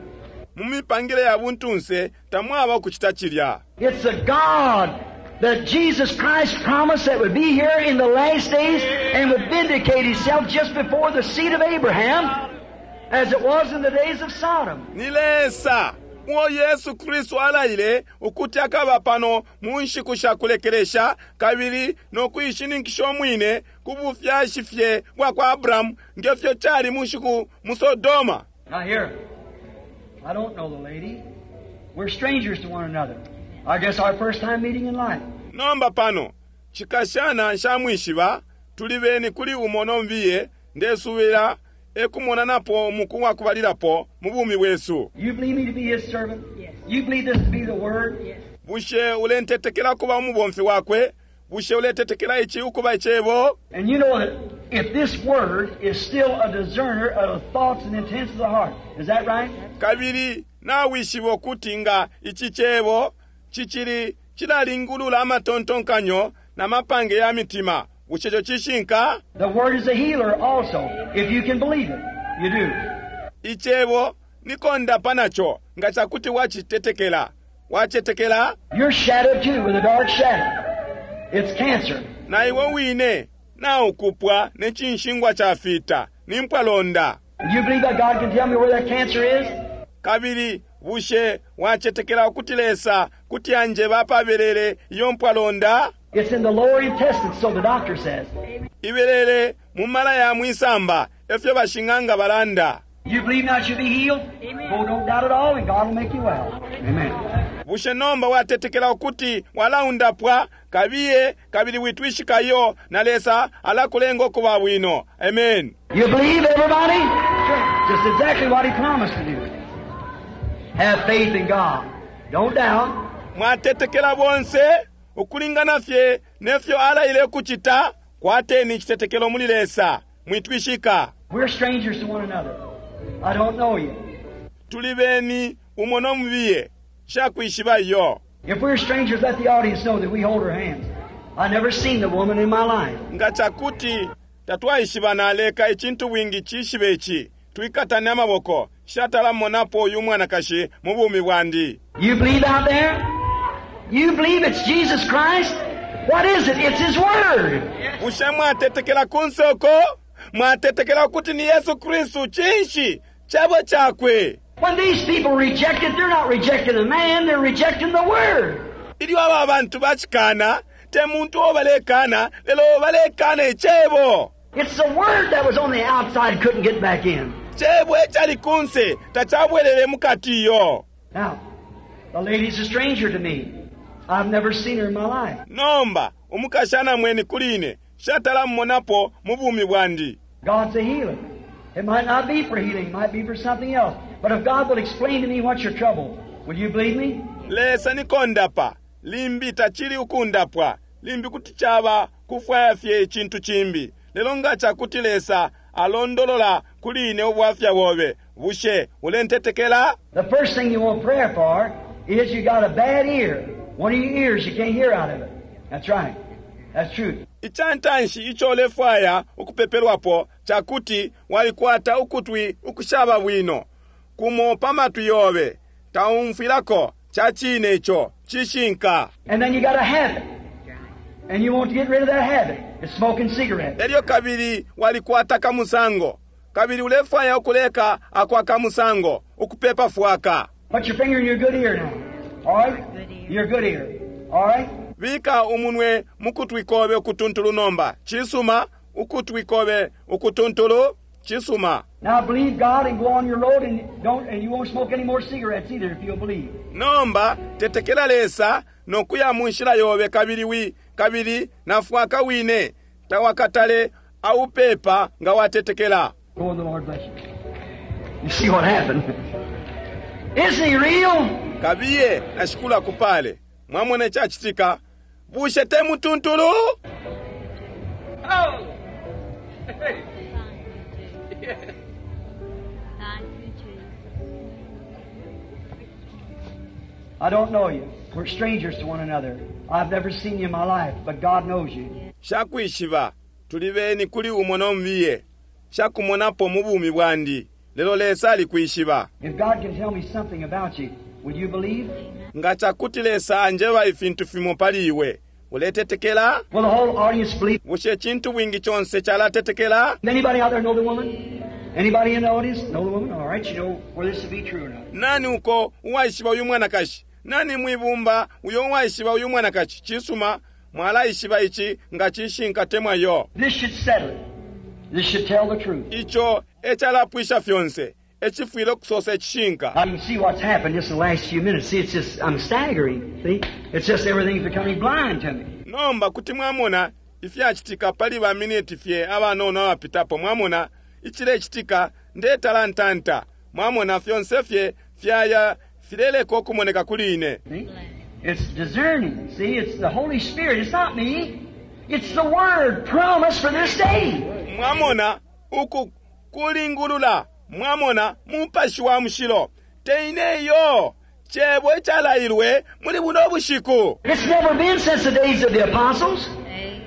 Mu mipangile ya buntunse tamwaba ukucita cilya. It's a God that Jesus Christ promised that would be here in the last days and would vindicate Himself just before the seed of Abraham, as it was in the days of Sodom. Ni Lesa uo Yesu Kristu alaile ukuti akaba pano mu nshiku sha kulekelesha kabili no kuishininkisha umwine ku bufyashi fye bwa kwa Abrahamu nge fyo cali mu nshiku mu Sodoma. Now here, I don't know the lady. We're strangers to one another. I guess our first time meeting in life. Nomba pano, cikashana nshamwishiba, tuli beni kuli umo no mubiye, ndesubila e kumonanapo umuku wa kubalilapo mu bumi bwesu. You believe me to be His servant? Yes. You believe this to be the Word? Yes. Bushe ulentetekela kuba umubomfi wakwe? Bushe uletetekela ici ukuba icebo? And you know that if this Word is still a discerner of the thoughts and intents of the heart, is that right? Kabili nawishiba ukuti nga ici cebo cicili cilalingulula amatontonkanyo na mapange ya mitima. Bushe ico cishinka? The Word is a healer also, if you can believe it. You do. Icebo ni kondapa naco nga cakuti wacitetekela. Wacetekela? You're shadowed too with a dark shadow. It's cancer. Na iwe wine naukupwa ne cinshingwa cafita, ni mpwalonda. And you believe that God can tell me where that cancer is? Kabili bushe wacetekela ukuti Lesa kuti anjeba apabelele iyo mpwalonda? It's in the lower intestines, so the doctor says. Ibelele mu mala ya mwisamba, efyo bashing'anga balanda. You believe now you'll be healed? Amen. Oh, don't doubt at all, and God will make you well. Amen. Bushe nomba watetekela ukuti walaundapwa? Kabiye kabili witwishikayo, na Lesa alakulenga ukuba bwino. Amen. You believe, everybody? Just exactly what He promised to do. Have faith in God. Don't doubt. Mwatetekela bonse ukulingana fye nefyo alaile ukucita. Kwateni icitetekelo muli Lesa, mwitwishika. We're strangers to one another. I don't know you. Tuli beni umo no mubiye, nshakwishiba iyo. If we're strangers, let the audience know that we hold our hands. I never seen the woman in my life. Nga cakuti tatwaishibana, leka icintu bwingi cishibe ici, twikatane amaboko. Nshatala monapo uyu mwanakashi mu bumi bwandi. You believe out there? You believe it's Jesus Christ? What is it? It's His Word. Bushe mwatetekela kunse uko? Mwatetekela ukuti ni Yesu Kristu? Cinshi? Cebo cakwe. When these people reject it, they're not rejecting a man, they're rejecting the Word. Ilyo aba bantu bacikana, te muntu uo balekana, lelo balekana icebo. It's the Word that was on the outside couldn't get back in. Cebo ecali kunse tacabwelele mukati iyo. Now, the lady's a stranger to me. I've never seen her in my life. Nomba, umukashana mweni kuli ine, nshatala mmonapo mu bumi bwandi. God's a healer. It might not be for healing, it might be for something else. But if God will explain to me what's your trouble, will you believe me? Lesa ni kondapa, limbi tacili ukundapwa, limbi kuti caba kufwaya fye icintu cimbi. Lelo nga cakuti Lesa alondolola kuli ine ubwafya bobe, bushe ulentetekela? The first thing you want prayer for is you got a bad ear. One of your ears, you can't hear out of it. That's right. That's true. Icantanshi ico ulefwaya ukupepelwapo cakuti walikwata ukutwi ukushaba bwino. Kumo pa matwi yobe taumfwilako. Ca cine ico, cishinka. And then you got a habit. And you want to get rid of that habit. It's smoking cigarettes. Elyo kabili walikwata kamusango, kabili ulefwaya ukuleka akwa kamusango, ukupepa fwaka. Put your finger in your good ear now. All right? Your good ear. All right? Bika umunwe mukutwi kobe ukutuntulu nomba. Cisuma, ukutwi kobe ukutuntulu, cisuma. Now believe God and go on your road and don't and you won't smoke any more cigarettes either if you'll believe. Nomba tetekela Lesa nokuya mu nshila yobe kabili wi kabili na fwaka wine tawakatale aupepa nga watetekela. Go and the Lord bless you. You see what happened? Isn't he real? Kabiye na Shikulu akupale. Mwamona icacitika? Bushe te mutuntulu? Oh! Hey. Yeah. Thank you, Jesus. I don't know you. We're strangers to one another. I've never seen you in my life, but God knows you. Shakwishiba tuli beni kuli umo no mubiye. Shakumonapo mu bumi bwandi, lelo Lesa alikwishiba. If God can tell me something about you, will you believe? Nga cakuti Lesa anjeba ifintu fimo pali iwe, uletetekela? Will the whole audience believe? Bushe icintu bwingi conse calatetekela? Anybody out there know the woman? Anybody in the audience know the woman? All right, you know whether this will be true or not. Nani uko uwaishiba uyu mwanakashi? Nani mwibumba uyo uwaishiba uyu mwanakashi? Cisuma, mwalaishiba ici nga cishinka temwa yo. This should settle it. This should tell the truth. Ico ecalapwisha fyonse, ecifwile ukusosa icishinka. I can see what's happened just in the last few minutes. See, it's just, I'm staggering. See? It's just everything's becoming blind to me. Nomba kuti mwamona ifyacitika pali ba miniti fye abanono abapitapo. Mwamona icilecitika, ndetalantanta. Mwamona fyonse fye fyaya fileleka ukumoneka kuli ine. See? It's discerning. See, it's the Holy Spirit. It's not me. It's the Word promised for this day. Mwamona uku kulingulula. Mwamona Mupashi wa Mushilo. Te ine iyo. Cebo icalailwe muli buno bushiku. It's never been since the days of the apostles.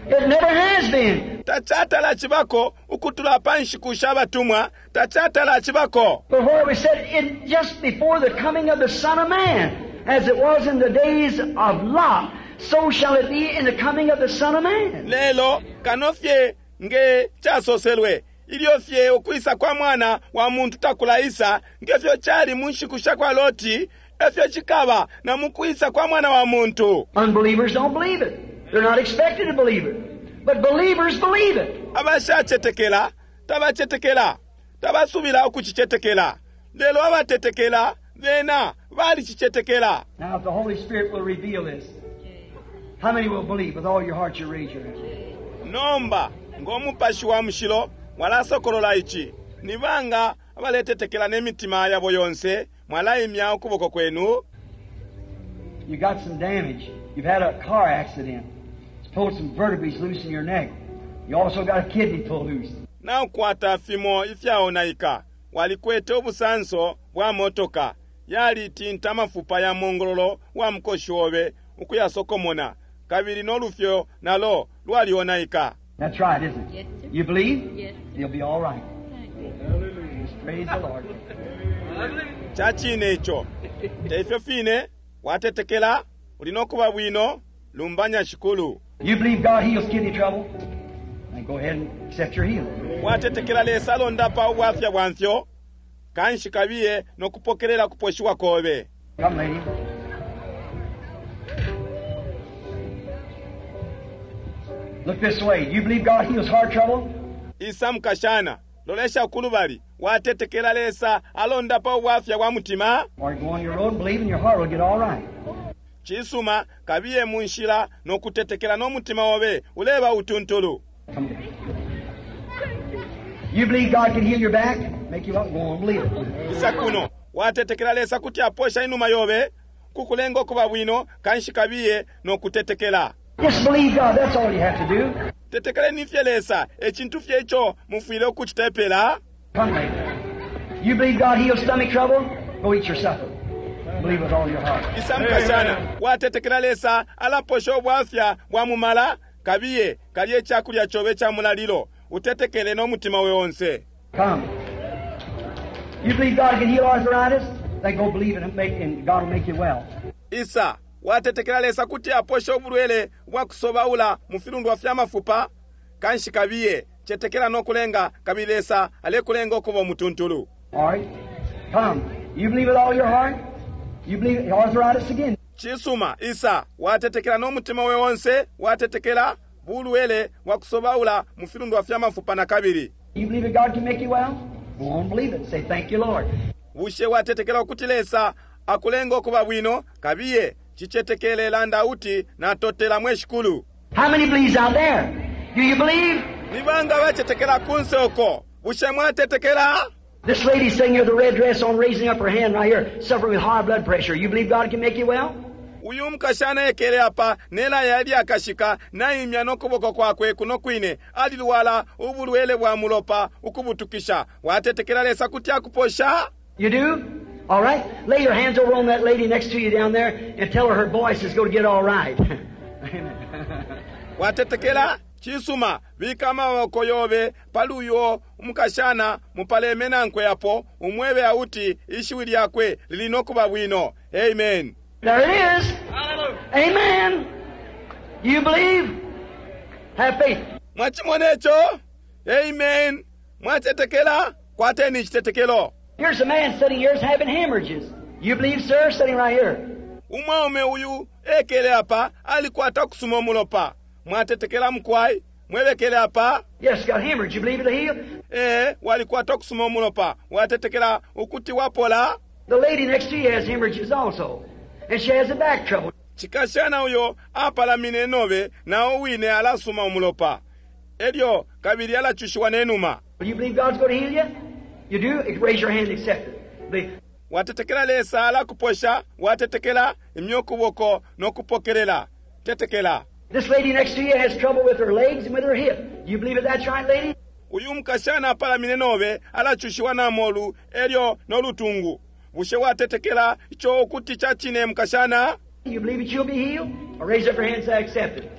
It never has been. Tacatala cibako ukutula pa nshiku sha batumwa. Tacatala cibako. Before we said it just before the coming of the Son of Man, as it was in the days of Lot, so shall it be in the coming of the Son of Man. Lelo kano fye nge casoselwe ilyo fye ukwisa kwa mwana wa muntu takulaisa, nge fyo cali mu nshiku sha kwa Loti, efyo cikaba na mu kwisa kwa mwana wa muntu. Unbelievers don't believe it. They're not expected to believe it. But believers believe it. Abashacetekela tabacetekela, tabasubila ukucicetekela. Lelo abatetekela bena balicicetekela. Now if the Holy Spirit will reveal this, how many will believe with all your heart? You raise your hand. Nomba ngo Mupashi wa Mushilo walasokolola ici, ni banga abaletetekela ne mitima yabo yonse mwalaimya ukuboko kwenu? You got some damage. You've had a car accident. It's pulled some vertebrae loose in your neck. You also got a kidney pulled loose. Naukwata fimo ifyaonaika. Walikwete ubusanso bwa motoka. Yalitinta amafupa ya mongololo wa mukoshi obe ukuyasokomona. Kabili no lufyo nalo lwalionaika. That's right, isn't it? Yes, sir. You believe? Yes. You'll be all right. Just praise the Lord. Ca cine ico. Te ifyo fine, watetekela, uli no kuba bwino, lumbanya Shikulu. You believe God heals kidney trouble? Then go ahead and accept your healing. Watetekela Lesa alondapa ubwafya bwa mfyo, kanshi kabiye no kupokelela kuposhiwa kobe. Come, lady. Look this way. You believe God heals heart trouble? Isa mukashana, lolesha kulubali, watetekela Lesa alondapa ubwafya bwa mutima? Or go on your road and believe and your heart will get all right. Cisuma, kabiye mu nshila no kutetekela no mutima obe uleba utuntulu. Come here. You believe God can heal your back? Make you up, go on, believe it. Isa kuno, watetekela Lesa kuti aposha inuma yobe, kukulenga okuba bwino, kanshi kabiye no kutetekela. Just believe God, that's all you have to do. Tetekeleni fye Lesa, ecintu fye ico mufwile ukucita epela. Come, lady. You believe God heals stomach trouble? Go eat your supper. Believe with all your heart. Isa mukashana, watetekela Lesa alaposha ubwafya bwa mumala, kabiye kalye icakulya cobe ca mulalilo, utetekele no mutima we onse. Come. You believe God can heal arthritis? Then go believe and, make, and God will make you well. Isa, Watetekela Lesa kuti aposha ubulwele bwa kusobaula mu filundwa fya mafupa? Kanshi kabiye, cetekela no kulenga, kabili Lesa alekulenga ukuba umutuntulu. All right. Come. You believe with all your heart? You believe arthritis again? Cisuma, isa, watetekela no mutima we onse, watetekela bulwele bwa kusobaula mu filundwa fya mafupa na kabili. You believe that God can make you well? Go on, believe it. Say, thank you, Lord. Bushe watetekela ukuti Lesa akulenga ukuba bwino? Kabiye, cicetekele landa uti natotela mwe Shikulu. How many believes out there? Do you believe? Ni banga bacetekela kunse uko? Bushe mwatetekela? This lady sitting here with the red dress on, raising up her hand right here, suffering with high blood pressure. You believe God can make you well? Uyu mukashana ekele apa nelaya lyakashika naimya nokuboko kwakwe kuno kwine alilwala ubulwele bwa mulopa ukubutukisha. Watetekela Lesa kuti akuposha? You do? All right. Lay your hands over on that lady next to you down there and tell her her voice is going to get all right. Amen. Watetekela? Cisuma, bika amaboko yobe pali uyo umukashana mupaleme nankwe apo umwebe auti ishiwi lyakwe lili nokuba bwino. Amen. There it is. Amen. You believe? Have faith. Mwachimona ico? Amen. Mwatetekela? Kwateni icitetekelo. Here's a man sitting here is having hemorrhages. You believe, sir? Sitting right here. Umwaume uyu ekele apa alikwata kusuma umulopa. Mwatetekela mukwai? Mwebekele apa? Yes, got hemorrhage. You believe it'll heal? Ee, walikwata kusuma umulopa. Watetekela ukuti wapola? The lady next to you has hemorrhages also. And she has a back trouble. Cikashana uyo apalamine nobe nao wine alasuma umulopa. Elyo kabili alacushiwa nenuma. Do you believe God's going to heal you? You do? Raise your hand and accept it. Believe. Watetekela Lesa alakuposha, watetekela imya ukuboko no kupokelela. Tetekela. This lady next to you has trouble with her legs and with her hip. You believe that that's right, lady? Uyu mukashana apalamine nobe alacushiwa na molu elyo no lutungu. Bushe watetekela ico ukuti ca cine mukashana? You believe that you'll be healed? Or raise up your hand and say, I accept it.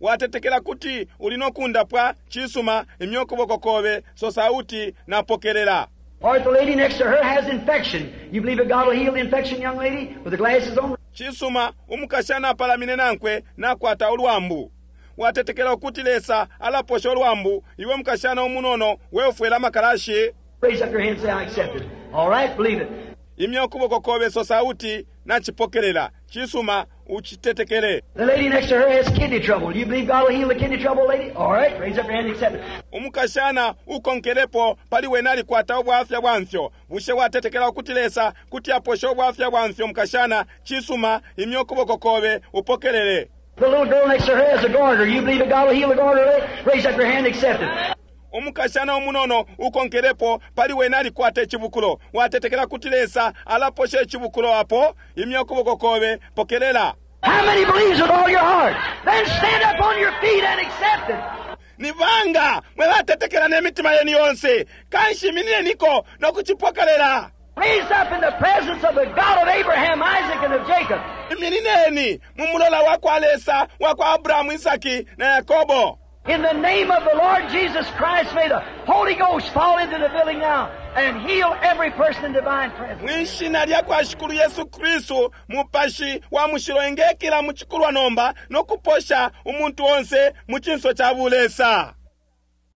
Watetekela kuti uli no kundapwa? Cisuma, imya ukuboko kobe, sosa uti napokelela. Or if the lady next to her has infection, you believe that God will heal the infection, young lady, with the glasses on? Cisuma, umukashana apalamine nankwe nakwata ulwambu. Watetekela ukuti Lesa alaposha ulwambu, iwe mukashana umunono weufwela amakalashi? Raise up your hand and say, I accept it. All right, believe it. Imya ukuboko kobe, sosa uti nacipokelela. Cisuma, ucitetekele. The lady next to her has kidney trouble. Do you believe God will heal the kidney trouble, lady? All right, raise up your hand and accept it. Umukashana ukonkelepo pali wene alikwata ubwafya bwa mfyo. Bushe watetekela ukuti Lesa kuti aposha ubwafya bwa mfyo, mukashana? Cisuma, imya ukuboko kobe, upokelele. The little girl next to her has a goiter. You believe that God will heal the goiter, lady? Raise up your hand and accept it. Umukashana umunono ukonkelepo pali wene alikwata icibukulo. Watetekela kuti Lesa alaposha icibukulo apo? Imya ukuboko kobe, pokelela. How many believes with all your heart? Then stand up on your feet and accept it. Ni banga mwe batetekela ne mitima yenu yonse? Kanshi iminineniko no kucipokelela. Raise up in the presence of the God of Abraham, Isaac, and of Jacob. Iminineni mu mulola wa kwa Lesa wa kwa Abrahamu, Isaki na Yakobo. In the name of the Lord Jesus Christ, may the Holy Ghost fall into the building now and heal every person in divine presence. Mwishina lya kwa Shikulu Yesu Kristu, Mupashi wa Mushilo engekila mu cikulwa nomba no kuposha umuntu onse mu cinso ca bulesa.